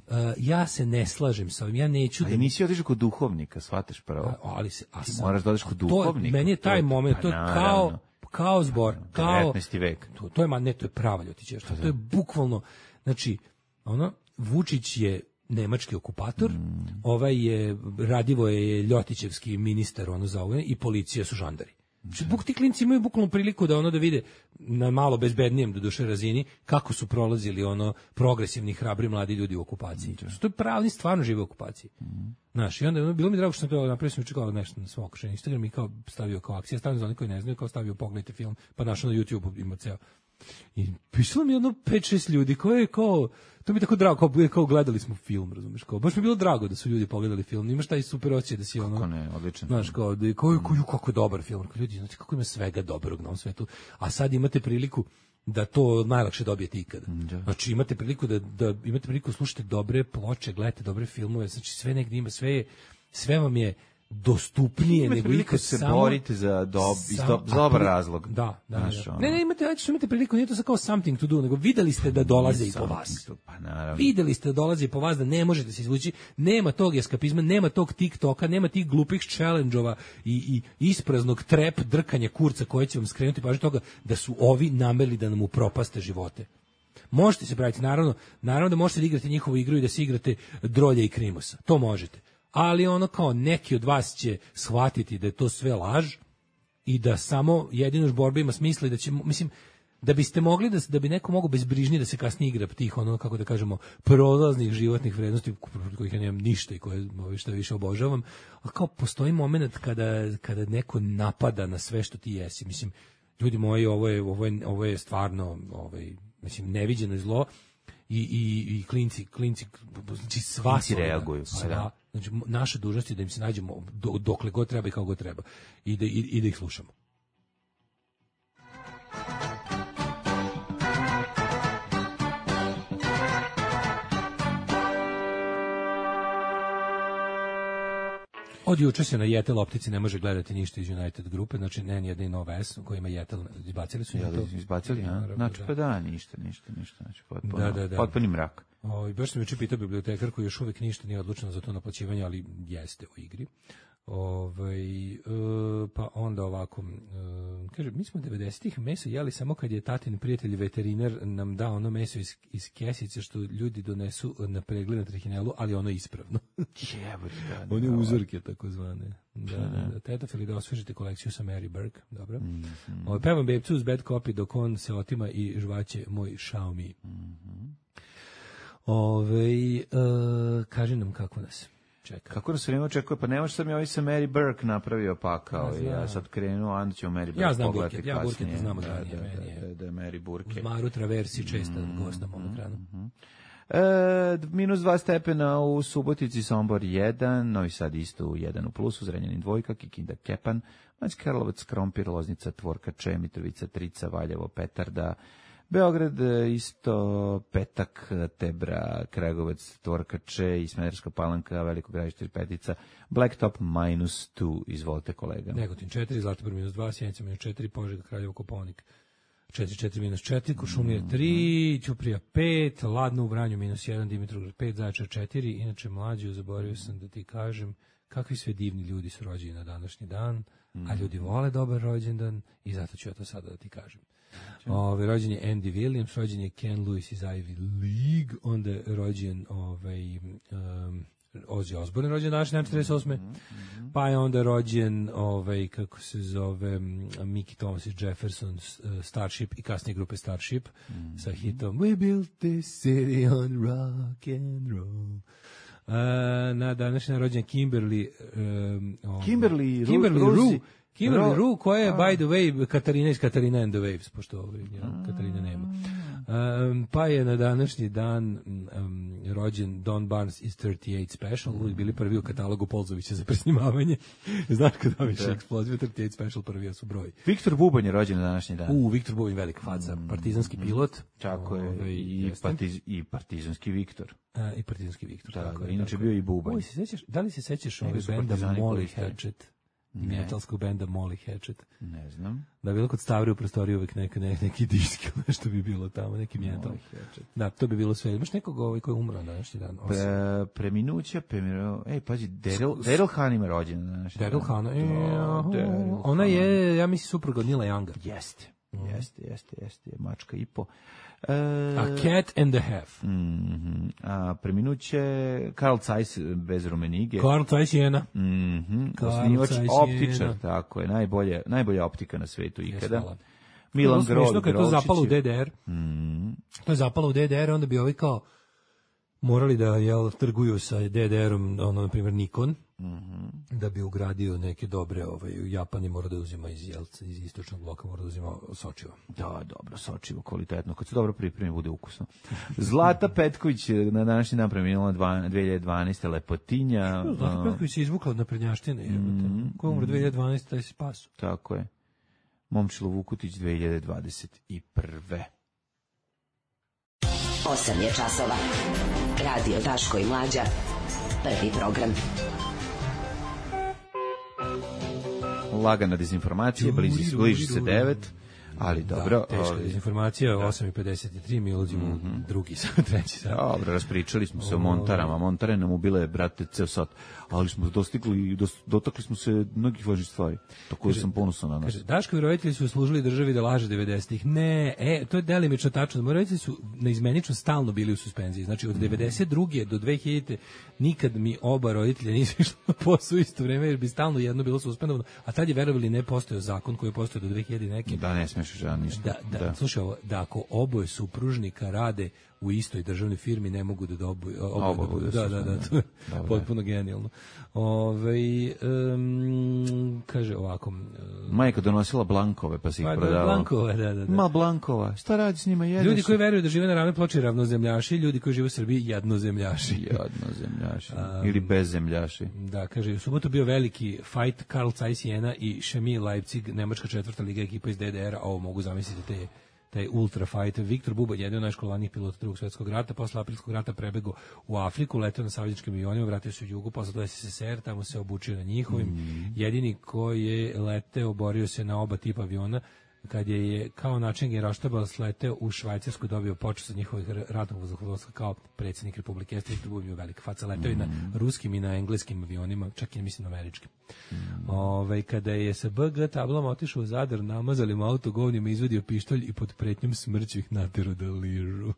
Uh, ja se ne slažem sa ovim, ja neću ali da... nisi otišao kod duhovnika, shvataš prvo. A, ali se, a sam... moraš da odeš kod duhovnika. To, meni je taj to, moment, to je pa, kao, kao zbor, kao... devetnaesti vek. To, to je, ma ne, to je prava Ljotićeva, to, to je bukvalno, znači, ono, Vučić je nemački okupator, mm. ovaj je, Radivo je Ljotićevski ministar, ono za ovo, i policija su žandari. Buk ti klinci imaju bukvalnu priliku da ono da vide na malo bezbednijem do duše razini kako su prolazili ono progresivni, hrabri mladi ljudi u okupaciji. To je pravni stvarno žive u okupaciji. Znaš, i onda ono, bilo mi drago što sam to napravio, sam čekao nešto na svom okušenju Instagram i kao stavio kao akcija, stavio za oni koji ne znaju, kao stavio pogledajte film, pa našao na YouTube ima ceo. I pisalo mi jedno pet šest ljudi koje je kao, to mi je tako drago, kao, kao gledali smo film, razumeš, kao, baš mi je bilo drago da su ljudi pogledali film, imaš taj super osjećaj da si ono, kako ne, odličan, znaš, kao, da je, kao, kao, kako je dobar film, kao, ljudi, znate kako ima svega dobrog na ovom svetu, a sad imate priliku da to najlakše dobijete ikada. Da. Znači imate priliku da, da imate priliku slušati dobre ploče, gledate dobre filmove, znači sve negdje ima, sve je, sve vam je dostupnije imate nego ikad, se samo borite za dob, sam, do, za dobar razlog. Da, da, Znaš, da. ono. Ne, ne, imate, znači, imate priliku, nije to sa kao something to do, nego videli ste da dolaze i po vas. Pa naravno. Videli ste da dolaze i po vas, da ne možete se izvući, nema tog eskapizma, nema tog TikToka, nema tih glupih challenge-ova i, i ispraznog trep drkanja kurca koje će vam skrenuti pažnju toga da su ovi namerili da nam upropaste živote. Možete se praviti, naravno, naravno da možete da igrate njihovu igru i da se igrate Drolja i Krimosa. To možete. Ali ono kao neki od vas će shvatiti da je to sve laž i da samo jedino borba ima smisla i da će, mislim, da biste mogli, da, da bi neko mogao bezbrižnije da se kasnije igra tih, ono, kako da kažemo, prolaznih životnih vrednosti, kojih ja nemam ništa i koje što više obožavam, ali kao postoji moment kada, kada neko napada na sve što ti jesi. Mislim, ljudi moji, ovo je, ovo je, ovo je stvarno, ovaj, mislim, neviđeno zlo. I, i, i klinci, klinci, znači sva klinci reaguju. Sva, znači naša dužnost je da im se nađemo do, dokle god treba i kako god treba i da, i, i da ih slušamo. Od juče se na Jetel optici ne može gledati ništa iz United grupe, znači ne ni jedan Nova S koji ima Jetel, izbacili su ja, to. Izbacili, ja? Znači pa da, ništa, ništa, ništa, znači potpuno, da, da, da. potpuni mrak. O, baš sam juče pitao bibliotekar koji još uvijek ništa nije odlučeno za to naplaćivanje, ali jeste u igri. Ovaj e, pa onda ovako e, kaže, mi smo devedesetih meso jeli samo kad je tatin prijatelj veterinar nam dao ono meso iz, iz kesice što ljudi donesu na pregled na trihinelu, ali ono ispravno. Jebote, da, da, one uzorke takozvane. Da, da, da. Tetofili da osvežite kolekciju sa Mary Burke, dobro. Mm -hmm. Ovaj pevam bebcu uz bad copy dok on se otima i žvaće moj Xiaomi. Mm -hmm. Ove, e, kaži nam kako nas čeka. Kako da se vreme očekuje? Pa nemaš sam ja ovaj sa Mary Burke napravio pakao ja i ja sad krenuo, onda ćemo Mary Burke ja znam pogledati Burke, ja Burke te znamo da, da, da, meni da, je. da, da je Mary Burke. Uz Maru Traversi česta mm, gost na mom ekranu. Mm, e, minus dva stepena u Subotici, Sombor jedan, Novi Sad isto u jedan u plusu, Zrenjanin dvojka, Kikinda Kepan, Banjski Karlovac, Krompir, Loznica, Tvorkače, Mitrovica, Trica, Valjevo, Petarda, Beograd isto, Petak, Tebra, Kragujevac, Tvorkače i Smederevska Palanka, Veliko Gradište, Petica, Blacktop minus dva, izvolite kolega. Negotin četiri, Zlatibor minus dva, Sjenica minus četiri, Požega, Kraljevo, Kopaonik četiri, četiri minus četiri, Kuršumlija tri, Ćuprija pet, Ladno u Vranju minus jedan, Dimitrovgrad pet, Zaječar četiri, inače mlađu, zaboravio sam da ti kažem kakvi sve divni ljudi su rođeni na današnji dan, a ljudi vole dobar rođendan i zato ću ja to sada da ti kažem. Ove, rođen je Andy Williams, rođen je Ken Lewis iz Ivy League, onda je rođen ovaj, um, Ozzy Osbourne, rođen danas dan četrdeset osme. Mm-hmm. Pa je onda rođen ovaj, kako se zove, Mickey Thomas i Jefferson, uh, Starship i kasnije grupe Starship, mm-hmm. sa hitom We built this city on rock and roll. Uh, na današnji rođen Kimberly um, ovaj, Kimberly, Kimberly Ru, Rue Kimberly Rue, koja je, by the way, Katarina iz Katarina and the Waves, pošto ovaj, ja, Katarina nema. Um, pa je na današnji dan um, rođen Don Barnes iz thirty eight Special, uvijek bili prvi u katalogu Polzovića za presnimavanje. Znaš kada više eksplozije, thirty eight Special prvi su broj. Viktor Bubanj je rođen na današnji dan. U, Viktor Bubanj, velika faca, mm, partizanski pilot. Tako je, ovaj, i, partiz, i partizanski Viktor. A, I partizanski Viktor. Da, tako da, je, inače tako. bio i Bubanj. Uj, se sećaš, da li se sećaš ovaj benda Molly Hatchet? Metalskog benda Molly Hatchet. Ne znam. Da, bilo kod Stavri u prostoriji uvek neka, ne, neki disk, nešto bi bilo tamo, neki metal. Da, to bi bilo sve. Imaš nekog ovaj koji je umro na današnji dan? Pre, preminuća, preminuća, ej, pazi, Daryl, Daryl Hahn ima rođen na današnji dan. Daryl Hahn, e, ona je, ja mislim, supruga od Nila Younga. Jeste. Jeste, jeste, jeste, mačka i po. E, A Cat and the Half. Mm-hmm. A preminuće Carl Zeiss bez Rumenige. Carl Zeiss Jena. Mm-hmm. Carl Osnivač, Zeiss optičar, Jena. tako je, najbolje, najbolja optika na svetu ikada. Hvala. Milan to Grol, kad je to zapalo u D D R. Mm-hmm. To je zapalo u D D R, onda bi ovi kao morali da jel, trguju sa D D R-om, ono, na primjer, Nikon, mm-hmm. da bi ugradio neke dobre, ovaj, u Japani mora da uzima iz, jel, iz istočnog bloka, mora da uzima sočivo. Da, dobro, sočivo, kvalitetno. Kad se dobro pripremi, bude ukusno. Zlata Petković na današnji dan preminula dve hiljade dvanaeste. Lepotinja. Zlata Petković se izvukla od naprednjaštine. Mm-hmm. Ko umre dve hiljade dvanaeste. taj se spasu. Tako je. Momčilo Vukutić dve hiljade dvadeset prve. osam je časova. Radio Daško i Mlađa. Prvi program. Lagana dezinformacija, bliži, bliži se devet, ali dobro. Da, teška ali, dezinformacija, da. osam i pedeset tri, mi ulazimo mm-hmm. drugi, treći sat. Dobro, raspričali smo se o Montarama. Montare nam ubile, brate, ceo sat, ali smo dostigli, dos, dotakli smo se mnogih važnih stvari, tako da sam ponosan na nas. Kaže, Daškovi roditelji su služili državi da laže devedesetih. Ne, e, to je delimično tačno. Moji roditelji su neizmenično stalno bili u suspenziji. Znači, od devedeset druge do dve hiljadite nikad mi oba roditelja nisu išli na posao isto vreme, jer bi stalno jedno bilo suspendovano. A tad je, verovali, ne postojao zakon koji je postojao do dve hiljade neke. Da, ne smiješ žena ništa. Da, da, da. Slušaj ovo, da ako oboje supružnika rade u istoj državnoj firmi, ne mogu da dobuju. Oboje da, da, da, da, to je potpuno genijalno. Ove, um, kaže ovako. Um, Majka donosila blankove, pa se ih pa, prodavala. Blankove, da, da, da. Ma blankova, šta radi s njima? Jedeš? Ljudi koji veruju da žive na ravnoj ploči ravnozemljaši, ljudi koji žive u Srbiji jednozemljaši. Jednozemljaši. Um, Ili bezzemljaši. Da, kaže, u subotu bio veliki fight Carl Zeiss Jena i Chemie Leipzig, nemačka četvrta liga ekipa iz D D R-a. Ovo mogu zamisliti te taj ultra fighter. Viktor Bubanj, jedan od najškolovanijih pilota drugog svjetskog rata, posle aprilskog rata prebegao u Afriku, leteo na savezničkim avionima, vratio se u Jugu, posle do S S S R, tamo se obučio na njihovim. Mm. Jedini koji je leteo, borio se na oba tipa aviona, kad je, je kao način generalštaba sleteo u Švajcarsku, dobio počast od njihovih ratnog vazduhoplovstva kao predsjednik Republike. Jeste Viktor Bubanj bio velika faca, leteo mm. i na ruskim i na engleskim avionima, čak i mislim na američkim. Mm. Ove, kada je sa B G tablom otišao u Zadar, namazali mu auto govnima, izvadio pištolj i pod pretnjom smrću ih natjerao da ližu.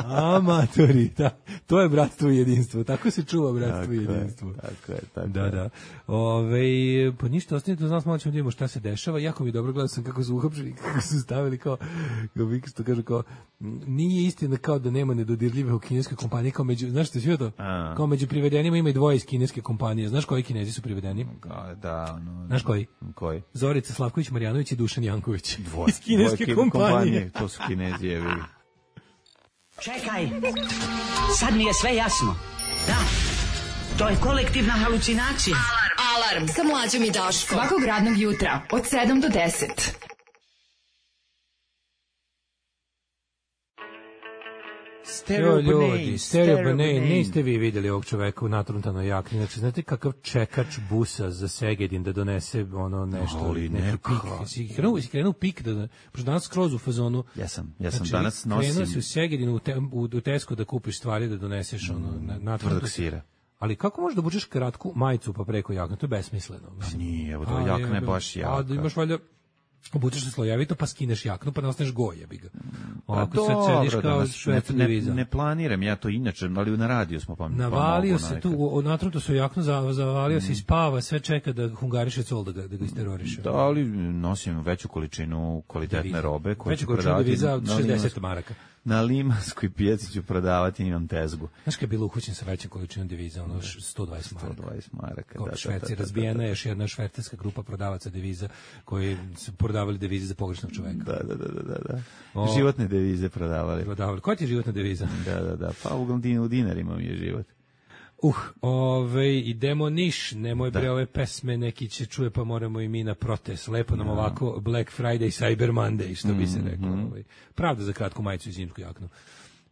Amatori, da, to je bratstvo i jedinstvo. Tako se čuva bratstvo tako i jedinstvo. Je, tako je, tako da, je. Da. Ove, pa ništa, ostanite, znam, malo ćemo da vidimo šta se dešava. Jako mi dobro gledao sam kako su uhapšeni, kako su stavili kao, što kaže, kao, nije istina kao da nema nedodirljivih u kineskoj kompaniji, kao među, znaš što je to? A. Kao među privedenima ima i dvoje iz kineske kompanije. Znaš koji Kinezi su privedeni? Da, ono. Znaš koji? Koji? Zorica Slavković Marjanović i Dušan Janković. Dvoje, iz kineske dvoje kompanije. kompanije. To su Kinezi, je vidi. Čekaj, sad mi je sve jasno. Da, to je kolektivna halucinacija. Alarm, Alarm. Sa Mlađom i Daškom. Svakog radnog jutra od sedam do deset. Stereo ljudi, Stereo Banane, niste vi vidjeli ovog čoveka u natruntanoj jakni. Znači, znate kakav čekač busa za Segedin da donese ono nešto, ali neki pik. Si krenuo, si krenuo pik, da, pošto danas skroz u fazonu. Ja sam, ja sam znači, danas nosim. Krenuo si u Segedin, u, te, u, u Tesco da kupiš stvari da doneseš ono, mm, na, tvrdog sira. Ali kako možeš da obučeš kratku majicu pa preko jakne? To je besmisleno. Pa nije, evo to jakna je baš jaka. A da imaš valjda obučeš se slojevito, pa skineš jaknu, pa ne ostaneš goj, jebi ga. Pa dobro, kao ne, ne, ne planiram ja to inače, ali na radiju smo pa navalio pa se nekad. tu, natruto su jaknu, zavalio mm. se i spava, sve čeka da hungariše col da ga, da ga isteroriše. Da, ali nosim veću količinu kvalitetne deviza. Robe koju ću prodavati. Veću količinu deviza od šezdeset maraka. Na Limanskoj pijaci ću prodavati, imam tezgu. Znaš kad je bilo uhućen sa većom količinom deviza, ono sto dvadeset maraka. sto dvadeset maraka, kao da, Šveci, da, da, razbijena je još jedna švercerska grupa prodavaca deviza koji su prodavali devize za pogrešnog čoveka. Da, da, da, da, da. O, životne devize prodavali. Prodavali. Koja ti je životna deviza? Da, da, da. Pa uglavnom u dinarima mi je život. Uh, ove, idemo Niš, nemoj bre ove pesme, neki će čuje pa moramo i mi na protest, lepo nam no. ovako Black Friday, Cyber Monday, što bi se reklo. Mm-hmm. Ovaj. Pravda za kratku majicu i zimsku jaknu.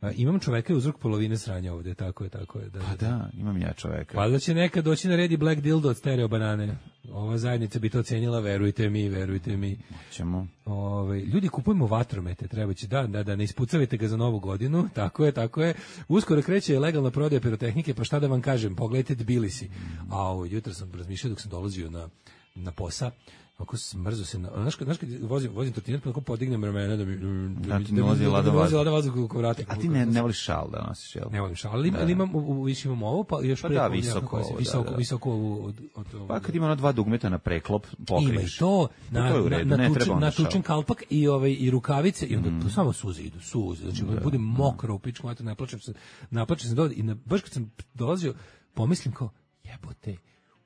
A, imam čoveka i uzrok polovine sranja ovde, tako je, tako je. Da, pa da, imam ja čoveka. Pa da će nekad doći na redi Black Dildo od Stereo Banane. Ova zajednica bi to cenila, verujte mi, verujte mi. Ćemo. Ove, ljudi, kupujemo vatromete, treba će, da, da, da, ne ispucavite ga za novu godinu, tako je, tako je. Uskoro kreće legalna prodaja pirotehnike, pa šta da vam kažem, pogledajte Tbilisi. A ovo, jutro sam razmišljao dok sam dolazio na na posao, ako smrzo se na, znaš kad, znaš kad vozim, vozim trotinet, pa tako podignem ramena da mi, da mi, Da ti da mi, nozi da mi ladan vozi vazduh. ladan vazduh oko vrata. A ti ne, ne voliš šal da nosiš, jel? Ne volim šal, ali, ali imam, u, u, više imam ovo, pa još Pa preko, da, visoko nekako, ovo, da, visoko, da. visoko ovo od, od, od, Pa kad ima ono dva dugmeta na preklop, pokriješ. ima i to, na, to je u na, redu, na, ne tučen, treba onda na šal. tučen kalpak i, ovaj, i rukavice i onda to samo suze idu, suze. Znači, Da, budem mokro u pičku, ne plačem se, naplačem se dole i na, baš kad sam dolazio, pomislim kao, jebote,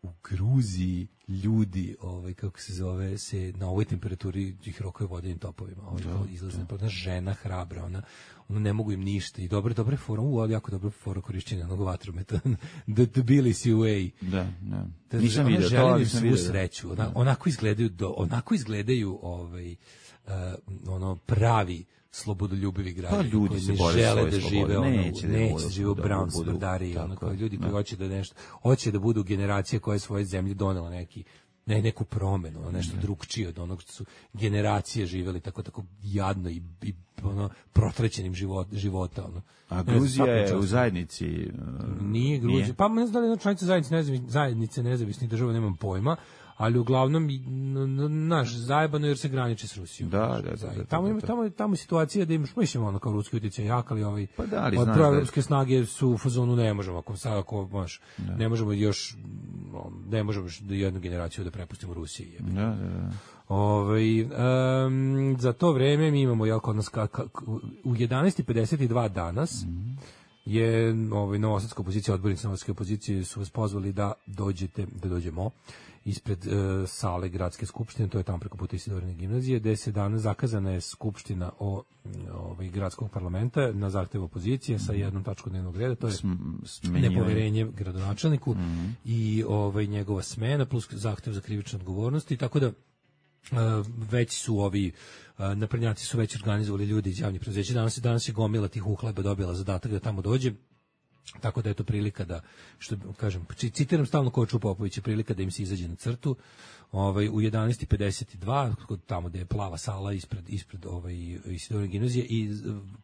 u Gruziji ljudi, ovaj kako se zove, se na ovoj temperaturi ih rokaju vodenim topovima. Ovaj da, izlazne, pa ona žena hrabra, ona ona ne mogu im ništa i dobre dobre fora, u ali jako dobro fora korišćenja onog vatrometa. The, the Billy way. Da, da. Da, Nisam ona vidio to, želi ali im sam svu vidio. sreću. Ona, onako izgledaju do, onako izgledaju ovaj uh, ono pravi slobodoljubivi građani Pa ljudi koji se ne bore žele svoje da slobode. žive ono, Neće da neće budu- da žive u da brown budu- smrdari, ono tako kao je, ljudi da. koji hoće da nešto, hoće da budu generacije koje svoje zemlji donela neki ne, neku promenu, ono, nešto drugčije od onog što su generacije živeli tako tako jadno i, i ono protrećenim život, života ono. A Ne znam, Gruzija svaka je čast. u zajednici. uh, Nije Gruzija. nije? Pa ne znam da li je jedna članica zajednice, nezavis, zajednice nezavisnih država, nemam pojma, ali uglavnom i, n- n- naš zajebano jer se graniči s Rusijom. Da, Znaš, da, da, zaj- da, Tamo da, ima da. tamo tamo je situacija da imaš mislim ono kao ruski utjecaj jak, ali ovaj Pa da, ali od znaš da je- proevropske snage su u fazonu ne možemo ako sad ako baš ne možemo još no, ne možemo još da jednu generaciju da prepustimo Rusiji. jebote. Da, da, da. Ovaj em, za to vreme mi imamo jel kod nas ka, ka, u jedanaest i pedeset dva danas je ovaj novosadska opozicija, odbornici novosadske opozicije su vas pozvali da dođete, da dođemo ispred e, sale gradske skupštine, to je tamo preko puta Isidorine gimnazije, gde se danas zakazana je skupština o ovaj gradskog parlamenta na zahtev opozicije sa jednom tačkom dnevnog reda, to je Smenjivanje. nepoverenje gradonačelniku i ovaj njegova smena plus zahtev za krivičnu odgovornost i tako da Uh, već su ovi uh, naprednjaci su već organizovali ljudi iz javnih preduzeća. Danas, danas je gomila tih uhleba dobila zadatak da tamo dođe. Tako da je to prilika da, što kažem, citiram stalno Koču Popovića, prilika da im se izađe na crtu. Ovaj u jedanaest i pedeset dva tamo gde je plava sala ispred ispred ovaj Isidorine gimnazije i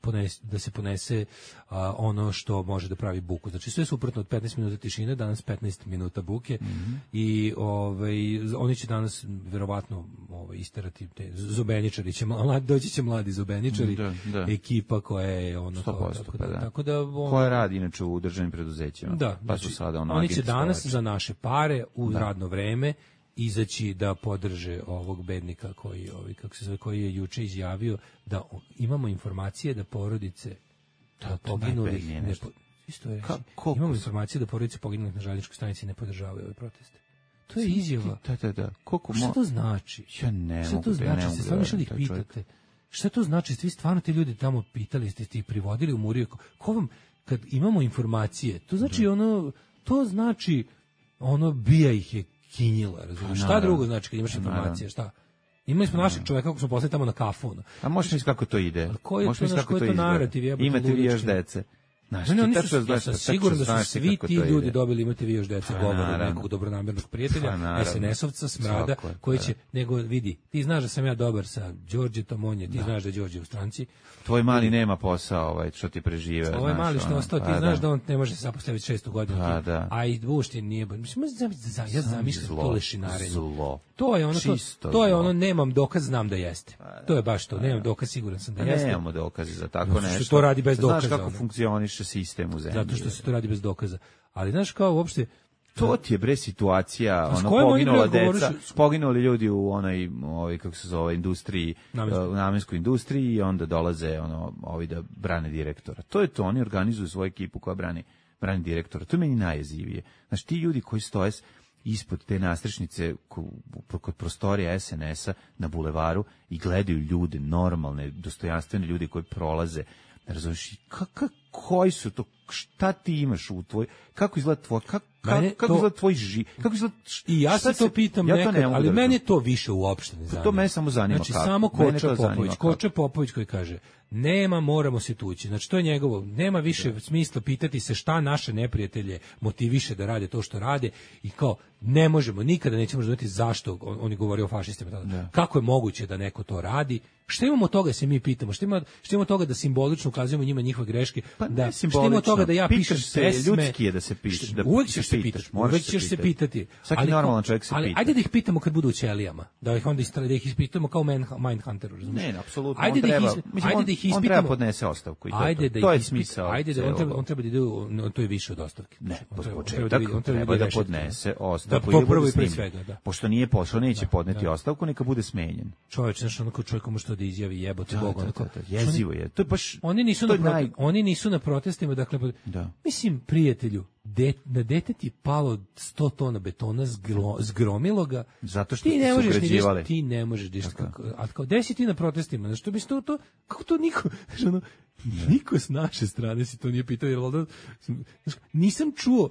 ponese, da se ponese a, ono što može da pravi buku. Znači sve suprotno od petnaest minuta tišine, danas petnaest minuta buke mm-hmm. i ovaj oni će danas verovatno ovaj isterati te zobeničari će mladi doći će mladi zobeničari, Da, da. ekipa koja je ono sto posto, tako, pa da, da. tako da on, Koja radi inače u državnim preduzećima. da, Pa su znači, sada ono oni će agenti danas spavači. za naše pare u radno vreme izaći da podrže ovog bednika koji ovaj kako se zove koji je juče izjavio da o- imamo informacije da porodice da, to poginulih najbednije ne nešto. po- isto je Ka- koliko imamo su- informacije da porodice poginulih na željezničkoj stanici ne podržavaju ove proteste. To je izjava. Da, da, da. Koliko Šta mo... to znači? Ja ne Šta mogu to da- ja ne znači? mogu Ste da stvarno išli da ih verujem taj čovjek. pitate? Šta to znači? Ste vi stvarno ti ljudi tamo pitali, ste ih privodili u Muriju? Ko- Ko vam, kad imamo informacije, to znači ono, to znači ono, bija ih je kinjila, razumiješ? Šta naravno. drugo znači kad imaš Pa, informacije, naravno. šta? Imali smo našeg čoveka kako smo poslali tamo na kafu. ono. A možeš misliti kako to ide? Ali koji je Možeš to, misliti znaš, koji je to izgleda? narativ, jebote, Imate vi još ludački? dece. Znaš, Ne, ne, ti oni tačno su, ja znaš- sam tačno siguran da znaš su ti svi kako ti to ide. ljudi dobili imate vi još deca Pa, govor od naravno. nekog dobronamernog prijatelja, Pa, naravno. es en esovca, smrada, Svako je, koji pa, će, nego vidi, ti znaš da sam ja dobar sa Đorđetom, on je, ti znaš da je Đorđe u stranci, Tvoj mali nema posao, ovaj, što ti prežive. ovaj znaš, mali što je ono, ostao, ti pa znaš da on ne može se zapostaviti šestu godinu, Pa, ti- da. a i Vuštin nije, mislim, za- za- ja zamišljam Zlo, to lešinarenje. zlo. To je ono, to, Čisto to je zlo. ono, nemam dokaz, znam da jeste. To je baš to, nemam dokaz, siguran sam da Pa jeste. nemamo dokaze za tako Zato što nešto. to radi bez dokaza, Znaš kako ono. funkcioniše sistem u zemlji. Zato što se to radi bez dokaza. Ali znaš kao uopšte, To ti je bre situacija, s ono kojom oni, poginula bre, deca, govoriš- poginuli ljudi u onoj, ovaj kako se zove, industriji, Namenskoj. u namenskoj industriji i onda dolaze ono ovi da brane direktora. To je to, oni organizuju svoju ekipu koja brani brani direktora. To je meni najjezivije. Znači ti ljudi koji stoje s- ispod te nastrešnice ko- kod prostorija es en es-a na bulevaru i gledaju ljude, normalne, dostojanstvene ljude koji prolaze. Razumiješ, kako, koji su to, šta ti imaš u tvoj, kako izgleda tvoj, kako, Mene kako to- izgleda tvoj ži, kako izgleda, I ja šta se to pitam ja nekad, ne mogu ali da mene razumem. to više uopšte ne zanima. to mene samo zanima Znači, kako. samo Mene Koča to zanima Popović, kako. Koča Popović koji kaže, nema, moramo se tući. Znači, to je njegovo, nema više smisla pitati se šta naše neprijatelje motiviše da rade to što rade i kao, ne možemo, nikada nećemo razumjeti zašto, on, on je govorio o fašistima tada, kako je moguće da neko to radi, šta imamo od toga se mi pitamo, šta ima, šta imamo od toga da simbolično ukazujemo njima njihove greške, Pa Pa da ne što ima simbolično. od toga da ja Pitaš pišem se, pesme, ljudski je da se piše, da uvek ćeš se pitaš, pitati, moraš uvek se ćeš se pitati. pitati. Svaki ali normalan ko- čovjek se ali pita. ajde da ih pitamo kad budu u ćelijama, da ih onda istra, da ih ispitamo kao man, Mindhunteru, razumiješ? Ne, ne, apsolutno. Ajde On da ih treba, is- mislim, ajde on, da ih on treba ispitamo. podnese ostavku i to, je Ajde to. da to je ih ispit- smisao. Ajde da on celog treba, ovog. on treba da ide, u- no, to je više od ostavke. Ne, On po treba- on početak treba da- on treba ide da rešiti. podnese ostavku Da, i da prvo bude i pre snimljen. svega, da. Pošto nije pošao, neće podneti da. ostavku, neka bude smenjen. Čovječ, znaš, onako čovjek može to da izjavi, jebote Da, Bog, da, onako. da, da, jezivo je. To je baš... Oni nisu to na je prote- naj- oni nisu na protestima, dakle Da. mislim prijatelju, de, na dete ti palo sto tona betona, zgro, zgromilo ga. Zato što ti ne su možeš ni ugrađivali. ti ne možeš diš kako, a kao gde si ti na protestima? Znači, to bi to, to kako to niko, znaš, ono, niko s naše strane si to nije pitao, jer valjda, znaš, nisam čuo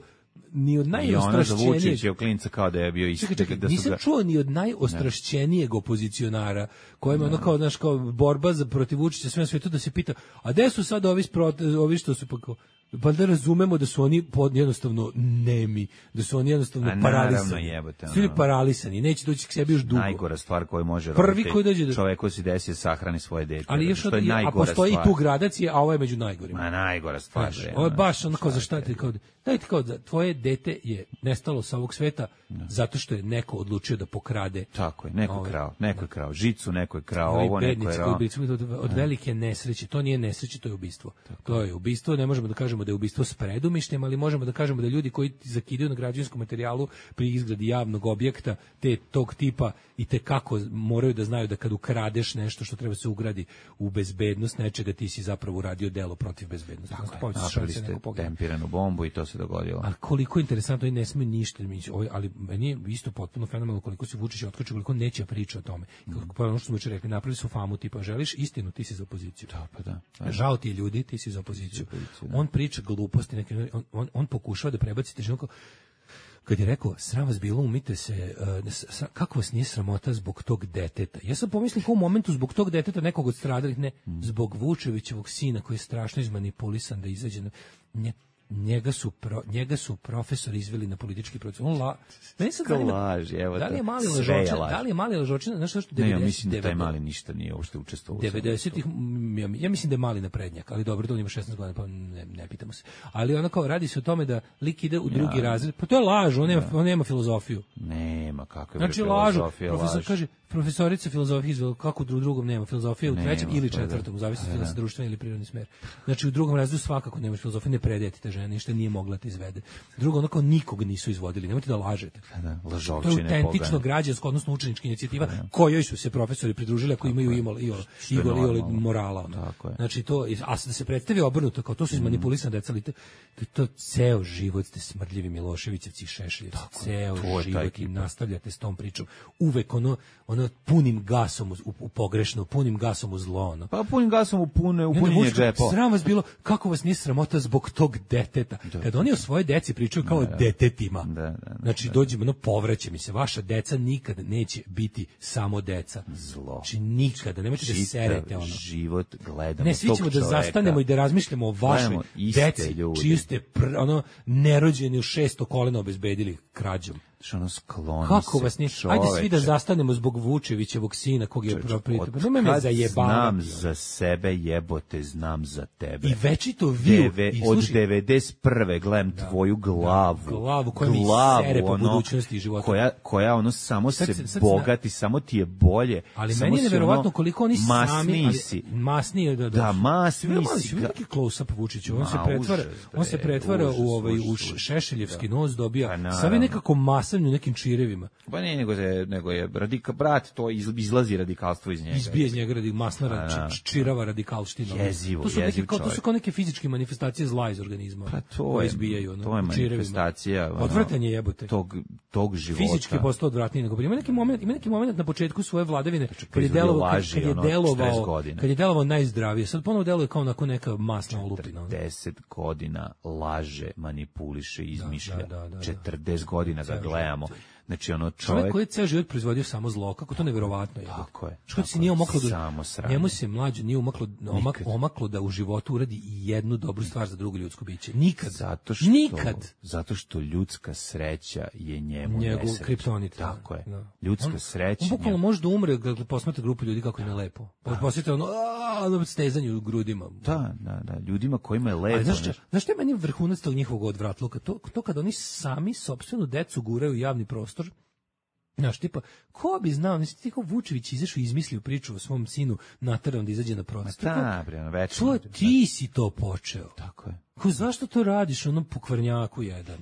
ni od I ona za najostrašćenijeg Vučića u klinca kao da je bio isti. Čekaj, čekaj, da su nisam ga- čuo ni od najostrašćenijeg opozicionara kojima ono kao, znaš, kao borba za protiv Vučića sve na svetu da se pita, a gde su sad ovi, sprot- ovi što su pa kao, pa da razumemo da su oni pod, jednostavno nemi, da su oni jednostavno A naravno, paralisani. jebote, Su oni ono. paralisani, neće doći k sebi još dugo. Najgora stvar koju može Prvi roditelj, koji dođe do- čoveku si desi da sahrani svoje dete. Ali još što od, je a najgora postoji stvar. tu gradacije, a ovo je među najgorima. Ma najgora stvar. Znaš, bre, ovo je ono, baš ono kao za šta šta ti kao, dajte kao da tvoje dete je nestalo sa ovog sveta zato što je neko odlučio da pokrade. Tako je, neko je Ovaj, krao, neko je krao, žicu neko je krao, Ovi ovo neko je bednici krao. koji bi- od, od velike nesreće, to nije nesreće, to je ubistvo. To je ubistvo, ne možemo da kažemo da je ubistvo s predumišljem, ali možemo da kažemo da ljudi koji zakidaju na građevinskom materijalu pri izgradi javnog objekta te tog tipa i te kako moraju da znaju da kad ukradeš nešto što treba se ugradi u bezbednost nečega, ti si zapravo uradio delo protiv bezbednosti. Tako je, Napravili ste tempiranu bombu i to se dogodilo. ali koliko je interesantno, i ne sme ništa, mislim, ovaj, ali meni je isto potpuno fenomenalno koliko se Vučić otkače, koliko neće priča o tome. Kako pa ono što smo juče rekli, napravili su famu tipa želiš istinu, ti si za opoziciju. Da, pa da. Pa da. Žao ti je ljudi, ti si za opoziciju. On priča gluposti, neke, on, on, on pokušava da prebaci težinu kao- kad je rekao, sram vas bilo, umite se, uh, s- s- kako vas nije sramota zbog tog deteta? Ja sam pomislio kao u momentu zbog tog deteta nekog od stradalih, ne, zbog Vučevićevog sina koji je strašno izmanipulisan da izađe na... Nje, njega su pro, njega su profesori izveli na politički proces. On la, meni sad zanima, Laž, evo da li je mali sve je lažočina, laž. da li je mali lažočina, znaš što što Ne, ja devedeset- mislim da taj devet- mali ništa nije uopšte učestvovao. u svemu devedesetih ja, ja mislim da je mali naprednjak, ali dobro, to on ima šesnaest godina, pa ne, ne pitamo se. Ali ono kao radi se o tome da lik ide u drugi razred, pa to je laž, on nema, on nema filozofiju. Nema, kakve Znači bre lažu. filozofije, Profesor laž. kaže, profesorica filozofije izvela, kako u dru- drugom nema filozofije, u Nema, trećem ili pa da. četvrtom, u zavisnosti Pa da da. se društveni ili prirodni smer. Znači u drugom razredu svakako nemaš filozofije, ne predajete te žene, ništa nije mogla te izvede. Drugo, onako nikog nisu izvodili, nemojte da lažete. Pa da, To je lažovčine autentično pogane. građansko, odnosno učenička inicijativa kojoj su se profesori pridružili ako imaju imalo i je i normalno. morala. ono. Tako je. Znači to, a da se predstavi obrnuto, kao to su izmanipulisane deca, ali to, to, to ceo život ste smrdljivi Miloševićevci i Šešeljevci, ceo to je ta život i ekipa. nastavljate s tom pričom. Uvek ono, ono punim gasom u, u pogrešno, punim gasom u zlo. Ono. Pa punim gasom u pune, u I onda punjenje Vučić kao, džepova. Sram vas bilo, kako vas nije sramota zbog tog deteta. Kad oni o svoje deci pričaju kao o detetima, Da, da, da, znači dođemo, no povraća mi se, vaša deca nikad neće biti samo deca. Zlo. Znači nikada, nemojte da Čitav serete ono. život gledamo Ne, svi tog ćemo da čoveka. zastanemo i da razmišljamo o vašoj Gledamo iste deci, ljude. čiju ste pr, ono, nerođeni u šesto kolena obezbedili krađom. Što ono skloni Kako se, vas nije? Ajde svi da čoveče. zastanemo zbog Vučevićevog sina kog je Čoveče, proprio. od Nemoj me kad zajebavati. znam za sebe, jebote, znam za tebe. I večito vi Deve, i od slušaj, devedeset prve gledam tvoju glavu. glavu koja mi glavu, sere po ono, budućnosti i života. Koja, koja ono samo Sad se se- sad se- bogati, samo ti je bolje. Ali samo meni je si neverovatno ono, koliko oni sami, masniji ali, si. masniji da, Da, masniji Vidio mali si vidio ga. neki close up Vučića, on Ma, se pretvara, užas, on se bre, pretvara užas, u ovaj u užas, užas. šešeljevski nos dobija. Pa, naravno. Sad je nekako masan u nekim čirevima. Pa ne, nego je, nego je radika, brat, to iz- izlazi radikalstvo iz njega. Izbije iz njega radi masna Pa, da. č- č- čirava radikalština. Jezivo, to su neke jeziv kao, to su čovjek. kao neke fizičke manifestacije zla iz organizma. Pa to koje je, izbijaju, ono, to je u čirevima. manifestacija ono, Odvrtanje jebote. tog, tog života. Fizički je postao odvratniji nego prije. Ima neki moment, ima neki moment na početku svoje vladavine kad je proizvodio delovao kad, laži, kad je ono, četrdeset delovao godina. kad je delovao najzdravije. Sad ponovo deluje kao onako neka masna olupina. ono. deset godina laže, manipuliše, izmišlja. da, da, da, da. četrdeset godina ga Ceo gledamo. Znači, ono, Čovjek čovjek... koji je ceo život proizvodio samo zlo, kako to neverovatno je. Tako je. Što se nije omaklo da... Samo sranje. Njemu se mlađe nije omaklo, omak, omaklo da u životu uradi jednu dobru stvar za drugo ljudsko biće. Nikad. Zato što, Nikad. Zato što ljudska sreća je njemu Njegov nesreća. kriptonit. Tako je. Da. Ljudska on, sreća. On bukvalno može da umre kad posmatra grupu ljudi kako im je lepo. Posmatra ono, aaa, stezanje u grudima. Da, da, da. Ljudima kojima je lepo. Ali znaš, znaš, znaš što je meni vrhunac tog njihovog odvratluka? To, to kad oni sami sopstvenu decu guraju u javni prostor. Znaš, tipa, ko bi znao, nisi ti kao Vučević izašao i izmislio priču o svom sinu naterao da izađe na protest. Da, bre, ono, večno. To ti si to počeo. Tako je. Ko, zašto to radiš, onom pokvarnjaku jedan?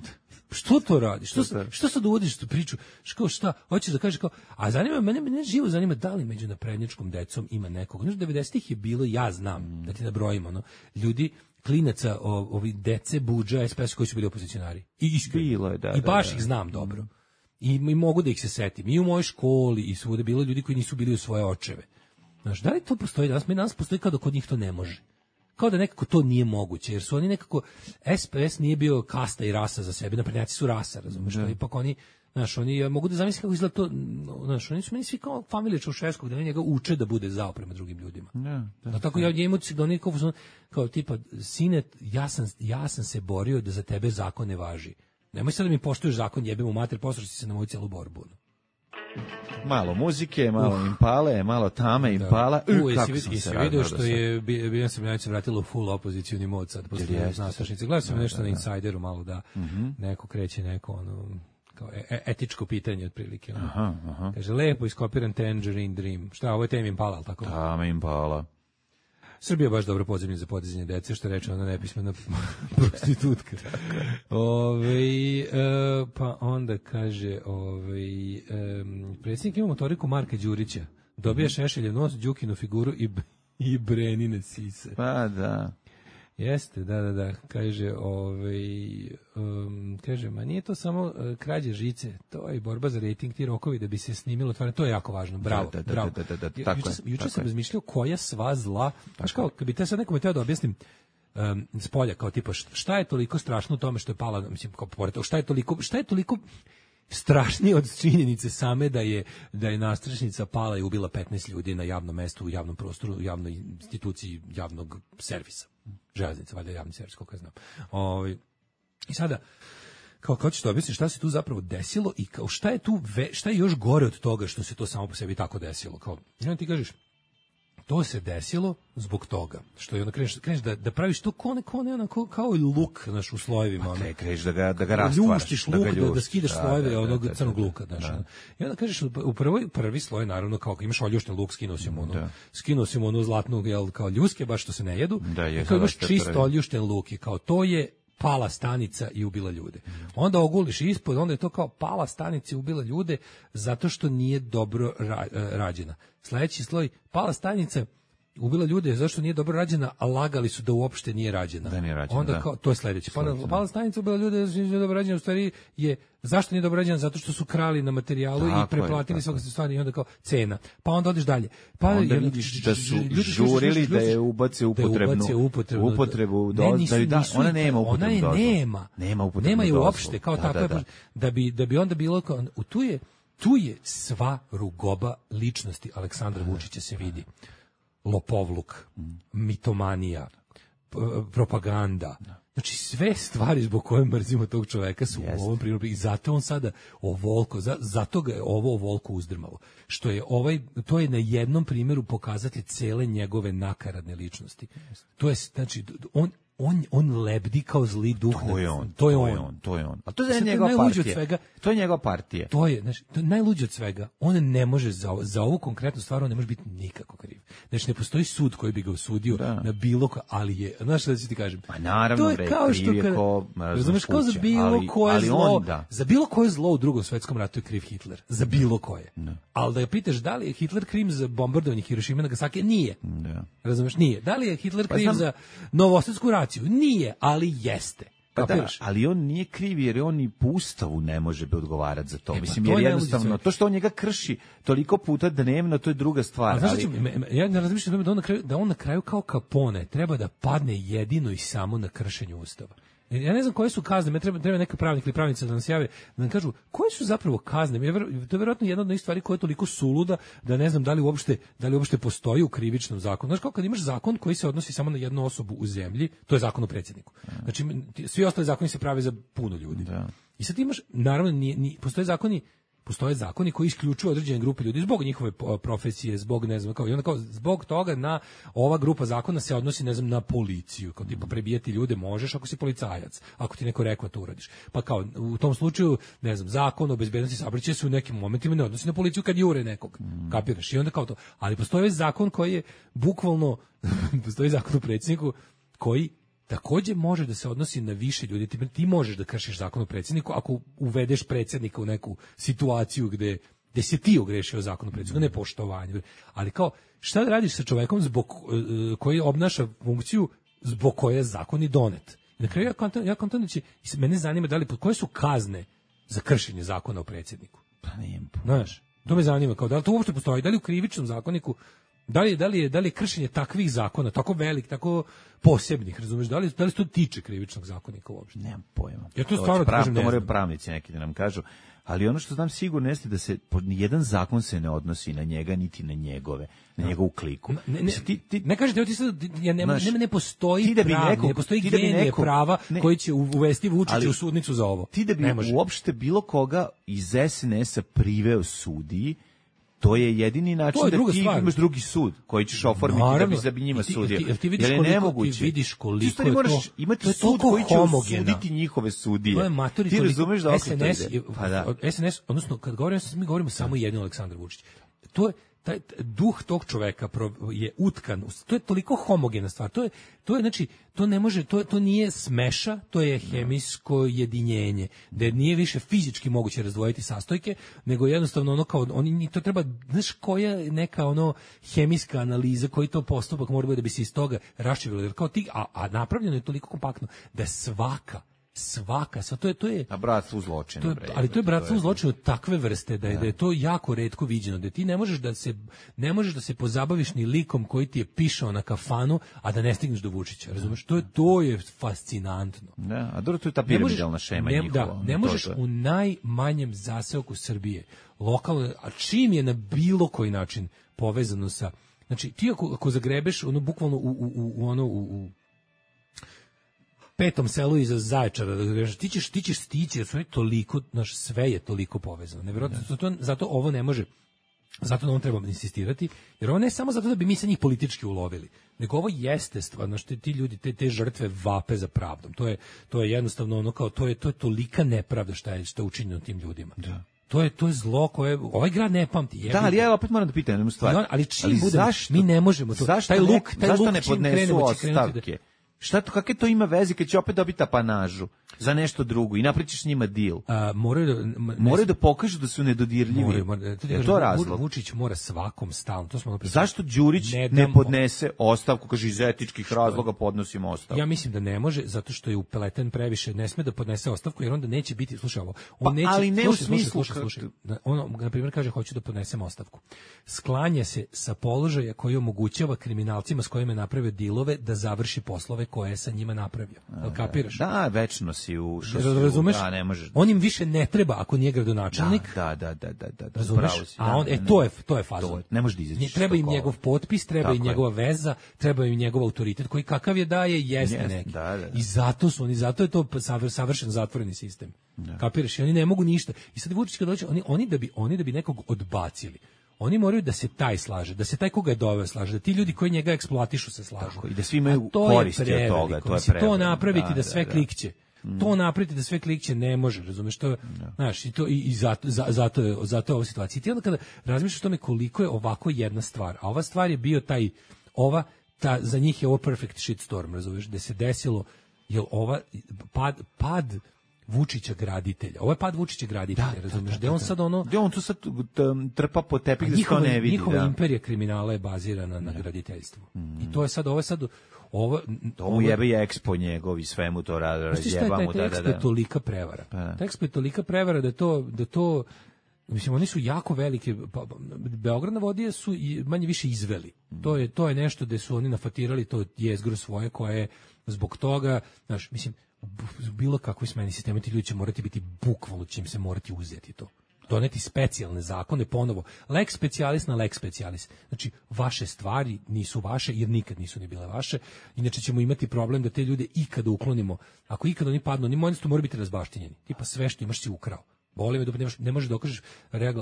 Što to radiš? Što, što sad uvodiš tu priču? Što, šta? Hoćeš da kažeš kao, a zanima, mene, mene živo zanima da li među naprednjačkom decom ima nekog. Znaš, devedesetih je bilo, ja znam, mm. da ti nabrojim, ono, ljudi, klinaca, o, ovi dece, budža, es pe es koji su bili opozicionari. I iskreno. Je, da, I baš da, da. ih znam dobro. Mm. I, I mogu da ih se setim. I u mojoj školi, i svuda bilo ljudi koji nisu bili u svoje očeve. Znaš, da li to postoji danas? Mi danas postoji kao da kod njih to ne može. Kao da nekako to nije moguće, jer su oni nekako, es pe es nije bio kasta i rasa za sebe, naprednjaci su rasa, razumiješ, ali ipak oni, znaš, oni, ja mogu da zamislim kako izgleda to, znaš, oni su meni svi kao familije Čaušeskog, da oni njega uče da bude zao prema drugim ljudima. Da, da, da tako ja njemu da oni kao, kao tipa, sine, ja sam, ja sam se borio da za tebe zakon ne važi. Nemoj sad da mi poštuješ zakon, jebem u mater, poslušaj se na moju celu borbu. Malo muzike, malo uh. Impale, malo Tame Impala. Da. U, jesi vidi, jesi vidio što je Biljana Srbljanić se vratila u full opozicijuni mod sad posle nastašnice. Gledao sam da, nešto da, na Insideru malo da uh-huh. neko kreće neko ono kao e- etičko pitanje otprilike. Ono. Aha, aha. Kaže lepo iskopiran Tangerine Dream. Šta, ovo je Tame Impala, al tako? Tame Impala. Srbija baš dobro podzemlje za podizanje dece, što reče ona nepismena prostitutka. Ove, e, pa onda kaže, ove, e, predsjednik ima motoriku Marka Đurića, dobija Šešeljev nos, Đukinu figuru i, i Brenine sise. Pa da. Jeste, da, da, da, kaže, ovaj, um, kaže, ma nije to samo uh, krađe žice, to je i borba za rejting, ti rokovi da bi se snimilo, tvarno, to je jako važno, bravo, da, da, bravo. Da, da, da, da, juče sam, juče sam razmišljao koja sva zla, znaš kao, kad bi te sad nekome teo da objasnim, um, s polja, kao tipa, šta je toliko strašno u tome što je pala, mislim, kao pored toga, šta je toliko, šta je toliko strašnije od činjenice same da je da je nastrešnica pala i ubila petnaest ljudi na javnom mestu, u javnom prostoru, u javnoj instituciji javnog servisa. Železnica, valjda javni servis, koliko ja znam. Ovaj i sada kao kako ćeš to objasniti šta se tu zapravo desilo i kao šta je tu ve, šta je još gore od toga što se to samo po sebi tako desilo. Kao ja ti kažeš to se desilo zbog toga što je onda kreneš, kreneš da, da praviš to kone, kone, onako kao i luk, znaš, u slojevima. Ma kreneš da ga, da ga rastvaraš. Ljuštiš luk, da, da, da skidaš da, slojeve da, onog da, da, crnog luka. Znaš, da. I onda kažeš, u prvoj, prvi sloj, naravno, kao imaš oljušten luk, skinuo si mu onu, da. skinuo si mu onu zlatnu, jel, kao ljuske, baš što se ne jedu. Da, je, kao imaš čisto oljušten luk i kao to je pala stanica i ubila ljude. Onda oguliš ispod, onda je to kao pala stanica i ubila ljude zato što nije dobro ra, rađena. Sledeći sloj, pala stanica ubila ljude zašto nije dobro rađena, a lagali su da uopšte nije rađena. Da nije rađena, onda da. Kao, to je sledeće. Pa pala stanica ubila ljude zašto nije dobro rađena, u stvari je zašto nije dobro rađena, zato što su krali na materijalu tako i preplatili svaka stvari i onda kao cena. Pa onda odeš dalje. Pa onda vidiš da su žurili da je ubace upotrebnu upotrebu, upotrebu do, ne, da, da ona nema upotrebu. Ona je dozvolu. nema. Nema upotrebu. Nema je uopšte kao da, tako da, da. da bi da bi onda bilo kao tu je tu je sva rugoba ličnosti Aleksandra Vučića se vidi. Lopovluk, mitomanija, propaganda. Znači sve stvari zbog koje mrzimo tog čoveka su Jest. u ovom primjeru i zato on sada ovolko, za, zato ga je ovo ovolko uzdrmalo. Što je ovaj, to je na jednom primjeru pokazatelj cele njegove nakaradne ličnosti. Jest. To je, znači, on On, on lebdi kao zli duh. To je on. To je on. on. To je on. A to je njegova partija. Svega, to je njegova partija. To je, znači, to je najluđe od svega. On ne može za, za ovu konkretnu stvar, on ne može biti nikako kriv. Znači, ne postoji sud koji bi ga osudio da. na bilo ko, ali je, znaš šta ću ti kažem? Pa naravno, to je bre, kao što kada, ko, razumeš, kao za bilo ali, koje ali zlo, on, da. za bilo koje zlo u Drugom svetskom ratu je kriv Hitler. Za bilo koje. Da. Ali da ga pitaš da li je Hitler kriv za bombardovanje Hirošime i Nagasaki? Nije. Da. Razumeš, nije. Da li je Hitler kriv pa za Novosadsku raciju? Nije. Ali jeste. Pa da, ali on nije kriv jer on i po ustavu ne može bi odgovarati za to. E, Mislim, to jer jednostavno, to što on njega krši toliko puta dnevno, to je druga stvar. A znaš, ali... Ću, ja ne razmišljam da on, na kraju, da on na kraju kao Capone treba da padne jedino i samo na kršenju ustava. Ja ne znam koje su kazne, me treba, treba neka pravnik ili pravnica da nas jave, da nam kažu koje su zapravo kazne. To je vjerojatno jedna od onih stvari koja je toliko suluda da ne znam da li uopšte, da li uopšte postoji u krivičnom zakonu. Znaš, kao kad imaš zakon koji se odnosi samo na jednu osobu u zemlji, to je zakon o predsjedniku. Znači, svi ostali zakoni se prave za puno ljudi. Da. I sad imaš, naravno, nije, nije, postoje zakoni Postoje zakoni koji isključuju određene grupe ljudi zbog njihove profesije, zbog ne znam kao i onda kao zbog toga na ova grupa zakona se odnosi ne znam na policiju, kao tipa prebijati ljude možeš ako si policajac, ako ti neko rekao to uradiš. Pa kao u tom slučaju ne znam zakon o bezbednosti saobraćaja se u nekim momentima ne odnosi na policiju kad jure nekog. Mm. Kapiraš? I onda kao to. Ali postoji zakon koji je bukvalno postoji zakon o predsjedniku koji takođe može da se odnosi na više ljudi. Ti, ti možeš da kršiš zakon o predsjedniku ako uvedeš predsjednika u neku situaciju gde, gde se ti ogrešio zakon o predsjedniku, ne poštovanje. Ali kao, šta da radiš sa čovekom zbog, uh, koji obnaša funkciju zbog koje je zakon i donet? I na kraju ja kontam, ja kontam da će, mene zanima da li, koje su kazne za kršenje zakona o predsjedniku? Pa nijem. Znaš, to me zanima, kao da li to uopšte postoji, da li u krivičnom zakoniku Da li, da, li je, da li je kršenje takvih zakona, tako velik, tako posebnih, razumeš, da li, da li se to tiče krivičnog zakonika uopšte? Nemam pojma. Ja to stvarno prav, kažem, ne to moraju znam. pravnici neki da nam kažu, ali ono što znam sigurno jeste da se nijedan zakon se ne odnosi na njega, niti na njegove, na no. njegovu kliku. Ne, ne, ti, ti, ne kažete, ti sad, ja ne, znaš, ne, ne postoji da pravni, neko, ne postoji da genije neko, prava ne, koji će uvesti Vučića u sudnicu za ovo. Ti da bi uopšte bilo koga iz es en es a priveo sudiji, to je jedini način je da ti stvar. Imaš drugi sud koji ćeš oformiti naravno, da bi njima sudio. Ti, ti vidiš koliko, nemoguće. Ti vidiš koliko ti je moraš to, imati to je sud koji će osuditi njihove sudije. To je maturi, ti razumeš da es en es, je, pa da. es en es, odnosno kad govorimo, mi govorimo samo jedino Aleksandar Vučić. To je taj duh tog čoveka je utkan, to je toliko homogena stvar, to je, to je znači, to ne može, to, to nije smeša, to je hemijsko jedinjenje, da nije više fizički moguće razdvojiti sastojke, nego jednostavno ono kao, oni, to treba, znaš koja neka ono hemijska analiza, koji to postupak mora biti da bi se iz toga raščivilo, jer kao ti, a, a napravljeno je toliko kompaktno, da svaka svaka, sva to je to je a bratstvo u zločinu, to je, ali to je bratstvo u zločinu takve vrste da je, da je to jako retko viđeno, da ti ne možeš da se ne možeš da se pozabaviš ni likom koji ti je pišao na kafanu, a da ne stigneš do Vučića, razumeš? To je to je fascinantno. Da, a dobro, to je ta piramidalna šema ne, njihova. Da, ne možeš u najmanjem zaseoku Srbije, lokalno, a čim je na bilo koji način povezano sa, znači ti ako, ako zagrebeš ono bukvalno u, u, u ono u, u petom selu iza Zaječara, ti ćeš, ti ćeš stići, jer su toliko, naš, sve je toliko povezano. Nevjerojatno, zato, zato ovo ne može, zato na ovom trebamo insistirati, jer ovo ne samo zato da bi mi sa njih politički ulovili, nego ovo jeste stvarno, što ti ljudi, te, te žrtve vape za pravdom. To je, to je jednostavno ono kao, to je, to je tolika nepravda šta je, šta je učinjeno tim ljudima. Da. To je to je zlo koje ovaj grad ne pamti. Jebi. Da, ali ja opet moram da pitam jednu stvar. On, ali čim ali bude, zašto, mi ne možemo to. Zašto taj luk, ne, taj zašto luk ne podnesu ostavke? Da... Šta to, kakve to ima veze kad će opet dobiti apanažu za nešto drugo i napričiš njima deal? A, moraju da, ne, moraju da pokažu da su nedodirljivi. Moraju, moraju, to, je to razlog? Vučić mora svakom stalno. To smo zašto Đurić ne, ne podnese ostavku, kaže iz etičkih razloga podnosim ostavku? Ja mislim da ne može, zato što je upleten previše, ne sme da podnese ostavku, jer onda neće biti, slušaj ovo, on pa, neće, ali ne slušaj, u smislu, slušaj, slušaj, slušaj, on, na primjer, kaže, hoću da podnesem ostavku. Sklanja se sa položaja koji omogućava kriminalcima s kojima je napravio dilove da završi poslove koje je sa njima napravio. Jel kapiraš? Da, večno si u šosu. Razumeš? Da, ne možeš. On im više ne treba ako nije gradonačelnik. Da, da, da, da, da. Razumeš? Si, a on, e, to je, to je fazon. Ne može da izađeš. Treba im njegov potpis, treba im njegova veza, treba im njegov autoritet, koji kakav je daje, jeste yes, neki. Da, da, da. I zato su oni, zato je to savršen zatvoreni sistem. Da. Kapiraš? I oni ne mogu ništa. I sad Vučić kad dođe, oni, oni, da bi, oni da bi nekog odbacili, oni moraju da se taj slaže, da se taj koga je doveo slaže, da ti ljudi koji njega eksploatišu se slažu. Tako, i da svi imaju koristi od toga. To je preveliko. To napraviti da, da sve da, klikće. Mm. To napraviti da sve klikće ne može, razumeš, to, da. Znaš, i to i, i zato, za, zato je zato je ova situacija. I ti onda kada razmišljaš o tome koliko je ovako jedna stvar, a ova stvar je bio taj, ova, ta, za njih je ovo perfect shitstorm, razumeš, da se desilo, jer ova, pad, pad Vučića graditelja. Ovo je pad Vučića graditelja, da, razumiješ? Da, da, da, on sad ono... Gde on tu sad trpa po tepih da se to ne vidi. Njihova da. imperija kriminala je bazirana na graditeljstvu. Mm. I to je sad, ovo je sad... Ovo, to mu jebe je Expo njegov i sve mu to razjeba mu. Taj Expo je tolika prevara. Taj Expo je tolika prevara da to... Da to mislim, oni su jako velike, pa, Beograd na vodi su i manje više izveli. Mm. To je to je nešto gde su oni nafatirali to jezgro svoje koje je zbog toga, znaš, mislim, u bilo kakvoj smeni sistema ti ljudi će morati biti bukvalno, će im se morati uzeti to. Doneti specijalne zakone, ponovo, lex specialis na lex specialis. Znači, vaše stvari nisu vaše, jer nikad nisu ni bile vaše, inače ćemo imati problem da te ljude ikada uklonimo. Ako ikada oni padnu, oni možda moraju biti razbaštinjeni. Tipa sve što imaš si ukrao. Boli me da nemaš, ne možeš da dokažeš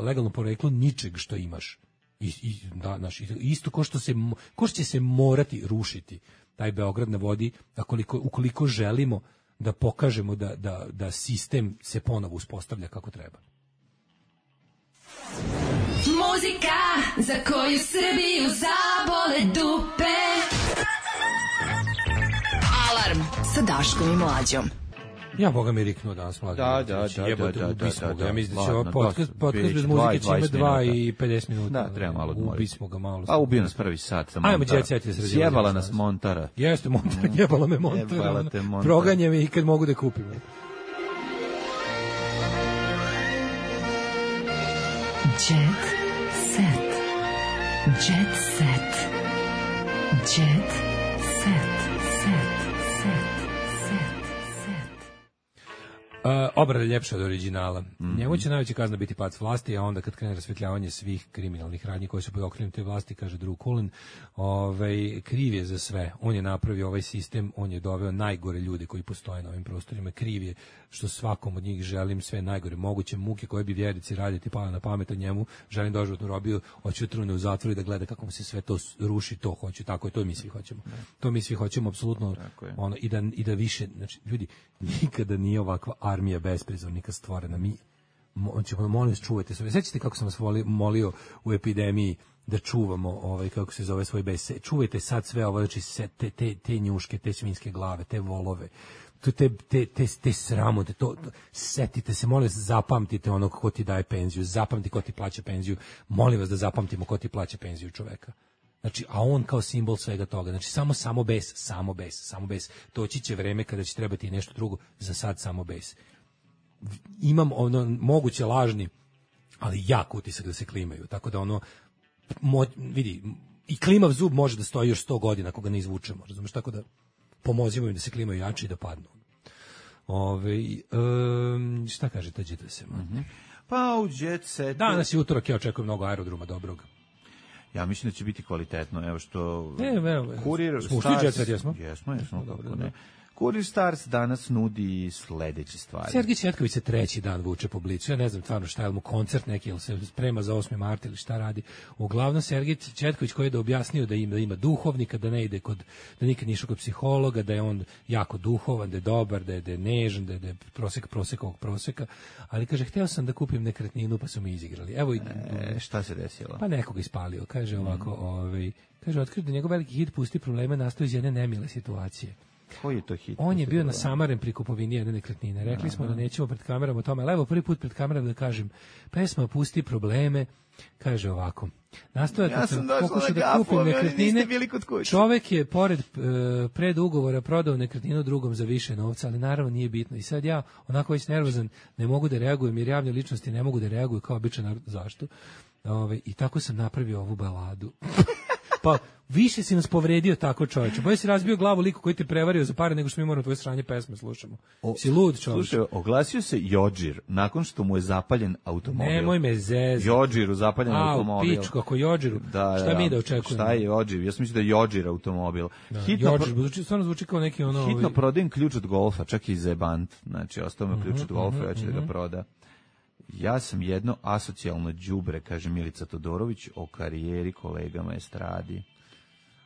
legalno poreklo ničeg što imaš. I, i, da, naš, isto ko što, se, ko što će se morati rušiti taj Beograd na vodi, ukoliko, ukoliko želimo da pokažemo da, da, da sistem se ponovo uspostavlja kako treba. Muzika za koju Srbiju zabole dupe. Alarm sa Daškom i Mlađom. Ja boga mi riknuo danas mlađe. Da, da, da, jebote, da, da, ubismo da, ga. da, Ja mislim da će ladno, ovo podcast, dosta, podcast bez biće muzike će ima dvadeset dva minuta. i pedeset minuta. Da, treba malo odmoriti. Ubismo ga malo. A ubio nas prvi sat sa Ajmo, Montara. jet set je sredio. Sjebala nas Montara. Jeste, Montara, jebala me Montara. Jebala te Montara. Proganja me i kad mogu da kupim. Jet set. Jet set. Jet set. Set. Set. Set. Set. Uh, obrada ljepša od originala. Mm-hmm. Njemu će najveća kazna biti pad s vlasti, a onda kad krene rasvetljavanje svih kriminalnih radnji koji su pod okriljem te vlasti, kaže Drew Cullen, ovaj, kriv je za sve. On je napravio ovaj sistem, on je doveo najgore ljude koji postoje na ovim prostorima. Kriv je što svakom od njih želim sve najgore moguće muke koje bi vjernici raditi pala na pamet, a njemu želim doživotnu robiju, hoću trune u zatvoru i da gleda kako mu se sve to ruši, to hoću, tako je, to mi svi hoćemo. To mi svi hoćemo, apsolutno, ono, i da, i da više, znači, ljudi, nikada nije ovakva armija besprizornika stvorena. Mi, mo, ćemo, molim vas, čuvajte se. Sećate kako sam vas voli, molio u epidemiji da čuvamo, ovaj, kako se zove, svoj bes. Čuvajte sad sve ovo, znači, te, te, te njuške, te svinjske glave, te volove, te, te, te, te sramote, to, to, setite se, molim vas, zapamtite onog ko ti daje penziju, zapamti ko ti plaća penziju, molim vas da zapamtimo ko ti plaća penziju čoveka. Znači, a on kao simbol svega toga. Znači, samo samo bes, samo bes, samo bes. Doći će vreme kada će trebati nešto drugo, za sad samo bes. Imam ono moguće lažni, ali jak utisak da se klimaju. Tako da ono, mo, vidi, i klimav zub može da stoji još sto godina ako ga ne izvučemo. Razumeš, tako da pomozimo im da se klimaju jače i da padnu. Ove, um, šta kaže ta Jet Set? Mm-hmm. Pa u Jet Set... Danas je utorak, ja očekujem mnogo aerodroma dobrog. Ja mislim da će biti kvalitetno, evo što... Ne, evo, Kurir smo ušli Jet Set, jesmo? Jesmo, jesmo, kako ne. Kurir Stars danas nudi sledeće stvari. Sergij Četković se treći dan vuče po Blicu. Ja ne znam stvarno šta je mu koncert neki, ili se sprema za osmi mart ili šta radi. Uglavnom Sergij Četković koji je da objasnio da ima, da ima duhovnika, da ne ide kod, da nikad nije išao kod psihologa, da je on jako duhovan, da je dobar, da je, da je nežan, da je, da je prosek prosekovog proseka, ali kaže, hteo sam da kupim nekretninu pa su mi izigrali. Evo, e, šta se desilo? Pa nekoga ispalio, kaže ovako, mm. ovaj, kaže, otkrio da njegov veliki hit Pusti probleme nastao iz jedne nemile situacije. Koji je to hit? On je bio nasamaren pri kupovini jedne nekretnine. Rekli smo da nećemo pred kamerama o tome, ali evo prvi put pred kamerama da kažem, pesma Pusti probleme, kaže ovako. Nastoja kad ja sam, sam pokušao da gafu, kupim nekretnine, čovek je pored e, pred ugovora prodao nekretninu drugom za više novca, ali naravno nije bitno. I sad ja, onako već nervozan, ne mogu da reagujem, jer javne ličnosti ne mogu da reaguju kao običan narod. Zašto? Ove, I tako sam napravio ovu baladu. Pa više si nas povredio tako, čoveče. Bolje si razbio glavu liku koji te prevario za pare nego što mi moramo tvoje sranje pesme slušamo. O, si lud, čoveče. Slušaj, oglasio se Jodžir nakon što mu je zapaljen automobil. Nemoj me zezati. Jodžiru zapaljen A, automobil. A, u pičku, ako Jodžiru. Da, šta da, mi da očekujemo? Šta je Jodžir? Ja sam mislio da je Jodžir automobil. Da, hitno Jodžir, zvuči, stvarno zvuči kao neki ono... Hitno ovi... prodajem ključ od golfa, čak i zebant. Znači, ostao me ključ od golfa, uh-huh, ja ću uh-huh. da ga proda. Ja sam jedno asocijalno đubre, kaže Milica Todorović, o karijeri kolegama estradi.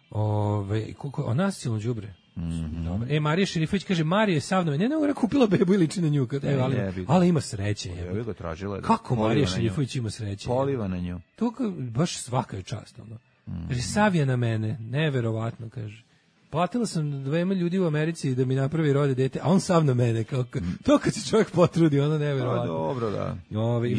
Ove, koliko, o nasilno đubre. Mm-hmm. Dobro. E, Marija Šerifović kaže, Marija je sav na me. Ne, ne, kupila bebu i liči na nju. Kad, e, ali, ali ima sreće. Ja bih ga tražila. Kako Marija Šerifović ima sreće? Poliva na nju. To baš svaka je čast. Ono. Mm-hmm. Kaže, sav je na mene. Neverovatno, kaže. Platila sam dvema ljudi u Americi da mi napravi rode dete, a on sam na mene. Kao, to kad se čovjek potrudi, ono neverovatno. Dobro, da. Ove,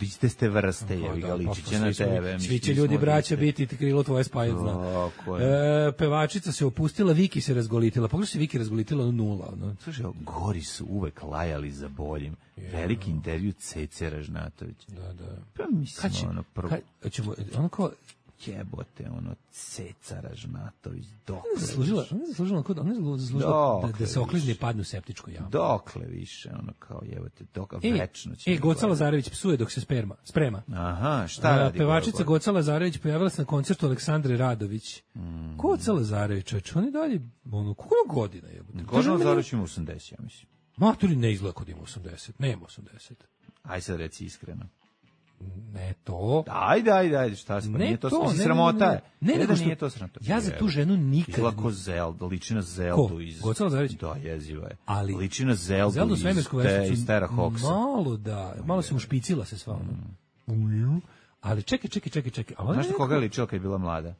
Iste ste vrste, je ga ličiće na tebe. Svi će ljudi braća biti krilo tvoje spajezna. E, pevačica se opustila, Viki se razgolitila. Pogledaj se Viki razgolitila, ono nula. Ono. Slušaj, gori su uvek lajali za boljim. Yeah. Veliki intervju Cece Ražnatović. Da, da. Pa mislim, će, ono prvo. Kad, ćemo, ono kao, jebote, ono, Ceca Ražnatović, dokle Ona je zaslužila, ona je zaslužila, ona je zaslužila da, da se oklizne i padne u septičku jamu. Dokle više, ono, kao jebote, dokle, E, večno će. e Goca Lazarević psuje dok se sperma, sprema. Aha, šta A, radi? pevačica Goca Lazarević pojavila se na koncertu Aleksandre Radović. Mm. Goca Lazarević, čovječ, on je dalje, ono, koliko ima godina jebote? Goca Lazarević ima osamdeset, ja mislim. Maturi ne izgleda kod ima osamdeset, nema osamdeset. Aj sad reci iskreno. Ne to. Ajde, ajde, ajde, šta se, pa Ne nije to, to, to ne, sramota. ne, je. ne, ne, Ne, nego da što- nije to sramota. ja za tu ženu nikad Izgleda ko ni- Zelda, liči na Zeldu Ko? iz... Goca Lazarević? Da, jeziva je. Ali- liči na Zeldu, Zelda u iz, svemirsku te, vešticu, iz Terra Hawksa. malo da, malo se ušpicila se sva ono. Ali čekaj, čekaj, čekaj, čekaj. A ona Znaš na je koga je neko- ličila kad je bila mlada?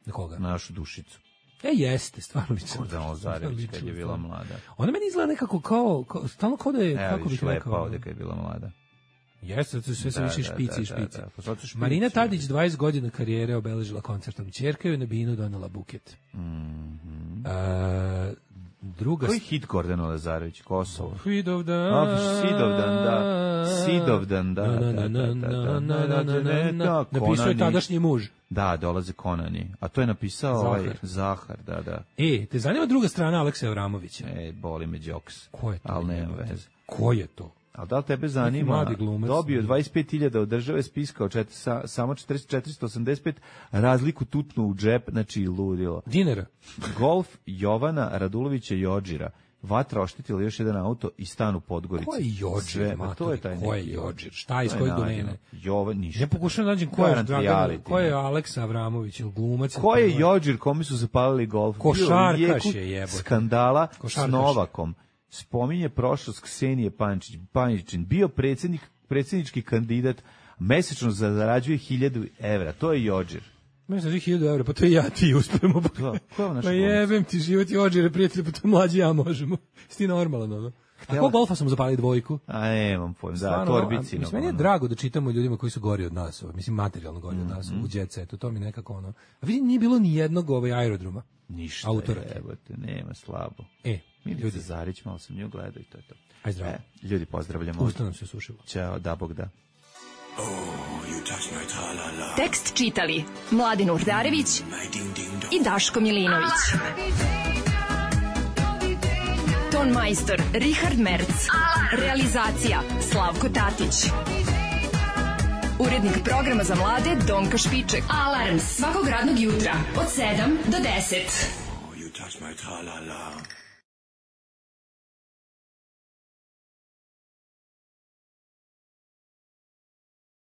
Na koga? Na našu dušicu. E, jeste, stvarno liči. Gordana Lazarević kad je bila mlada. Ona meni izgleda nekako kao, kao stalno kao da je, Evo, kako bih vidiš, lepa rekao. ovde kad je bila mlada. Jeste, zato sve se Da, više da, špici i da, da, špici. da, pa zato špici, Marina da. Tadić dvadeset godina karijere obeležila koncertom. Ćerka joj na binu donela buket. Mhm. A, druga... Koji hit Gordana Lazarević? Kosovo. Vidovdan. A, Sidovdan, da. Sidovdan, da, da, da, da, da, da, da, da, da, Napisao je Konani. tadašnji muž. Da, dolaze Konani. A to je napisao Zahar. ovaj Zahar, da, da. E, te zanima druga strana Aleksa Evramovića? E, boli me džoks. Ko je to? Ali nema jebote? veze. Ko je to? Ali da li tebe zanima? mladi glumac. Dobio dvadeset pet hiljada od države, spiskao čet, sa, samo četiristo osamdeset pet, razliku tutnu u džep, znači ludilo. Dinara. Golf Jovana Radulovića Jođira. Vatra oštetila još jedan auto i stan u Podgorici. Ko je Jođir, Sve, pa to je taj maturi, ko je neki Jođir? Šta, iz To je kojeg nađeno. domene? Jovan, ništa. Ja pokušam da nađem ko je, Garant Dragan, reality, ko je ne. Aleksa Avramović ili glumac. ili Ko je prvo- Jođir kome su zapalili golf? Bio u Košarkaš jeku je, jebote. skandala Košarkaš. s Novakom. Spominje prošlost Ksenije Pančić, Pančićin. Bio predsjednik, predsjednički kandidat, mesečno zarađuje hiljadu evra. To je Jođir. Meni se hiljadu evra, pa to i ja ti uspemo. Da, ko je ovo naš Pa glumac? jebem ti život Jođire, prijatelji, pa to mlađi ja možemo. Si ti normalan, ono. A ko golfa sam zapali dvojku? A nemam pojem, da, Stvarno, torbici. a, mislim, meni je drago da čitamo ljudima koji su gori od nas, ovaj, mislim materijalno gori od nas, u jet setu, to mi nekako ono. A vidi, nije bilo ni jednog ovaj aerodroma. Ništa, Autora. jebote, nema slabo. E, Milica ljudi, Zarić, malo sam nju gledao i to je to. aj zdravo. E, ljudi, pozdravljamo. Usta nam se sušilo. Ćao, da Bog da. Tekst čitali Mladin Urdarević i Daško Milinović. Ton majstor Richard Merc. Realizacija Slavko Tatić. Urednik programa za mlade Donka Špiček. Alarms svakog radnog jutra od sedam do deset. You touch my tra-la-la.